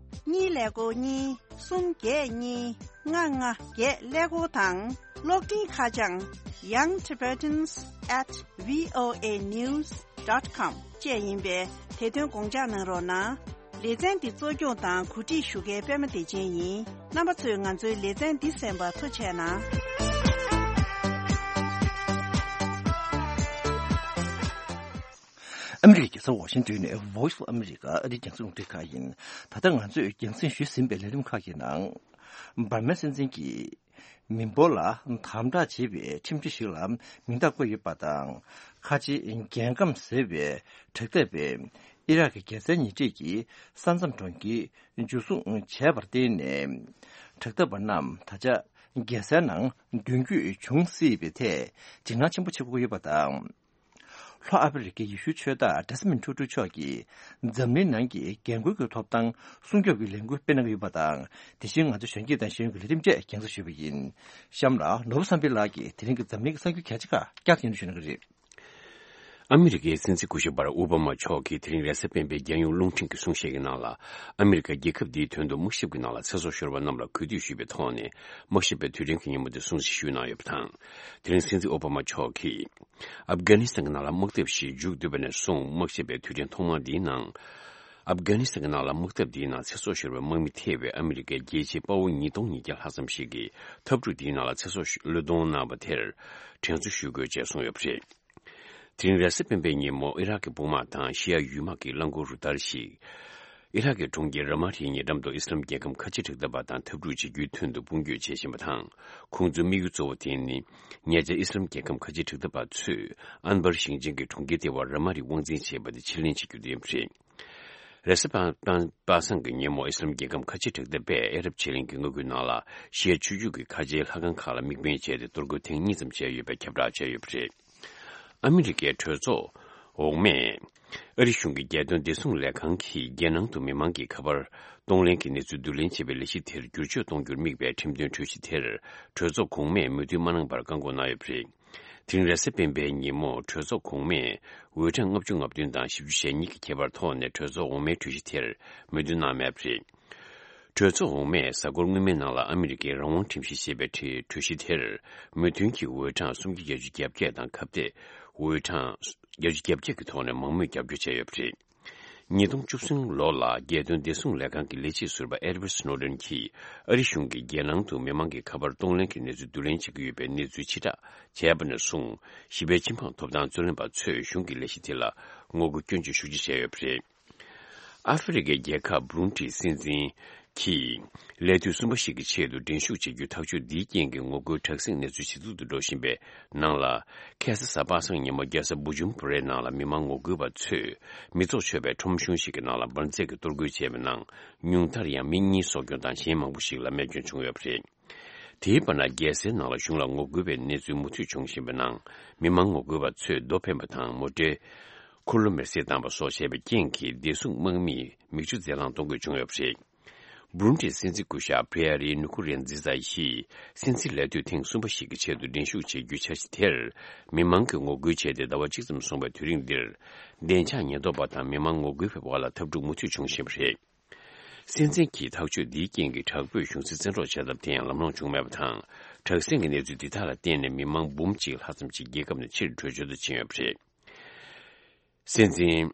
གཉིས་ཀླད་ཀོར་གཉིས། གསུམ་བརྒྱད་གཉིས། ལྔ་ལྔ་བརྒྱད་ཀླད་ཀོར་དང་། གློག་འཕྲིན་ཁ་བྱང་young tibetans at voa news dot com བཅས་ཡིན་པས། དེ་དོན་དགོངས་འཇགས་གནང་རོགས་གནང་། ལེ་ཚན་འདི་གཙོ་སྐྱོང་དང་གོ་སྒྲིག་ཞུ་མཁན་པད་མ་བདེ་ཆེན་ཡིན། རྣམ་པ་ཚོས་ང་ཚོའི་ལེ་ཚན་འདི་གསན་པར་ཐུགས་རྗེ་གནང་། ཨ་མི་རི་ཀའི་རྒྱལ་ས་ཝ་ཤིང་ཏོན་ནས་Voice of America ཨ་རིའི་རྒྱང་སྲིང་རླུང་འཕྲིན་ཁང་ཡིན། ད་ལྟ་ང་ཚོས་རྒྱང་སྲིང་ཞུས་ཟིན་པའི་ལས་རིམ་ཁག་གི་ནང་། འབར་མའི་སྲིད་འཛིན་གྱིས་མི་འབོར་ལ་དམ་དྲག་བྱེད་པའི་ཁྲིམས་གཞི་ཞིག་ལ་མིང་རྟགས་བཀོད་ཡོད་པ་དང་། ཁ་ཆེའི་རྒྱལ་ཁམས་ཟེར་བའི་དྲ་ཐག་པས་ཨི་རག་གི་རྒྱལ་སའི་ཉེ་འཁྲིས་ཀྱི་ས་མཚམས་གྲོང་ཁྱེར་འཇུ་བཟུང་བྱས་པར་བརྟེན་ནས། དྲ་ཐག་པ་རྣམས་ད་ཆ་རྒྱལ་སའི་ནང་མདུན་སྐྱོད་བྱུང་སྲིད་པའི་ཐད་འཇིགས་སྣང་ཆེན་པོ་བྱེད་དགོས་ཀྱི་ཡོད་པ་དང་། ལྷོ་ཨ་ཧྥེ་རི་ཁའི་ཡེ་ཤུའི་ཆོས་བདག་ཌེ་སི་མོན་ཊུ་ཊུ་མཆོག་གིས་འཛམ་གླིང་ནང་གི་རྒན་རྒོན་གྱི་ཐོབ་ཐང་སྲུང་སྐྱོབ་ཀྱི་ལས་འགུལ་སྤེལ་གནང་གི་ཡོད་པ་དང་། དེ་བཞིན་ང་ཚོ་གཞོན་སྐྱེས་དང་ཤེས་ཡོན་གྱི་ལས་རིམ་བཅས་རྒྱང་སྲིང་ཞུས་པ་ཡིན། གཤམ་ལ་ནོར་བུ་བསམ་འཕེལ་ལགས་ཀྱིས་དེ་རིང་གི་འཛམ་གླིང་གི་གསར་འགྱུར་གལ་ཆེ་ཁག་བསྐྱར་དུ་སྙན་སྒྲོན་ཞུ་གནང་གི་རེད། ཨ་མི་རི་ཀའི་སྲིད་འཛིན་སྐུ་ཞབས་བྷ་རག་ཨོ་བྷ་མ་མཆོག་གིས་དེ་རིང་རེས་གཟའ་སྤེན་པའི་རྒྱལ་ཡོངས་རླུང་འཕྲིན་གྱི་གསུང་བཤད་ཀྱི་ནང་ལ། ཨ་མི་རི་ཀ་རྒྱལ་ཁབ་འདིའི་དོན་དུ་དམག་ཞབས་ཀྱི་ནང་ལ་ཚེ་སྲོག་ཤོར་བ་རྣམས་ལ་གུས་འདུད་ཞུས་པའི་ཐོག་ནས། དམག་ཞབས་པའི་དུས་དྲན་གྱི་ཉིན་མོ་དེ་སྲུང་བརྩི་ཞུས་གནང་ཡོད་པ་དང་། དེ་རིང་སྲིད་འཛིན་ཨོ་བྷ་མ་མཆོག་གིས་ཨབ་གྷ་ནི་སི་ཐན་གྱི་ནང་ལ་དམག་འཐབ་ཞིག་མཇུག་བསྡུས་པ་ནས་བཟུང་དམག་ཞབས་པའི་དུས་དྲན་ཐོག་མ་འདིའི་ནང་། ཨབ་གྷ་ནི་སི་ཐན་གྱི་ནང་ལ་དམག་འཐབ་འདིའི་ནང་ཚེ་སྲོག་ཤོར་བའི་དམག་མི་ཐེ་བའི་ཨ་མི་རི་ཀའི་རྒྱལ་སྤྱིའི་དཔའ་བོ་ཉིས་སྟོང་ཉིས་བརྒྱ་ལྷག་ཙམ་ཞིག་གིས་འཐབ་འཁྲུག་འདིའི་ནང་ལ་ཚེ་སྲོག་བློས་གཏོང་གནང་བ་དེར་དྲན་གསོ་ཞུ་དགོས་ཅེས་གསུངས་ཡོད་པ་རེད། དེ་རིང་རེས་གཟའ་སྤེན་པའི་ཉིན་མོ་ཨི་རག་གི་དཔུང་དམག་དང་ཤི་ཡ་ཡུལ་དམག་གི་རླངས་འཁོར་རུ་སྟར་ཞིག་ཨི་རག་གི་གྲོང་ཁྱེར་ར་མ་ཏིའི་ཉེ་འགྲམ་དུ་ཨི་སི་ལམ་རྒྱལ་ཁམས་ཁ་ཆེ་དྲག་འཐབ་པ་དང་འཐབ་འཁྲུག་བྱེད་རྒྱུའི་དོན་དུ་དཔུང་སྐྱོད་བྱེད་བཞིན་པ་དང་། ཁོང་ཚོའི་དམིགས་ཡུལ་གཙོ་བོ་དེ་ནི། ཉེ་ཆར་ཨི་སི་ལམ་རྒྱལ་ཁམས་ཁ་ཆེ་དྲག་འཐབ་པ་ཚོས་ཨན་བར་ཞིང་ཆེན་གྱི་གྲོང་ཁྱེར་ལྟེ་བ་ར་མ་ཏི་དབང་འཛིན་བྱས་པ་དེ་ཕྱིར་ལེན་བྱེད་རྒྱུ་དེ་ཡིན་པ་རེད། རེས་གཟའ་པ་པ་སངས་ཀྱི་ཉིན་མོ་ཨི་སི་ལམ་རྒྱལ་ཁམས་ཁ་ཆེ་དྲག་འཐབ་པས་ཨ་རབ་ཆེ་གླིང་གི་མངའ་ཁུལ་ནང་ལ་ཤི་ཡ་ཆོས་བརྒྱུད་ཀྱི་ཁ་ཆེའི་ལྷ་ཁང་ཁག་ལ་དམིགས་འབེན་བྱས་ཏེ་གཏོར་རྒོལ་ཐེངས་གཉིས་ཙམ་བྱས་ཡོད་པའི་ཁྱབ་བསྒྲགས་བྱས་ཡོད་པ་རེད། ཨ་མི་རི་ཀའི་གྲོས་ཚོགས་འོག་མས་ཨ་རི་གཞུང་གི་རྒྱལ་དོན་བདེ་སྲུང་ལས་ཁང་གིས་རྒྱལ་ནང་དུ་མི་མང་གི་ཁ་པར་གཏོང་ལེན་གྱི་གནས་ཚུལ་བསྡུ་ལེན་བྱེད་པའི་ལས་གཞི་དེར་བསྒྱུར་བཅོས་གཏོང་རྒྱུར་དམིགས་པའི་ཁྲིམས་དོན་གྲོས་གཞི་དེར་གྲོས་ཚོགས་གོང་མས་མོས་མཐུན་མ་གནང་བར་བཀག་འགོག་གནང་ཡོད་པ་རེད། དེ་རིང་རེས་གཟའ་སྤེན་པའི་ཉིན་མོ་གྲོས་ཚོགས་གོང་མས་འོས་གྲངས་ལྔ་བཅུ་ང་བདུན་དང་བཞི་བཅུ་ཞེ་གཉིས་ཀྱི་ཁྱད་པར་ཐོག་ནས་གྲོས་ཚོགས་འོག་མའི་གྲོས་གཞི་དེར་མོས་མཐུན་གནང་མེད་པ་རེད། གྲོས་ཚོགས་འོག་མས་གཟའ་འཁོར་སྔོན་མའི་ནང་ལ་ཨ་མི་རི་ཀའི་རང་དབང་ཁྲིམས་གཞི་ཞེས་པའི་གྲོས་གྲོས་གཞི་དེར་མོས་མཐུན་གྱིས་འོས་གྲངས་སུམ་བརྒྱ་བརྒྱད་ཅུ་གྱ་བརྒྱད་དང་ཁ་གཏད་འོས་གྲངས་བརྒྱད་ཅུ་གྱ་བརྒྱད་ཀྱི་ཐོག་ནས་མང་མོས་རྒྱབ་སྐྱོར་བྱས་ཡོད་པ་རེད། ཉིས་སྟོང་བཅུ་གསུམ་ལོ་ལ་རྒྱལ་དོན་བདེ་སྲུང་ལས་ཁང་གི་ལས་བྱེད་ཟུར་པ་ཨེ་ཌི་ཝརཌ་སྣོ་ཌེན་གྱིས་ཨ་རི་གཞུང་གིས་རྒྱལ་ནང་དུ་མི་མང་གི་ཁ་པར་གཏོང་ལེན་གྱི་གནས་ཚུལ་བསྡུ་ལེན་བྱེད་ཀྱི་ཡོད་པའི་གནས་ཚུལ་ཕྱིར་བསྒྲགས་བྱས་པ་ནས་བཟུང་ཞི་བའི་ཁྱིམ་ཚང་ཐོབ་ཐང་རྩོད་ལེན་པ་ཚོས་གཞུང་གི་ལས་གཞི་དེ་ལ་ངོ་རྒོལ་སྐྱོན་བརྗོད་ཤུགས་ཆེ་བྱས་ཡོད་པ་རེད། ཨ་ཧྥེ་རི་ཁའི་རྒྱལ་ཁབ་བུ་རུན་ཌི་སྲིད་འཛིན་གྱིས་ལས་དུས་གསུམ་པ་ཞིག་གི་ཆེད་དུ་འགྲན་ཞུགས་བྱེད་རྒྱུ་ཐག་གཅོད་འདིའི་རྐྱེན་གྱིས་ངོ་རྒོལ་དྲག་ཟིང་གནས་ཚུལ་ཇེ་སྡུག་ཏུ་འགྲོ་བཞིན་པའི་ནང་ལ། ཁ་སང་གཟའ་པ་སངས་ཉིན་མོ་རྒྱལ་ས་བུ་ཇུམ་བུ་རའི་ནང་ལ་མི་མང་ངོ་རྒོལ་བ་ཚོས་མི་ཚོགས་ཆོད་པའི་ཁྲོམ་གཞུང་ཞིག་གི་ནང་ལ་འབར་རྫས་ཀྱི་གཏོར་རྒོལ་བྱས་པའི་ནང་ཉུང་མཐར་ཡང་མི་གཉིས་སྲོག་སྐྱོན་དང་གཞན་མང་པོ་ཞིག་ལ་རྨས་སྐྱོན་བྱུང་ཡོད་པ་རེད། དེའི་བར་ན་རྒྱལ་སའི་ནང་ལ་གཞུང་ལ་ངོ་རྒོལ་བའི་གནས་ཚུལ་མུ་མཐུད་འབྱུང་བཞིན་པའི་ནང་། མི་མང་ངོ་རྒོལ་བ་ཚོས་རྡོ་འཕེན་པ་དང་མོ་ཊའི་འཁོར་ལོ་མེར་སྲེག་བཏང་པ་སོགས་བྱས་པའི་རྐྱེན་གྱིས་བདེ་སྲུང་དམག་མིས་མིག་ཆུ་རྫས་རླངས་གཏོང་དགོས་བྱུང་ཡོད་པ་རེད། བུ་རུན་ཌིའི་སྲིད་འཛིན་སྐུ་ཞབས་པི་ཡ་རི་ནུ་ཁུ་རན་ཛི་ཛ་ཡིས་སྲིད་འཛིན་ལས་དུས་ཐེངས་གསུམ་པ་ཞིག་གི་ཆེད་དུ་འགྲན་ཞུགས་བྱེད་རྒྱུའི་འཆར་གཞི་དེར། མི་མང་གིས་ངོ་རྒོལ་བྱས་ཏེ་ཟླ་བ་གཅིག་ཙམ་སོང་བའི་དུས་རིང་འདིར། བདེ་འཇགས་ཉེན་རྟོག་པ་དང་མི་མང་ངོ་རྒོལ་བའི་བར་ལ་འཐབ་འཁྲུག་མུ་མཐུད་བྱུང་བཞིན་པ་རེད། སྲིད་འཛིན་གྱི་ཐག་གཅོད་འདིའི་རྐྱེན་གྱིས་དྲག་པོས་གཞུང་སྲིད་བཙན་འཕྲོག་བྱ་ཐབས་དེ་ཡང་ལམ་ལྷོང་བྱུང་མེད་པ་དང་། དྲག་ཟིང་གི་གནས་ཚུལ་འདི་དག་ལ་བརྟེན་ནས་མི་མང་འབུམ་གཅིག་ལྷག་ཙམ་ཞིག་རྒྱལ་ཁབ་ནས་ཕྱིར་བྲོས་བྱོལ་དུ་ཕྱིན་ཡོད་པ་རེད། སྲིད་འཛིན་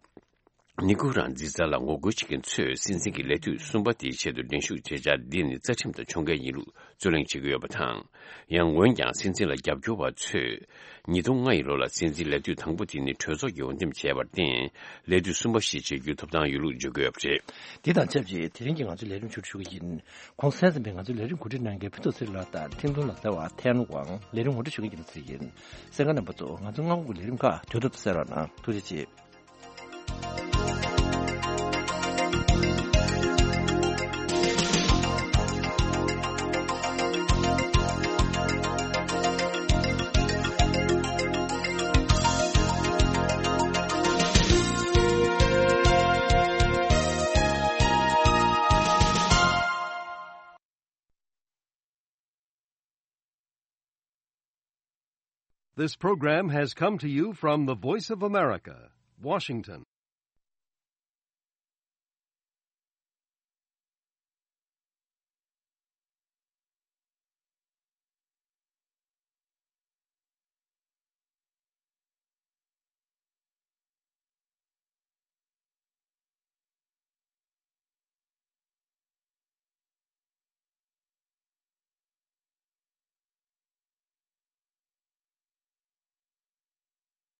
ནི་ཀུ་རན་ཛི་ཙ་ལ་ངོ་རྒོལ་བྱེད་མཁན་ཚོས་སྲིད་འཛིན་གྱི་ལས་དུས་གསུམ་པ་དེའི་ཆེད་དུ་འགྲན་ཞུགས་བྱེད་འཆར་འདི་ནི་རྩ་ཁྲིམས་དང་ཕྱོགས་འགལ་ཡིན་ལུགས་རྩོད་གླེང་བྱེད་ཀྱི་ཡོད་པ་དང་། ཡང་འོན་ཀྱང་སྲིད་འཛིན་ལ་རྒྱབ་སྐྱོར་བ་ཚོས། ཉིས་སྟོང་ལྔ་ཡི་ལོ་ལ་སྲིད་འཛིན་ལས་དུས་དང་པོ་དེ་ནི་གྲོས་ཚོགས་ཀྱིས་འོས་འདེམས་བྱས་པར་བརྟེན། ལས་དུས་གསུམ་པ་ཞིག་བྱེད་རྒྱུའི་ཐོབ་ཐང་ཡོད་ལུགས་བརྗོད་ཀྱི་ཡོད་པ་རེད། འདི་དང་ཆབས་ཅིག་དེ་རིང་གི་ང་ཚོའི་ལས་རིམ་མཇུག་སྒྲིལ་ཞུ་གི་ཡིན། གོང་གསལ་ཙམ་པས་ང་ཚོའི་ལས་རིམ་གོ་སྒྲིག་གནང་མཁན་ཕུན་ཚོགས་ཚེ་རིང་ལགས་དང་ཐེངས་ཐུང་ལ་ཟེར་བ་ཐན་ཝང་ལས་རིམ་ངོ་སྤྲོད་ཞུ་མཁན་རྒྱལ་མཚན་ཡིན། གསན་མཁན་རྣམ་པ་ཚོ། ང་ཚོའི་སྔ་དགོང་གི་ལས་རིམ་ཁག་དུས་ཐོག་ཏུ་གསན་རོགས་གནང་། ཐུགས་རྗེ་ཆེ། This program has come to you from the Voice of America, Washington.